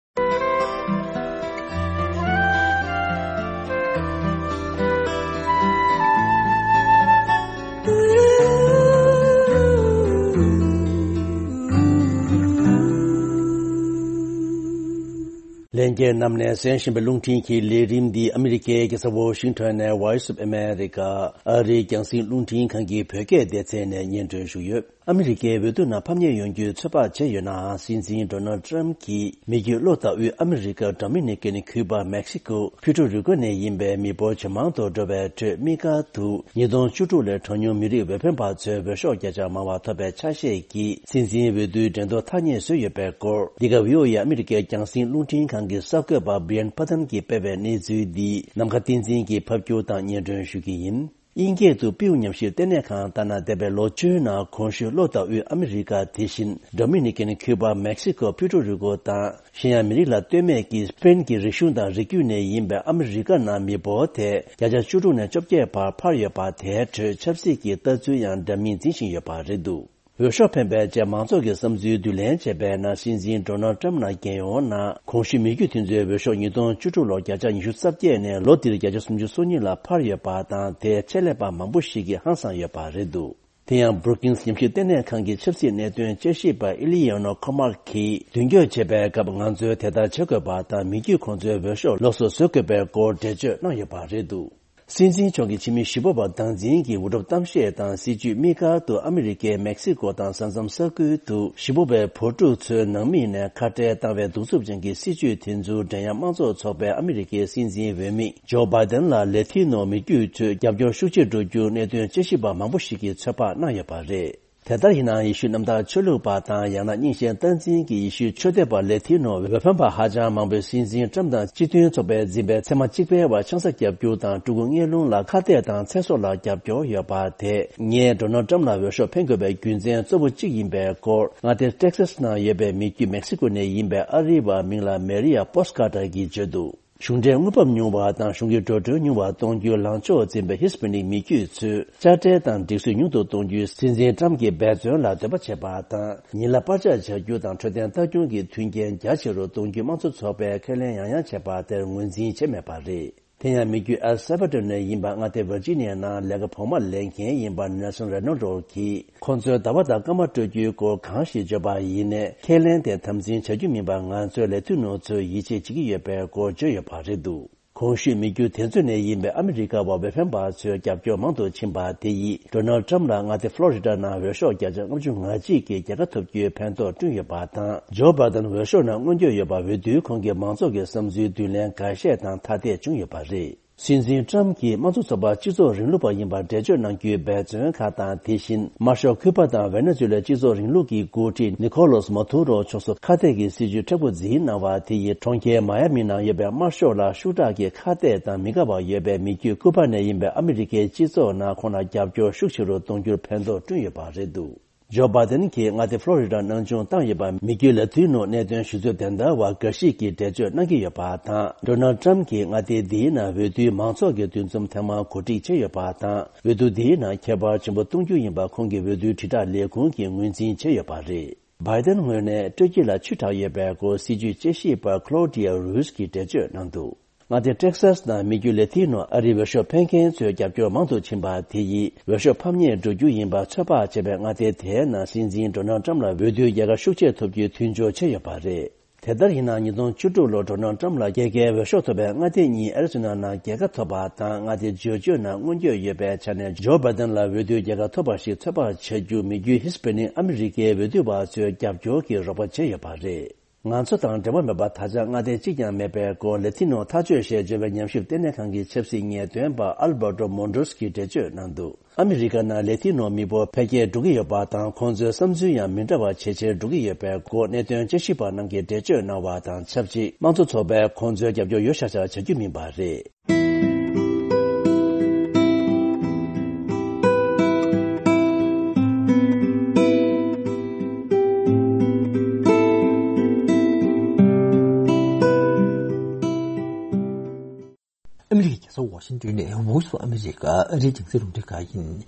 ལྷན་རྒྱས་རྣམས་ནས་གསན་བཞིན་པའི་རླུང་འཕྲིན་གྱི་ལས་རིམ་འདི་ཨ་མི་རི་ཀའི་རྒྱལ་ས་ཝོ་ཤིང་ཊོན་ནས་Voice of America ཨ་རིའི་རྒྱང་སྲིང་རླུང་འཕྲིན་ཁང་གི་བོད་སྐད་སྡེ་ཚན་ནས་སྙན་སྒྲོན་ཞུས་ཡོད། ཨ་མི་རི་ཀའི་འོས་བསྡུ་ནང་ཕམ་ཉེས་ཡོང་རྒྱུའི་ཚོད་དཔག་བྱས་ཡོད་ནའང་། སྲིད་འཛིན་ཌོ་ནལ་ཊམ་གྱིས་མི་རྒྱུད་ལྷོ་ལྟ་བུའི་ཨ་མི་རི་ཀ། ཌོ་མི་ནི་ཀན། ཁུ་པ། མེག་སི་ཀོ། ཕུའེ་ཊོ་རི་ཀོ་ནས་ཡིན་པའི་མི་འབོར་ཇེ་མང་དུ་འགྲོ་བའི་ཁྲོད། དམིགས་བཀར་དུ་ཉིས་སྟོང་བཅུ་དྲུག་ལོའི་གྲངས་ཉུང་མི་རིགས་འོས་འཕེན་པ་ཚོའི་འོས་ཤོག་བརྒྱ་ཆ་མང་བ་ཐོབ་པའི་ཆ་ཤས་ཀྱིས་སྲིད་འཛིན་འོས་བསྡུའི་འགྲན་བསྡུར་ཐག་ཉེ་བཟོས་ཡོད་པའི་སྐོར། འདི་ག་བྷི་ཨོ་ཨེ་ཨ་མི་རི་ཀའི་རྒྱང་སྲིང་རླུང་འཕྲིན་ཁང་གི་གསར་འགོད་པ་བྷི་ཡན་པ་ཐན་གྱིས་སྤེལ་བའི་གནས་ཚུལ་འདི་ནམ་མཁའ་བསྟན་འཛིན་གྱིས་ཕབ་སྒྱུར་དང་སྙན་སྒྲོན་ཞུ་གི་ཡིན། དབྱིན་སྐད་དུ་པིའུ་ཉམས་ཞིབ་ལྟེ་གནས་ཁང་ལྟར་ན། འདས་པའི་ལོ་བཅུའི་ནང་གོང་ཞུས་ལྷོ་ལྟ་བུའི་ཨ་མི་རི་ཀ། དེ་བཞིན་ཌོ་མི་ནི་ཀན། ཁུ་པ། མེག་སི་ཀོ། ཕུའེ་ཊོ་རི་ཀོ་དང་། གཞན་ཡང་མི་རིགས་ལ་ལྟོས་མེད་ཀྱིས་སྤེན་གྱི་རིག་གཞུང་དང་རིགས་རྒྱུད་ནས་ཡིན་པའི་ཨ་མི་རི་ཀ་ནང་མི་འབོར་དེ་བརྒྱ་ཆ་བཅུ་དྲུག་ནས་བཅོ་བརྒྱད་བར་འཕར་ཡོད་པ། དེའི་ཁྲོད་ཆབ་སྲིད་ཀྱི་ལྟ་ཚུལ་ཡང་འདྲ་མིན་འཛིན་བཞིན་ཡོད་པ་རེད་འདུག། འོས་ཤོག་འཕེན་པའི་རྗེས་མང་ཚོགས་ཀྱི་བསམ་ཚུལ་བསྡུ་ལེན་བྱས་པའི་ནང་། སྲིད་འཛིན་ཌོ་ནལ་ཊམ་ནང་རྒྱལ་ཡོངས་ནང་གོང་ཞུས་མི་རྒྱུད་དེ་ཚོའི་འོས་ཤོག་ཉིས་སྟོང་བཅུ་དྲུག་ལོར་བརྒྱ་ཆ་ཉི་ཤུ་རྩ་བརྒྱད་ནས་ལོ་འདིར་བརྒྱ་ཆ་སུམ་ཅུ་སོ་གཉིས་ལ་འཕར་ཡོད་པ་དང་། དེའི་ཆེད་ལས་པ་མང་པོ་ཞིག་གིས་ཧང་སངས་ཡོད་པ་རེད་འདུག། དེ་ཡང་Brookings ཉམས་ཞིབ་ལྟེ་གནས་ཁང་གི་ཆབ་སྲིད་གནད་དོན་དཔྱད་ཞིབ་པ་ཨི་ལི་ཡ་ནོ་ཁོ་མར་གྱིས་མདུན་སྐྱོད་བྱེད་པའི་སྐབས། ང་ཚོས་དེ་ལྟར་བྱེད་དགོས་པ་དང་། མི་རྒྱུད་ཁོང་ཚོའི་འོས་ཤོག་ལོགས་སུ་བཟོ་དགོས་པའི་སྐོར་འགྲེལ་བརྗོད་གནང་ཡོད་པ་རེད་འདུག། སྲིད་འཛིན་མཆོག་གི་ཕྱི་མི་ཞི་བ་པ་སྟངས་འཛིན་གྱི་འུར་སྒྲོག་གཏམ་བཤད་དང་། སྲིད་བྱུས་དམིགས་བཀར་དུ་ཨ་མི་རི་ཀའི་མེག་སི་ཀོ་དང་ས་མཚམས་ས་ཁུལ་དུ་ཞི་བ་པའི་བོད་ཕྲུག་ཚོའི་ནང་མི་ནས་ཁ་བྲལ་བཏང་བའི་གདུག་རྩུབ་ཅན་གྱི་སྲིད་བྱུས་དེ་ཚོར་འགྲན་ཡ་དམངས་གཙོ་ཚོགས་པའི་ཨ་མི་རི་ཀའི་སྲིད་འཛིན་འོས་མི་ཇོ་བྷའི་ཏན་ལ་ལེ་ཐི་ནོ་མི་རྒྱུད་ཚོས་རྒྱབ་སྐྱོར་ཤུགས་ཆེ་འགྲོ་རྒྱུར་གནད་དོན་དཔྱད་ཞིབ་པ་མང་པོ་ཞིག་གིས་ཚོད་དཔག་གནང་ཡོད་པ་རེད། དེ་ལྟར་ཡིན་ནའང་ཡེ་ཤུ་གནམ་བདག་ཆོས་ལུགས་པ་དང་ཡང་ན་རྙིང་ཞེན་སྟངས་འཛིན་གྱི་ཡེ་ཤུ་ཆོས་དད་པ་ལེ་ཐི་ནོ་བོད་ཕན་པ་ཧ་ཅང་མང་པོས་སྲིད་འཛིན་ཀྲམ་དང་སྤྱི་མཐུན་ཚོགས་པའི་འཛིན་པའི་ཚད་མ་གཅིག་པའི་བར་ཆང་ས་བརྒྱབ་རྒྱུ་དང་སྤྲུལ་སྐུ་ངན་སློང་ལ་ཁ་གཏད་དང་ཚེ་སྲོག་ལ་རྒྱབ་སྐྱོར་ཡོད་པ་དེས་ངས་ཌོ་ནལ་ཀྲམ་ལ་འོས་ཤོག་འཕེན་དགོས་པའི་རྒྱུ་མཚན་གཙོ་བོ་གཅིག་ཡིན་པའི་སྐོར། མངའ་སྡེ་ཊེག་སཱས་ནང་ཡོད་པའི་མི་རྒྱུད་མེག་སི་ཀོ་ནས་ཡིན་པའི་ཨ་རིའི་བ་མིང་ལ་མེ་རི་ཡ་པོ་སི་ཀར་ཊར་གྱིས་བརྗོད་འདུག་གཞུང་འབྲེལ་དངུལ་འབབ་ཉུང་བ་དང་གཞུང་གི་འགྲོ་གྲོན་ཉུང་བ་གཏོང་རྒྱུའི་ལངས་ཕྱོགས་འཛིན་པའི་ཧི་སི་པ་ནིག་མི་རྒྱུད་ཚོས་དཔྱ་ཁྲལ་དང་སྒྲིག་སྲོལ་ཉུང་དུ་གཏོང་རྒྱུའི་སྲིད་འཛིན་ཀྲམ་གྱི་འབད་བརྩོན་ལ་འདོད་པ་བྱེད་པ་དང་། ཉིན་ལ་པར་ཆས་བྱ་རྒྱུ་དང་འཕྲོད་བསྟེན་ལྟ་སྐྱོང་གི་མཐུན་རྐྱེན་རྒྱ་ཆེ་རུ་གཏོང་རྒྱུའི་དམངས་གཙོ་ཚོགས་པས་ཁས་ལེན་ཡང་ཡང་བྱས་པ་དེར་ངོས་འཛིན་བྱས་མེད་པ་རེད། དེ་ཡང་མི་རྒྱུད་ཨེལ་སེལ་ཝ་ཌོར་ནས་ཡིན་པ་མངའ་སྡེ་ཝར་ཇི་ནི་ཡ་ནང་ལས་ཀ་བོགས་མ་ལེན་མཁན་ཡིན་པ་ནེལ་སོན་རེ་ནོ་ཌོ་གིས། ཁོང་ཚོས་ཟླ་བ་དང་སྐར་མ་སྤྲོད་རྒྱུའི་སྐོར་གང་ཞིག་བརྗོད་པ་ཡིན་ནའི་ཁས་ལེན་དེ་དམ་འཛིན་བྱ་རྒྱུ་མིན་པར་ང་ཚོའི་ལས་དོན་ནོར་ཚོས་ཡིད་ཆེས་བྱེད་ཀྱི་ཡོད་པའི་སྐོར་བརྗོད་ཡོད་པ་རེད་འདུག་གོང་ཞུས་མི་རྒྱུད་དེ་ཚོ་ནས་ཡིན་པའི་ཨ་མི་རི་ཀ་བ་བོད་ཕན་པ་ཚོའི་རྒྱབ་སྐྱོར་མང་དུ་ཕྱིན་པ་དེ་ཡིས་ཌོ་ནལ་ཊམ་ལ་མངའ་སྡེ་ཕློ་རི་ཌ་ནང་འོས་ཤོག་བརྒྱ་ཆ་ལྔ་བཅུ་ང་གཅིག་གི་རྒྱལ་ཁ་ཐོབ་རྒྱུའི་ཕན་ཐོགས་བསྐྲུན་ཡོད་པ་དང་། ཇོ་བྷའི་ཌེན་འོས་ཤོག་ནང་མངོན་འགྱོད་ཡོད་པ་འོས་བསྡུའི་ཁོང་གི་མང་ཚོགས་ཀྱི་བསམ་ཚུལ་མདུན་ལེན་འགའ་ཤས་དང་ཐ་དད་བྱུང་ཡོད་པ་རེད། སྲིད་འཛིན་ཀྲམ་གྱིས་དམངས་གཙོ་ཚོགས་པ་སྤྱི་ཚོགས་རིང་ལུགས་པ་ཡིན་པར་འགྲེལ་བརྗོད་གནང་རྒྱུའི་འབད་བརྩོན་ཁག་དང་། དེ་བཞིན་དམར་ཤོག་ཁུ་པ་དང་ཝེ་ནེ་ཛུ་ལའི་སྤྱི་ཚོགས་རིང་ལུགས་ཀྱི་འགོ་ཁྲིད་ནི་ཁོ་ལོས་མ་ཏུ་རོ་མཆོག་སོགས་ཁ་གཏད་ཀྱི་སྲིད་ཇུས་མཁྲེགས་པོ་འཛིན་གནང་བ་དེ་ཡིས་གྲོང་ཁྱེར་མ་ཡ་མི་ནང་ཡོད་པའི་དམར་ཤོག་ལ་ཤུགས་དྲག་གི་ཁ་གཏད་དང་མི་དགའ་བ་ཡོད་པའི་མི་རྒྱུད་ཀུ་པ་ནས་ཡིན་པའི་ཨ་མི་རི་ཀའི་སྤྱི་ཚོགས་ནང་ཁོང་ལ་རྒྱབ་སྐྱོར་ཤུགས་ཆེ་རུ་གཏོང་རྒྱུར་ཕན་ཐོགས་བསྐྲུན་ཡོད་པ་རེད་འདུག་ཇོ་བྷའི་ཌེན་གྱིས་མངའ་སྡེ་ཕློ་རི་ཌ་ནང་སྦྱོང་བཏང་ཡོད་པ་མི་རྒྱུད་ལ་ཐུག་ནོ་གནད་དོན་ཞུ་ཚོད་དེ་འདྲ་བ་འགའ་ཞིག་གིས་འགྲེལ་བརྗོད་གནང་གི་ཡོད་པ་དང་། ཌོ་ནལ་ཊམ་གྱིས་མངའ་སྡེ་འདིའི་ནང་འོས་བསྡུའི་མང་ཚོགས་ཀྱི་འདུ་འཛོམས་ཐེངས་མང་གོ་སྒྲིག་བྱས་ཡོད་པ་དང་། འོས་བསྡུ་འདིའི་ནང་ཁྱད་པར་ཆེན་པོ་གཏོང་རྒྱུ་ཡིན་པ་ཁོང་གི་འོས་བསྡུའི་དྲིལ་བསྒྲགས་ལས་ཁུངས་ཀྱིས་ངོས་འཛིན་བྱས་ཡོད་པ་རེད། བྷའི་ཌེན་ངོས་ནས་སྤྲོད་སྐྱིད་ལ་ཆུ་དྲག་ཡོད་པའི་སྐོར་སྲིད་ཇུས་དཔྱད་ཞིབ་པ་ཁློ་ཌི་ཡ་རུས་ཀྱིས་འགྲེལ་བརྗོད་གནང་འདུག་མངའ་སྡེ་ཊེག་སཱས་ནང་མི་རྒྱུད་ལེ་ཐི་ནོ་ཨ་རིའི་འོས་ཤོག་འཕེན་མཁན་ཚོའི་རྒྱབ་སྐྱོར་མང་དུ་ཕྱིན་པ་དེ་ཡིས་འོས་ཤོག་ཕམ་ཉེས་འགྲོ་རྒྱུ་ཡིན་པ་ཚོད་དཔག་བྱས་པའི་མངའ་སྡེ་དེའི་ནང་སྲིད་འཛིན་ཌོ་ནལ་ཊམ་ལ་འོས་བསྡུའི་རྒྱལ་ཁ་ཤུགས་ཆེ་ཐོབ་རྒྱུའི་མཐུན་སྦྱོར་བྱས་ཡོད་པ་རེད། དེ་ལྟར་ཡིན་ན་ཉིས་སྟོང་བཅུ་དྲུག་ལོར་ཌོ་ནལ་ཊམ་ལ་རྒྱལ་ཁའི་འོས་ཤོག་ཐོབ་པའི་མངའ་སྡེ་གཉིས་ཨེ་རི་ཛོ་ན་ནང་རྒྱལ་ཁ་ཐོབ་པ་དང་མངའ་སྡེ་ཇོར་ཇི་ཡ་ནང་མངོན་འགྱོད་ཡོད་པའི་ཆ་ནས་ཇོ་བྷའི་ཌེན་ལ་འོས་བསྡུའི་རྒྱལ་ཁ་ཐོབ་པ་ཞིག་ཚོད་དཔག་བྱ་རྒྱུ་མི་རྒྱུད་ཧི་སི་པེ་ནིག་ཨ་མི་རི་ཀའི་འོས་བསྡུ་བ་ཚོའི་རྒྱབ་སྐྱོར་གྱིས་རོགས་པ་བྱས་ཡོད་པ་རེད། ང་ཚོ་དང་འབྲེལ་བ་མེད་པ་ད་ཆ་མངའ་སྡེ་གཅིག་ཀྱང་མེད་པའི་སྐོར་ལེ་ཐི་ནོ་ཐག་གཅོད་ཞེས་བརྗོད་པའི་ཉམས་ཞིབ་ལྟེ་གནས་ཁང་གི་ཆབ་སྲིད་ངེས་སྟོན་པ་ཨལ་བྷར་ཏོ་མོན་རོས་ཀྱིས་འགྲེལ་བརྗོད་གནང་འདུག་ཨ་མི་རི་ཀ་ནང་ལེ་ཐི་ནོ་མི་འབོར་འཕེལ་རྒྱས་འགྲོ་གི་ཡོད་པ་དང་ཁོང་ཚོའི་བསམ་ཚུལ་ཡང་མི་འདྲ་བ་ཇེ་ཆེར་འགྲོ་གི་ཡོད་པའི་སྐོར་གནད་དོན་དཔྱད་ཞིབ་པ་རྣམས་ཀྱིས་འགྲེལ་བརྗོད་གནང་བ་དང་ཆབས་ཅིག་དམངས་གཙོ་ཚོགས་པས་ཁོང་ཚོའི་རྒྱབ་སྐྱོར་ཡོད་ཤག་ཤག་བྱ་རྒྱུ་མིན་པ་རེད། ཨ་མི་རི་ཀའི་རྒྱལ་ས་ཝ་ཤིང་ཏོན་ནས་Voice of America ཨ་རིའི་རྒྱང་སྲིང་རླུང་འཕྲིན་ཁང་ཡིན།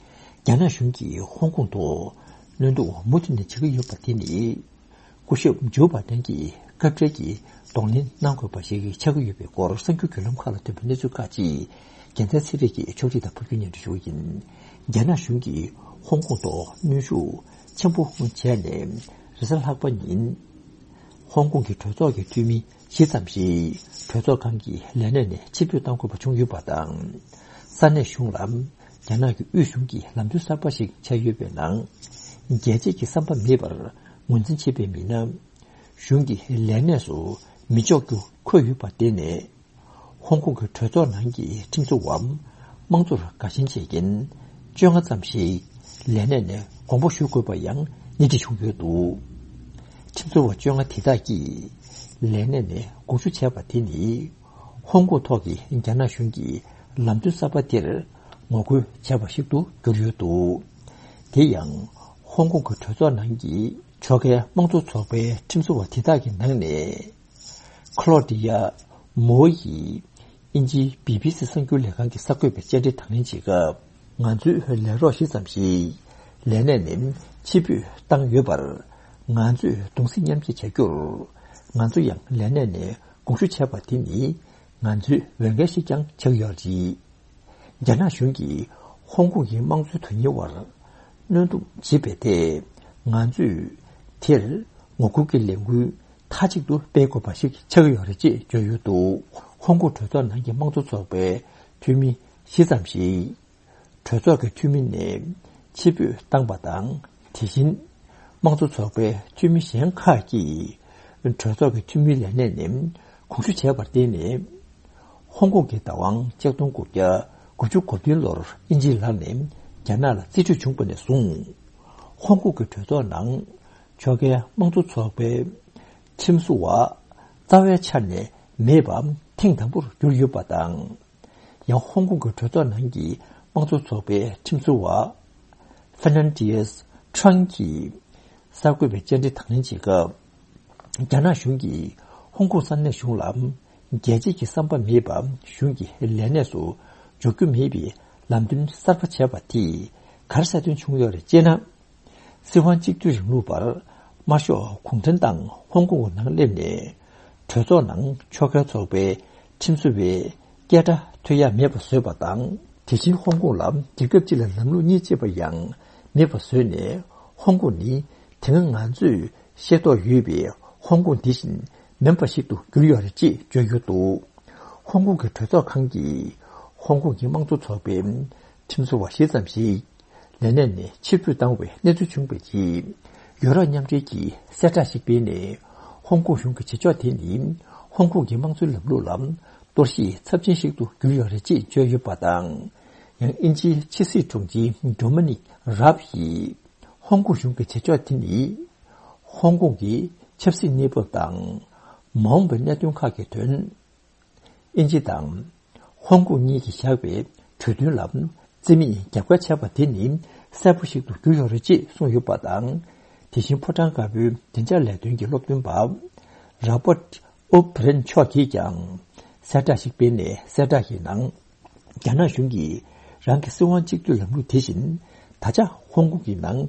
རྒྱ་ནག་གཞུང་གིས་ཧོང་ཀོང་ཐོག་གནོན་གཏུག་མུ་མཐུད་ནས་བྱེད་ཀྱི་ཡོད་པ་དེ་ནི། སྐུ་ཞབས་ཇོ་བྷ་དན་གྱིས་སྐབས་འཕྲལ་གྱི་གདོང་ལེན་གནང་དགོས་པ་ཞིག་ཆགས་ཀྱི་ཡོད་པའི་སྐོར་གསར་འགྱུར་བརྒྱུད་ལམ་ཁག་ལ་ཐོན་པའི་གནས་ཚུལ་ཁག་ཅིག་རྒྱལ་མཚན་ཚེ་རིང་གིས་ཕྱོགས་སྒྲིག་དང་ཕབ་སྒྱུར་སྙན་སྒྲོན་ཞུ་གི་ཡིན། རྒྱ་ནག་གཞུང་གིས་ཧོང་ཀོང་ཐོག་གནོན་ཤུགས་ཆེན་པོ་བྱས་ནས་རེས་གཟའ་ལྷག་པ་ཉིན། ཧོང་ཀོང་གི་གྲོས་ཚོགས་ཀྱི་འཐུས་མི་བཞི་ཙམ་ཞིག་གྲོས་ཚོགས་ཁང་གི་ལས་གནས་ནས་ཕྱིར་འབུད་གཏང་དགོས་པ་བྱུང་ཡོད་པ་དང་། ས་གནས་གཞུང་ལ་རྒྱ་ནག་གི་དབུས་གཞུང་གི་ལམ་སྟོན་གསར་པ་ཞིག་ཆགས་ཡོད་པའི་ནང་། རྒྱལ་སྤྱིའི་བསམ་པ་མེད་པར་ངོས་འཛིན་བྱེད་པའི་མི་སྣ་གཞུང་གི་ལས་གནས་སུ་མི་འཇོག་རྒྱུ་འཁོད་ཡོད་པ་དེ་ནས། ཧོང་ཀོང་གི་གྲོས་ཚོགས་ནང་གི་ཁྲིམས་བཟོ་བ་དམངས་གཙོར་དགའ་ཞེན་བྱེད་མཁན་བཅོ་ལྔ་ཙམ་ཞིག་ལས་གནས་ནས་དགོངས་པ་ཞུ་དགོས་པ་ཡང་སྣེ་ཁྲིད་བྱུང་ཡོད་འདུག་ཁྲིམས་བཟོ་བ་བཅོ་ལྔ་དེ་དག་གིས་ལས་གནས་ནས་དགོངས་ཞུ་བྱས་པ་དེ་ནི་ཧོང་ཀོང་ཐོག་གི་རྒྱ་ནག་གཞུང་གི་ལམ་སྟོན་གསར་པ་དེར་ངོ་རྒོལ་བྱས་པ་ཞིག་ཏུ་གྱུར་ཡོད་འདུག་དེ་ཡང་ཧོང་ཀོང་གི་གྲོས་ཚོགས་ནང་གི་ཕྱོགས་འགལ་དམངས་གཙོ་ཚོགས་པའི་ཁྲིམས་བཟོ་བ་དེ་དག་གི་ནང་ནས། ཁ་ལོ་ཌི་ཡ་མོ་ཡིས་དབྱིན་ཇིའི་བི་བི་སི་གསར་འགྱུར་ལས་ཁང་གི་གསར་འགོད་པའི་བཅར་འདྲི་དང་ལེན་བྱེད་སྐབས། ང་ཚོའི་ལས་རོགས་བཞི་ཙམ་ཞིག་ལས་གནས་ནས་ཕྱིར་འབུད་བཏང་ཡོད་པར། ང་ཚོས་གདུང་སེམས་མཉམ་སྐྱེད་བྱ་རྒྱུར། ང་ཚོ་ཡང་ལས་གནས་ནས་དགོངས་ཞུ་བྱས་པ་དེ་ནི་ང་ཚོའི་འོས་འགན་ཞིག་ཀྱང་ཆགས་ཡོད་རེད། རྒྱ་ནག་གཞུང་གིས་ཧོང་ཀོང་གི་དམངས་གཙོའི་དོན་གཉེར་བར་གནོན་སྡུག་བྱེད་པའི་ཐད་ང་ཚོས་དེར་ངོ་རྒོལ་གྱི་ལས་འགུལ་མཐའ་གཅིག་ཏུ་སྤེལ་དགོས་པ་ཞིག་ཆགས་ཀྱི་ཡོད་རེད་ཅེས་བརྗོད་ཡོད་འདུག་ཧོང་ཀོང་གྲོས་ཚོགས་ནང་གི་དམངས་གཙོ་ཚོགས་པའི་འཐུས་མི་བཞི་ཙམ་ཞིག་གྲོས་ཚོགས་ཀྱི་འཐུས་མི་ནས་ཕྱིར་འབུད་བཏང་པ་དང་། དེ་བཞིན་དམངས་གཙོ་ཚོགས་པའི་འཐུས་མི་གཞན་ཁག་གིས་གྲོས་ཚོགས་ཀྱི་འཐུས་མིའི་ལས་གནས་ནས་དགོངས་ཞུ་བྱས་པར་བརྟེན་ནས། ཧོང་ཀོང་གི་བདག་དབང་ཆིག་སྟོང་དགུ་བརྒྱ་དགུ་བཅུ་གོ་བདུན་ལོར་དབྱིན་ཇིའི་ལག་ནས་རྒྱ་ནག་ལ་རྩིས་སྤྲོད་བྱུང་བ་ནས་བཟུང་། ཧོང་ཀོང་གི་གྲོས་ཚོགས་ནང་ཕྱོགས་འགལ་དམངས་གཙོ་ཚོགས་པའི་ཁྲིམས་བཟོ་བ་རྩ་བའི་ཆ་ནས་མེད་པ་ཐེངས་དང་པོར་གྱུར་ཡོད་པ་དང་། ཡང་ཧོང་ཀོང་གི་གྲོས་ཚོགས་ནང་གི་དམངས་གཙོ་ཚོགས་པའི་ཁྲིམས་བཟོ་བ་ཧྥེ་ནན་ཏི་ཡེས་ཁྲང་གིས་གསར་འགོད་པའི་བཅར་འདྲི་དང་ལེན་བྱེད་སྐབས། རྒྱ་ནག་གཞུང་གིས་ཧོང་ཀོང་ས་གནས་གཞུང་ལ་རྒྱལ་གཅེས་ཀྱི་བསམ་པ་མེད་པ་གཞུང་གི་ལས་གནས་སུ་འཇོག་རྒྱུ་མེད་པའི་ལམ་སྟོན་གསར་པ་བྱས་པ་དེས་ག་རེ་གསལ་སྟོན་བྱུང་ཡོད་རེད་ཅེ་ན། སྲིད་དབང་གཅིག་སྡུད་རིང་ལུགས་པར་དམར་ཤོག་གུང་ཁྲན་ཏང་ཧོང་ཀོང་གི་ནང་སླེབས་ནས། གྲོས་ཚོགས་ནང་ཕྱོགས་འགལ་ཚོགས་པའི་ཁྲིམས་བཟོ་བའི་སྐད་སྒྲ་ཐོས་ཡ་མེད་པ་བཟོས་པ་དང་། དེ་བཞིན་ཧོང་ཀོང་ལ་རྒྱལ་ཁབ་སྤྱི་ལ་ལམ་ལུགས་གཉིས་ཅེས་པ་ཡང་མེད་པ་བཟོས་ནས། ཧོང་ཀོང་ནི་དེ་སྔ་ང་ཚོས་ཤེས་རྟོགས་ཡོད་པའི་ཧོང་ཀོང་འདི་བཞིན་མིན་པ་ཞིག་ཏུ་གྱུར་ཡོད་རེད་ཅེས་བརྗོད་ཡོད་འདུག་ཧོང་ཀོང་གི་གྲོས་ཚོགས་ཁང་གིས་ཧོང་ཀོང་གི་དམངས་གཙོ་ཚོགས་པའི་ཁྲིམས་བཟོ་བ་ཞེ་ཙམ་ཞིག་ལས་གནས་ནས་ཕྱིར་འབུད་བཏང་བའི་གནས་ཚུལ་བྱུང་བའི་རྗེས། ཡོ་རོབ་མཉམ་འབྲེལ་གྱིས་གསལ་བསྒྲགས་ཤིག་སྤེལ་ནས། ཧོང་ཀོང་གཞུང་གི་བྱེད་ཕྱོགས་དེ་ནི་ཧོང་ཀོང་གི་དམངས་གཙོའི་ལམ་ལུགས་ལ་གཏོར་བཤིག་ཚབས་ཆེན་ཞིག་ཏུ་གྱུར་ཡོད་རེད་ཅེས་བརྗོད་ཡོད་པ་དང་། ཡང་དབྱིན་ཇིའི་ཕྱི་སྲིད་དྲུང་ཆེ་ཌོ་མི་ནིག་རབ་ཡིས་ཧོང་ཀོང་གཞུང་གི་བྱེད་ཕྱོགས་དེ་ནི་ཧོང་ཀོང་གི་ཆབ་སྲིད་གནས་བབ་དང་མ་འོངས་པའི་གནད་དོན་ཁག་གི་དོན། དབྱིན་ཇི་དང་ཧོང་ཀོང་གཉིས་ཀྱིས་བཞག་པའི་གྲོས་མཐུན་ལ་རྩིས་མེད་རྒྱབ་འགལ་བྱས་པ་དེ་ནི་གསལ་པོ་ཞིག་ཏུ་གྱུར་ཡོད་རེད་ཅེས་གསུངས་ཡོད་པ་དང་། དེ་བཞིན་ཕོ་བྲང་དཀར་པོའི་བདེ་འཇགས་ལས་དོན་གྱི་སློབ་སྟོན་པ་རོ་པར་ཨོ་བྷི་རན་མཆོག་གིས་ཀྱང་གསལ་བསྒྲགས་ཤིག་སྤེལ་ནས། གསལ་བསྒྲགས་ཀྱི་ནང་རྒྱ་ནག་གཞུང་གིས་རང་གི་སྲིད་དབང་གཅིག་སྡུད་ལམ་ལུགས་དེ་བཞིན་ད་ཆ་ཧོང་ཀོང་གི་ནང་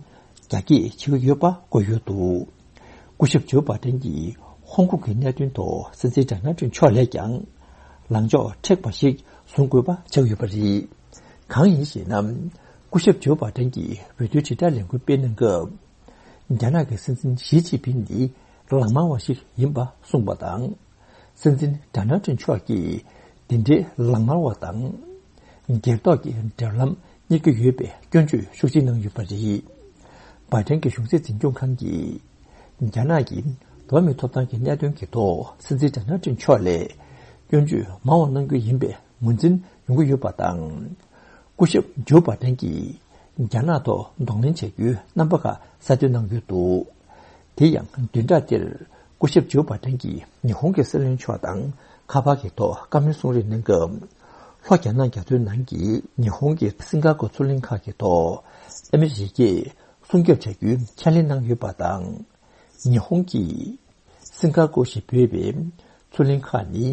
རྒྱ་སྐྱེད་བྱེད་ཀྱི་ཡོད་པ་བཀོད་ཡོད་འདུག་སྐུ་ཞབས་ཇོ་བྷ་ཏན་གྱིས་ཧོང་ཀོང་གི་གནད་དོན་ཐོག་སྲིད་འཛིན་ཌོ་ནལ་ཊམ་མཆོག་ལས་ཀྱང་ལངས་ཕྱོགས་མཁྲེགས་པ་ཞིག་བཟུང་དགོས་པ་ཆགས་ཡོད་པ་རེད། གང་ཡིན་ཞེ་ན། སྐུ་ཞབས་ཇོ་བྷ་ཏན་གྱིས་འོས་བསྡུའི་དྲིལ་བསྒྲགས་ལས་འགུལ་སྤེལ་གནང་སྐབས། རྒྱ་ནག་གི་སྲིད་འཛིན་ཞི་ཅིན་ཕིང་ནི་ལག་དམར་བ་ཞིག་ཡིན་པ་གསུངས་པ་དང་། སྲིད་འཛིན་ཌོ་ནལ་ཊམ་མཆོག་གིས་འདི་འདྲའི་ལག་དམར་བ་དང་། སྒེར་ཐོག་གི་འབྲེལ་ལམ་རྙེད་ཀྱི་ཡོད་པའི་སྐྱོན་བརྗོད་ཤུགས་ཆེ་གནང་ཡོད་པ་རེད། བྷའི་ཌེན་གྱི་གཞུང་སྲིད་འཛིན་སྐྱོང་ཁང་གིས་རྒྱ་ནག་གིས་འགྲོ་བ་མིའི་ཐོབ་ཐང་གི་གནད་དོན་གྱི་ཐོག་སྲིད་འཛིན་ཌོ་ནལ་ཊམ་མཆོག་ལས་སྐྱོན་བརྗོད་མང་བ་གནང་རྒྱུ་ཡིན་པའི་ངོས་འཛིན་ཡོང་གི་ཡོད་པ་དང་། སྐུ་ཞབས་ཇོ་བྷའི་ཌེན་གྱིས་རྒྱ་ནག་ཐོག་གདོང་ལེན་བྱ་རྒྱུའི་རྣམ་པ་ཁག་གསལ་སྟོན་གནང་ཡོད་འདུག་དེ་ཡང་བདུན་ཕྲག་འདིར་སྐུ་ཞབས་ཇོ་བྷའི་ཌེན་གྱིས་ཉི་ཧོང་གི་སྲིད་བློན་མཆོག་དང་ཁ་པར་གྱི་ཐོག་བཀའ་མོལ་གསུང་རེས་གནང་སྐབས། ལྷོ་རྒྱ་ནག་རྒྱ་མཚོའི་ནང་གི་ཉི་ཧོང་གི་སིང་ག་པོར་མཚོ་གླིང་ཁག་གི་ཐོག་ཨ་མི་རི་ཀས་སྲུང་སྐྱོབ་བྱ་རྒྱུའི་ཁས་ལེན་གནང་ཡོད་པ་དང་། ཉི་ཧོང་གིས་སིང་ག་པོར་ཞེས་འབོད་པའི་མཚོ་གླིང་ཁག་ནི་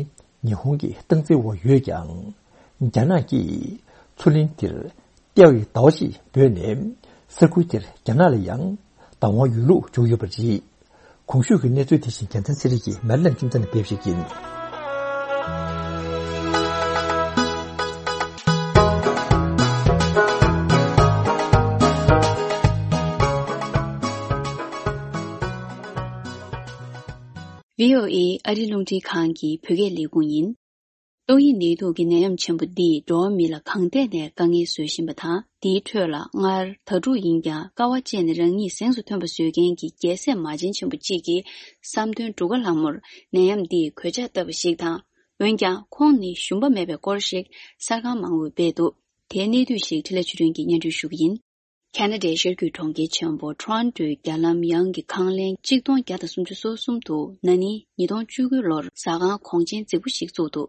ཉི་ཧོང་གི་སྟངས་འཛིན་འོག་ཡོད་ཀྱང་། རྒྱ་ནག་གིས་མཚོ་གླིང་དེར་ཏེའོ་ཡི་ཟླ་བ་ཞེས་འབོད་ནས་ས་ཁུལ་དེར་རྒྱ་ནག་ལ་ཡང་བདག་དབང་ཡོད་ལུགས་བརྗོད་ཡོད་པ་རེད། གོང་ཞུས་ཀྱི་གནས་ཚུལ་དེ་བཞིན་རྒྱལ་མཚན་ཚེ་རིང་གིས་མེ་ལན་ཁྱིམ་ཚང་ནས་ཕེབས་ཤིག་ཡིན། བྷི་ཨོ་ཨེ་ཨ་རི་རླུང་འཕྲིན་ཁང་གི་བོད་སྐད་ལས་ཁུངས་ཡིན། ཏོག་དབྱིབས་ནད་དུག་གི་ནད་ཡམས་ཆེན་པོ་འདིས་འགྲོ་བ་མི་ལ་གང་ཐད་ནས་དཀའ་ངལ་བཟོ་བཞིན་པ་དང་། དེའི་ཁྲོད་ལ་སྔར་དྭ་ཕྲུག་ཡིན་ཀྱང་དཀའ་བ་སྤྱད་ནས་རང་ཉིད་གཟེངས་སུ་ཐོན་པ་བཟོ་མཁན་གྱི་རྒྱལ་སྲས་མ་བྱན་ཆེན་པོ་གཅིག་གིས་བསམ་དོན་འགྲུབ་ག་ལྷག་མུར་ནད་ཡམས་འདིས་གོད་ཆག་བཏབ་པ་ཞིག་དང་། འོན་ཀྱང་ཁོང་ནི་ཞུམ་པ་མེད་པའི་སྐོར་ཞིག་གསར་ཁང་མང་པོས་སྤེལ་འདུག་དེའི་གནད་བསྡུས་ཤིག་འཕྲིན་ལས་ཆོས་སྒྲོན་གྱིས་སྙན་སྒྲོན་ཞུ་གི་ཡིན། ཁ་ན་ཌའི་ཤར་རྒྱུད་གྲོང་ཁྱེར་ཆེན་པོ་ཊོ་རོན་ཊོའི་རྒྱ་ལམ་ཡང་གི་ཁང་ལན་གཅིག་སྟོང་བརྒྱ་དང་སུམ་ཅུ་སོ་གསུམ་དུ་ན་ནིང་ཉིས་སྟོང་བཅུ་དགུ་ལོར་ཟ་ཁང་གོང་ཆེན་རྫིག་པོ་ཞིག་བཙུགས་འདུག་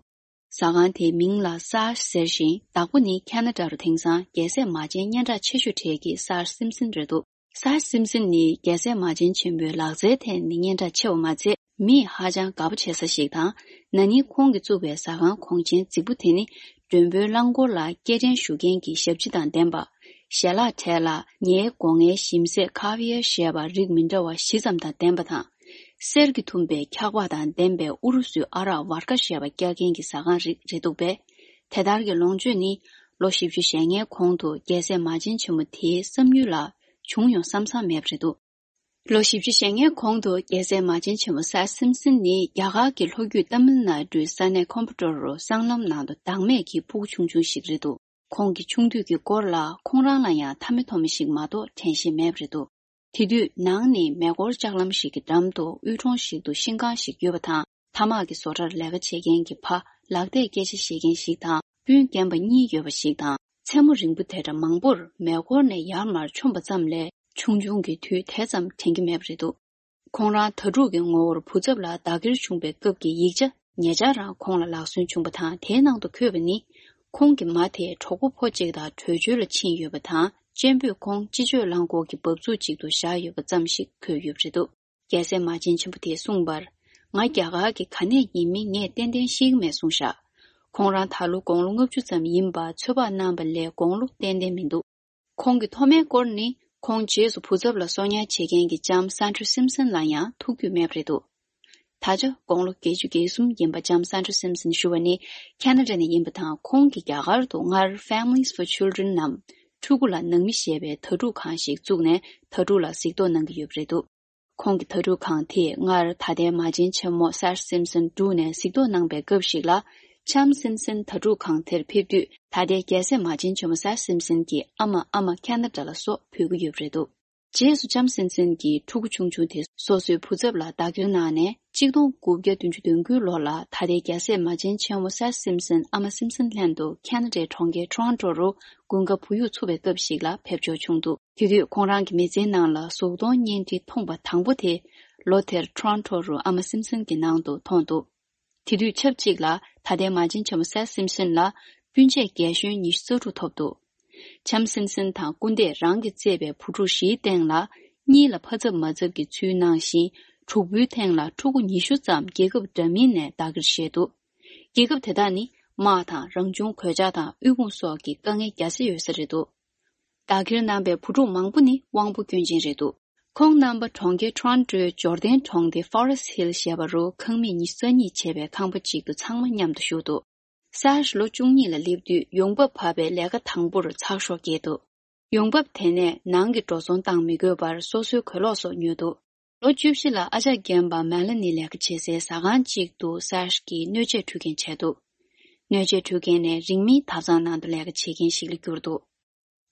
ཟ་ཁང་དེའི་མིང་ལ་སཱར་ཟེར་ཞིང་། བདག་པོ་ནི་ཁ་ན་ཌ་རུ་དེང་སང་རྒྱལ་སྲས་མ་བྱན་སྙན་གྲགས་ཆེ་ཤོས་གྲས་ཀྱི་སཱར་སིམ་སིན་རེད་འདུག་སཱར་སིམ་སིན་ནི་རྒྱལ་སྲས་མ་བྱན་ཆེན་པོའི་ལག་རྩལ་ཐད་ནས་སྙན་གྲགས་ཆེ་བ་མ་ཚད། མིས་ཧ་ཅང་དགའ་པོ་བྱེད་ས་ཞིག་དང་། ན་ནིང་ཁོང་གིས་བཙུགས་པའི་ཟ་ཁང་གོང་ཆེན་རྫིག་པོ་དེ་ནི། མགྲོན་པོའི་རླངས་འཁོར་ལ་སྐྱེལ་འདྲེན་ཞུ་མཁན་གྱི་ཞབས་ཕྱི་དང་ལྡན་པ། ཞལ་ལག་གྲས་ལ་ཉའི་སྒོ་ངའི་ཞིམ་ཟས་ཁ་བི་ཡར་ཞེས་པ་རིགས་མི་འདྲ་བ་བཞི་ཙམ་དང་ལྡན་པ་དང་། གསེར་གྱིས་ཐུམ་པའི་འཁྱག་པ་དང་ལྡན་པའི་ཨུ་རུ་སུའི་ཨ་རག་ཝར་ཀ་ཞེས་པ་བཀྱག་མཁན་གྱི་ཟ་ཁང་རིགས་རེད་འདུག་པས། དེ་ལྟར་གྱི་ལོངས་སྤྱོད་ནི། ལོ་བཞི་བཅུ་ཞེ་ལྔའི་གོང་དུ་རྒྱལ་སྲས་མ་བྱན་ཆེན་མོ་དེའི་བསམ་ཡུལ་ལ་བྱུང་ཡོང་བསམ་བསམ་མེད་པ་རེད་འདུག་ལོ་བཞི་བཅུ་ཞེ་ལྔའི་གོང་དུ་རྒྱལ་སྲས་མ་བྱན་ཆེན་མོ་སཱར་སིམ་སིན་ནི་རྒྱ་གར་གྱི་ལྷོ་རྒྱུད་ཏཱ་མིལ་ནཱ་ཌུའི་ས་གནས་ཀོམ་པ་ཊོར་རུ་སྲང་ལམ་ནང་དུ་བདག་མེད་ཀྱི་ཕྲུ་གུ་ཆུང་ཆུང་ཞིག་རེད་འདུག་ཁོང་གི་ཆུང་དུས་ཀྱི་སྐོར་ལ་ཁོང་རང་ལ་ཡང་མཐའ་མེད་ཐོག་མེད་ཞིག་མ་གཏོགས་དྲན་ཤེས་མེད་པ་རེད་འདུག་དེ་དུས་ནང་ནི་མེ་འཁོར་ལྕགས་ལམ་ཞིག་གི་འགྲམ་དུ་དབུལ་གྲོང་ཞིག་ཏུ་ཤིང་ཁང་ཞིག་ཡོད་པ་དང་། ཐ་མག་གི་བཟོ་གྲྭར་ལས་ཀ་བྱེད་མཁན་གྱི་ཕ་ལག་བརྡས་སྐད་ཆ་བཤད་མཁན་ཞིག་དང་སྤུན་རྒན་པ་གཉིས་ཡོད་པ་ཞིག་དང་། མཚན་མོ་རིང་པོ་དེ་འདྲ་མང་པོར་མེ་འཁོར་ནས་ཡར་མར་མཆོངས་པ་ཙམ་ལས་ ཆུང་ཆུང་གི་དུས་དེ་ཙམ་དྲན་གྱི་མེད་པ་རེད་འདུག་ཁོང་རང་དྭ་ཕྲུག་གི་ངོ་བོར་བུ་ཚབ་ལ་བདག་གིར་བྱུང་བའི་སྐབས་ཀྱི་ཡིག་ཆ་ཉེ་ཆར་རང་ཁོང་ལ་ལག་སོན་བྱུང་བ་དང་། དེའི་ནང་དུ་འཁོད་པ་ནི། ཁོང་གི་མ་དེ་གྲོགས་པོ་ཕོ་གཅིག་དང་བྲོས་བྱོལ་ལ་ཕྱིན་ཡོད་པ་དང་། གཅེན་པོས་ཁོང་སྤྱི་སྤྱོད་རླངས་འཁོར་གྱི་འབབ་ཚུགས་གཅིག་ཏུ་བཞག་ཡོད་པ་ཙམ་ཞིག་འཁོད་ཡོད་པ་རེད་འདུག་རྒྱལ་སྲས་མ་བྱན་ཆེན་པོ་དེས་གསུངས་པར། ང་རྒྱ་གར་གྱི་ག་ནས་ཡིན་མིན་ངས་ཏན་ཏན་ཤེས་ཀྱི་མེད་གསུངས་བཞག་ཁོང་རང་ད་ལོ་དགུང་ལོ་ལྔ་བཅུ་ཙམ་ཡིན་པ་ཚོད་དཔག་གནང་བ་ལས་དགུང་ལོ་ཏན་ཏན་མི་འདུག་ཁོང་གི་ཐོག་མའི་སྐོར་ནི། ཁོང་རྗེས་སུ་བུ་ཚབ་ལ་གསོ་ཉར་བྱེད་མཁན་གྱི་ལྕམ་སན་ཏྲ་སིམ་སན་ལ་ཡང་ཐུག་རྒྱུ་མེད་པ་རེད་འདུག་ད་ཆ་དགུང་ལོ་བརྒྱད་ཅུ་གྱ་གསུམ་ཡིན་པ་ལྕམ་སན་ཏྲ་སིམ་སན་ཞུ་བ་ནི་ཁེ་ན་ཌ་ནས་ཡིན་པ་དང་། ཁོང་གིས་རྒྱ་གར་དུ་སྔར་Families for Children ནམ་ཕྲུ་གུ་ལ་ནང་མི་ཞེས་པའི་དྭ་ཕྲུག་ཁང་ཞིག་བཙུགས་ནས་དྭ་ཕྲུག་ལ་གཟིགས་རྟོག་གནང་གི་ཡོད་པ་རེད་འདུག་ཁོང་གི་དྭ་ཕྲུག་ཁང་དེས་སྔར་ད་ལྟའི་མ་བྱན་ཆེན་མོ་སར་སིམ་སན་བསྒྲུགས་ནས་གཟིགས་རྟོག་གནང་པའི་སྐབས་ཤིག་ལ། ལྕམ་སིམ་སན་དྭ་ཕྲུག་ཁང་དེར་ཕེབས་དུས། ད་ལྟའི་རྒྱལ་སྲས་མ་བྱན་ཆེན་མོ་སར་སིམ་སན་གྱི་ཨ་མ་ཨ་མ་ཁེ་ན་ཌ་ལ་སོགས་ཕུད་ཀྱི་ཡོད་པ་རེད་འདུག་རྗེས་སུ་ལྕམ་སིམ་སན་གྱིས་ཕྲུ་གུ་ཆུང་ཆུང་དེ་སོ་སོའི་བུ་ཚབ་ལ་བདག་སྐྱེལ་གནང་ནས། གཅིག་སྟོང་དགུ་བརྒྱ་བདུན་ཅུ་དོན་དགུའི་ལོ་ལ་ད་ལྟའི་རྒྱལ་སྲས་མ་བྱན་ཆེན་མོ་སར་སིམ་སན་ཨ་མ་སིམ་སན་ལྷན་དུ་ཁེ་ན་ཌའི་གྲོང་ཁྱེར་ཊོ་རོན་ཊོ་རུ་དགུན་ཁ་བུ་ཡུག་འཚུབ་པའི་སྐབས་ཤིག་ལ་ཕེབས་འབྱོར་བྱུང་འདུག་དེ་དུས་ཁོང་རང་གི་མི་ཚེའི་ནང་ལ་གཟུགས་མཐོང་བརྙན་འཕྲིན་མཐོང་པ་དང་པོ་དེ། ལོ་དེར་ཊོ་རོན་ཊོ་རུ་ཨ་མ་སིམ་སན་གྱི་ནང་དུ་མཐོང་འདུག་དེ་དུས་ཆབས་ཅིག་ལ་ད་ལྟའི་མ་བྱན་ཆེན་མོ་སར་སིམ་སན་ལ་སྤུན་མཆེད་རྒན་གཞོན་ཉི་ཤུ་རྩ་དྲུག་ཐོབ་འདུག་ལྕམ་སིམ་སན་དང་སྐུ་ཟླས་རང་གིས་བཙས་པའི་བུ་ཕྲུག་བཞིའི་སྟེང་ལ། གཉིས་ལ་ཕ་ཚབ་མ་ཚབ་ཀྱི་ཚུལ་གནང་ཞིང་། དྲུག་པོའི་སྟེང་ལ་ཕྲུ་གུ་ཉི་ཤུ་ཙམ་རྒྱལ་ཁབ་འདྲ་མིན་ནས་བདག་གིར་བཞེས་འདུག་རྒྱལ་ཁབ་དེ་དག་ནི། དམག་དང་རང་བྱུང་གོད་ཆག་དང་དབུལ་ཕོངས་སོགས་ཀྱི་དཀའ་ངལ་རྒྱག་སྲིད་ཡོད་ས་རེད་འདུག་བདག་གིར་གནང་པའི་བུ་ཕྲུག་མང་པོ་ནི་དབང་པོ་སྐྱོན་ཅན་རེད་འདུག་ཁོང་རྣམ་པ་གྲོང་ཁྱེར་ཊོ་རོན་ཊོའི་འབྱོར་ལྡན་གྲོང་སྡེ་Forest Hill ཞེས་པ་རུ་ཁང་མིག་ཉི་ཤུ་རྩ་གཉིས་བྱས་པའི་ཁང་པ་གཅིག་ཏུ་ཚང་མ་མཉམ་དུ་བཞུགས་འདུག་སར་ཞི་ལོ་བཅུ་གཉིས་ལ་སླེབས་དུས་ཡོང་འབབ་བབས་པའི་ལས་ཀ་དང་པོར་ཚགས་ཤོག་བརྒྱབ་འདུག་ཡོང་འབབ་དེ་ནས་ནང་གི་འགྲོ་སོང་བཏང་མི་དགོས་པར་སོ་སོའི་གོས་ལོག་སོགས་ཉོས་འདུག་ལོ་བཅུ་བཞི་ལ་ཨ་ཅག་རྒན་པ་མེ་ལ་ནི་ལས་ཀ་བྱེད་སའི་ཟ་ཁང་གཅིག་ཏུ་སར་ཞི་གིས་སྣོད་ཆས་འཕྲུལ་མཁན་བྱས་འདུག་སྣོད་ཆས་འཕྲུལ་མཁན་ནས་རིང་མིན་ཐབ་ཚང་ནང་དུ་ལས་ཀ་བྱེད་མཁན་ཞིག་ལ་གྱུར་འདུག་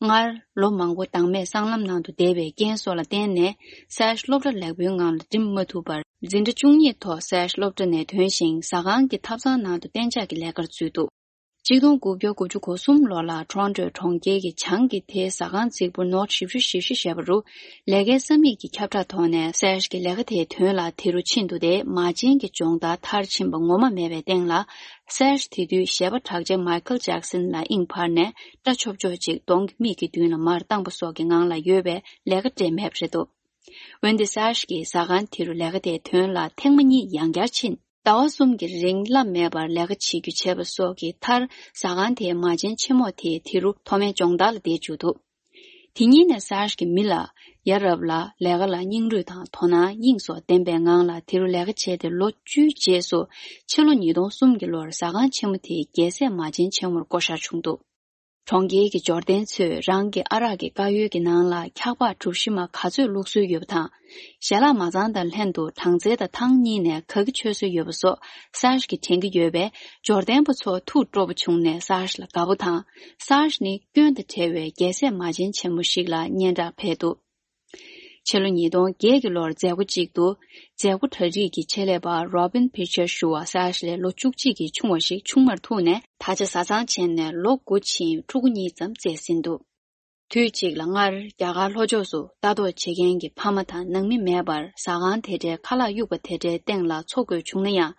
སྔར་ལོ་མང་པོ་བདག་མེད་སྲང་ལམ་ནང་དུ་བསྡད་པའི་རྐྱེན་སོགས་ལ་བརྟེན་ནས་སར་ཞི་སློབ་གྲྭ་ལེགས་པོའི་ངང་ལ་འགྲིམ་མ་ཐུབ་པར། འཛིན་གྲྭ་བཅུ་གཉིས་ཐོག་སར་ཞི་སློབ་གྲྭ་ནས་ཐོན་ཞིང་། ཟ་ཁང་གི་ཐབ་ཚང་ནང་དུ་གཏན་འཇགས་ཀྱི་ལས་ཀར་འཛུལ་འདུག་གཅིག་སྟོང་དགུ་བརྒྱ་དགུ་བཅུ་གོ་གསུམ་ལོ་ལ་ཊོ་རོན་ཊོའི་གྲོང་ཁྱེར་གྱི་བྱང་གི་དེའི་ཟ་ཁང་རྫིག་པོ་North ཞེ་བཞི་ཞེ་བཞི་ཞེས་པ་རུ། ལས་ཀའི་ས་མིག་གི་ཁྱབ་བསྒྲགས་ཐོག་ནས་སར་ཞི་གི་ལས་ཀ་དེའི་དོན་ལ་དེ་རུ་ཕྱིན་འདུག་སྟེ། མ་བྱན་གྱི་སྦྱོང་བརྡར་མཐར་ཕྱིན་པ་ངོ་མ་མེད་པའི་སྟེང་ལ། སར་ཞི་དེ་དུས་གཞས་པ་གྲགས་ཅན་མའི་ཁལ་ཇེག་སན་ལ་དབྱིངས་འཕར་ནས་སྐྲ་ཆོབ་ཆོབ་ཅིག་གདོང་གི་མིག་གི་མདུན་ལ་མར་བཏང་པ་སོགས་ཀྱི་ངང་ལ་ཡོད་པའི་ལས་ཀ་སྤྲད་མེད་པ་རེད་འདུག་འོན་ཏེ་སར་ཞི་གིས་ཟ་ཁང་དེ་རུ་ལས་ཀ་དེའི་དོན་ལ་ཐེངས་མ་གཉིས་ཡང་བསྐྱར་ཕྱིན། ཟླ་བ་གསུམ་གྱི་རིང་བླ་མེད་པར་ལས་ཀ་བྱེད་རྒྱུ་བྱས་པ་སོགས་ཀྱི་མཐར། ཟ་ཁང་དེའི་མ་བྱན་ཆེན་མོ་དེ་དེ་རུ་མཐོ་དམན་སྦྱོང་བརྡར་ལ་བསྡད་བཅུག་འདུག་དེ་ཉིན་ནས་སར་ཞི་གིས་མི་ལ། ཡ་རབས་ལ། ལས་ཀ་ལ་སྙིང་རུས་དང་དོ་སྣང་དབྱིངས་སོགས་ལྡན་པའི་ངང་ལ་དེ་རུ་ལས་ཀ་བྱས་ཏེ། ལོ་བཅུའི་རྗེས་སུ་ཕྱི་ལོ་ཉིས་སྟོང་གསུམ་གྱི་ལོར་ཟ་ཁང་ཆེན་མོ་དེ་རྒྱལ་སྲས་མ་བྱན་ཆེན་མོར་བསྐོ་བཞག་བྱུང་འདུག་གྲོང་ཁྱེར་གྱི་འབྱོར་ལྡན་ཚོས་རང་གི་ཨ་རག་གི་དཀར་ཡོལ་གྱི་ནང་ལ་འཁྱག་པགས་གྲུ་བཞི་མ་ག་ཚོད་བླུག་སྲོལ་ཡོད་པ་དང་། ཞལ་ལག་མ་ཚང་དང་ལྷན་དུ་སྦྲང་རྩི་དང་ཐང་གཉིས་ནས་ག་གི་མཆོད་སྲོལ་ཡོད་པ་སོགས་སར་ཞི་གིས་དྲན་གྱི་ཡོད་པས། འབྱོར་ལྡན་པ་ཚོ་ཐུགས་སྤྲོ་པོ་བྱུང་ནས་སར་ཞི་ལ་དགའ་པོ་དང་། སར་ཞི་ནི་སྐྱོན་དང་བྲལ་བའི་རྒྱལ་སྲས་མ་བྱན་ཆེན་མོ་ཞིག་ལ་སྙན་གྲགས་འཕེལ་འདུག་ཕྱི་ལོ་ཉིས་སྟོང་བརྒྱད་ཀྱི་ལོར་མཛད་སྒོ་གཅིག་ཏུ། མཛད་སྒོ་གྲ་སྒྲིག་གི་ཆེད་ལས་པ་Robin Pitcher ཞུ་བ་སར་ཞི་ལས་ལོ་བཅུ་གཅིག་གིས་ཆུང་བ་ཞིག་ཆུང་མར་ཐུག་ནས། ད་ཆ་བཟའ་ཚང་བྱས་ནས་ལོ་དགུ་ཕྱིན་ཕྲུ་གུ་གཉིས་ཙམ་བཙས་ཟིན་འདུག་དུས་གཅིག་ལ་སྔར་རྒྱ་གར་ལྷོ་ཕྱོགས་སུ་ལྟ་རྟོག་བྱེད་མཁན་གྱི་ཕ་མ་དང་ནང་མི་མེད་པར་ཟ་ཁང་དེ་འདྲའི་ཁ་ལག་གཡུག་པ་དེ་འདྲའི་སྟེང་ལ་འཚོ་དགོས་བྱུང་ན་ཡང་།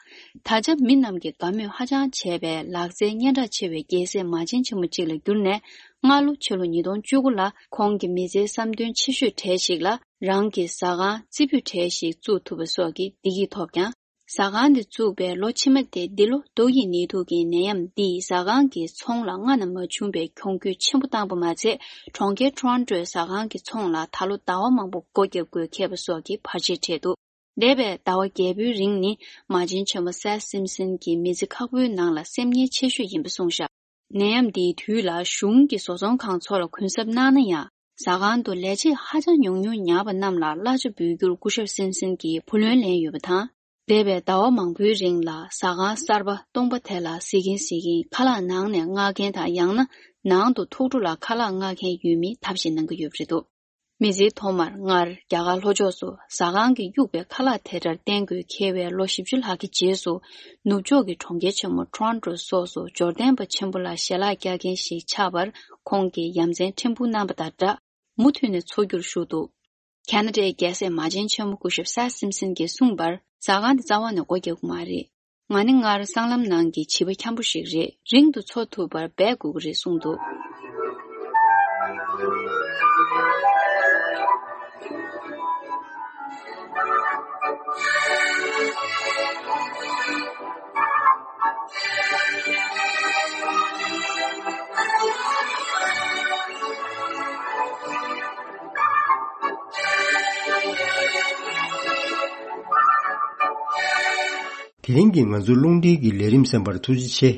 ད་ཆ་མི་རྣམས་ཀྱིས་དགའ་མོས་ཧ་ཅང་བྱས་པའི་ལག་རྩལ་སྙན་གྲགས་ཆེ་བའི་རྒྱལ་སྲས་མ་བྱན་ཆེན་མོ་གཅིག་ལ་གྱུར་ནས། སྔ་ལོ་ཕྱི་ལོ་ཉིས་སྟོང་བཅུ་དགུ་ལ་ཁོང་གི་མི་ཚེའི་བསམ་དོན་ཆེ་ཤོས་གྲས་ཤིག་ལ་རང་གི་ཟ་ཁང་རྩེ་ཕུད་གྲས་ཤིག་བཙུགས་ཐུབ་པ་སོགས་ཀྱི་བདེ་སྐྱིད་ཐོབ་ཀྱང་། ཟ་ཁང་འདི་བཙུགས་པའི་ལོ་ཕྱི་མ་སྟེ་འདི་ལོ་ཏོག་དབྱིབས་ནད་དུག་གི་ནད་ཡམས་འདིས་ཟ་ཁང་གི་ཚོང་ལ་སྔ་ན་མ་བྱུང་བའི་གྱོང་གུད་ཆེན་པོ་བཏང་པ་མ་ཚད། གྲོང་ཁྱེར་ཊོ་རོན་ཊོའི་ཟ་ཁང་གི་ཚོང་ལ་ད་ལོ་ཟླ་བ་མང་པོ་སྒོ་བརྒྱབ་དགོས་ཁེལ་བ་སོགས་ཀྱི་བར་ཆད་འཕྲད་འདུག་འདས་པའི་ཟླ་བ་བརྒྱད་པོའི་རིང་ནི་མ་བྱན་ཆེན་མོ་སར་སིམ་སན་གྱི་མི་ཚེ་ཁག་པོའི་ནང་ལ་སེམས་ངལ་ཆེ་ཤོས་ཡིན་པ་གསུངས་བཞག་ནད་ཡམས་འདིའི་དུས་ལ་གཞུང་གི་བཟོ་ཚོང་ཁང་ཚོ་ལ་གུན་གསབ་གནང་ན་ཡང་། ཟ་ཁང་དུ་ལས་བྱེད་ཧ་ཅང་ཉུང་ཉུང་ཉར་བ་རྣམས་ལ་གླ་ཆ་འབུལ་རྒྱུར་སྐུ་ཞབས་སིམ་སན་གྱིས་བུ་ལོན་ལེན་ཡོད་པ་དང་། འདས་པའི་ཟླ་བ་མང་པོའི་རིང་ལ་ཟ་ཁང་གསར་པ་སྟོང་པ་དེ་ལ་གཟིགས་ཀྱིན་གཟིགས་ཀྱིན་ཁ་ལག་ནང་ནས་མངགས་མཁན་དང་། ཡང་ན་ནང་དུ་ཐུགས་སྤྲོ་ལ་ཁ་ལག་མངགས་མཁན་ཡོད་མིན་ཐབས་ཤེས་གནང་གི་ཡོད་པ་རེད་འདུག་མི་ཚེའི་ཐོག་མར་སྔར་རྒྱ་གར་ལྷོ་ཕྱོགས་སུ་ཟ་ཁང་གི་གཡུག་པའི་ཁ་ལག་དེ་འདྲར་བརྟེན་དགོས་ཁེལ་བའི་ལོ་བཞི་བཅུ་ལྷག་གི་རྗེས་སུ། ནུབ་ཕྱོགས་ཀྱི་གྲོང་ཁྱེར་ཆེན་མོ་ཊོ་རོན་ཊོ་སོགས་སུ་འབྱོར་ལྡན་པ་ཆེན་པོ་ལ་ཞལ་ལག་བཀྱག་མཁན་ཞིག་ཆགས་པར་ཁོང་གིས་ཡ་མཚན་ཕྲན་བུ་གནང་བ་དང་སྦྲགས། མུ་མཐུད་ནས་འཚོ་རྒྱུར་ཞུགས་འདུག་ཁ་ན་ཌའི་རྒྱལ་སྲས་མ་བྱན་ཆེན་མོ་སྐུ་ཞབས་སར་སིམ་སན་གྱིས་གསུངས་པར། ཟ་ཁང་དེ་རྩ་བ་ནས་སྒོ་རྒྱག་གི་མ་རེད། ང་ནི་སྔར་སྲང་ལམ་ནང་གི་བྱིས་པ་འཁྱམ་པོ་ཞིག་རེད། རིང་དུ་འཚོ་ཐུབ་པར་འབད་དགོས་ཀྱི་རེད་གསུངས་འདུག། དེ་རིང་གི་ང་ཚོའི་རླུང་འཕྲིན་གྱི་ལས་རིམ་གསན་པར་ཐུགས་རྗེ་ཆེ།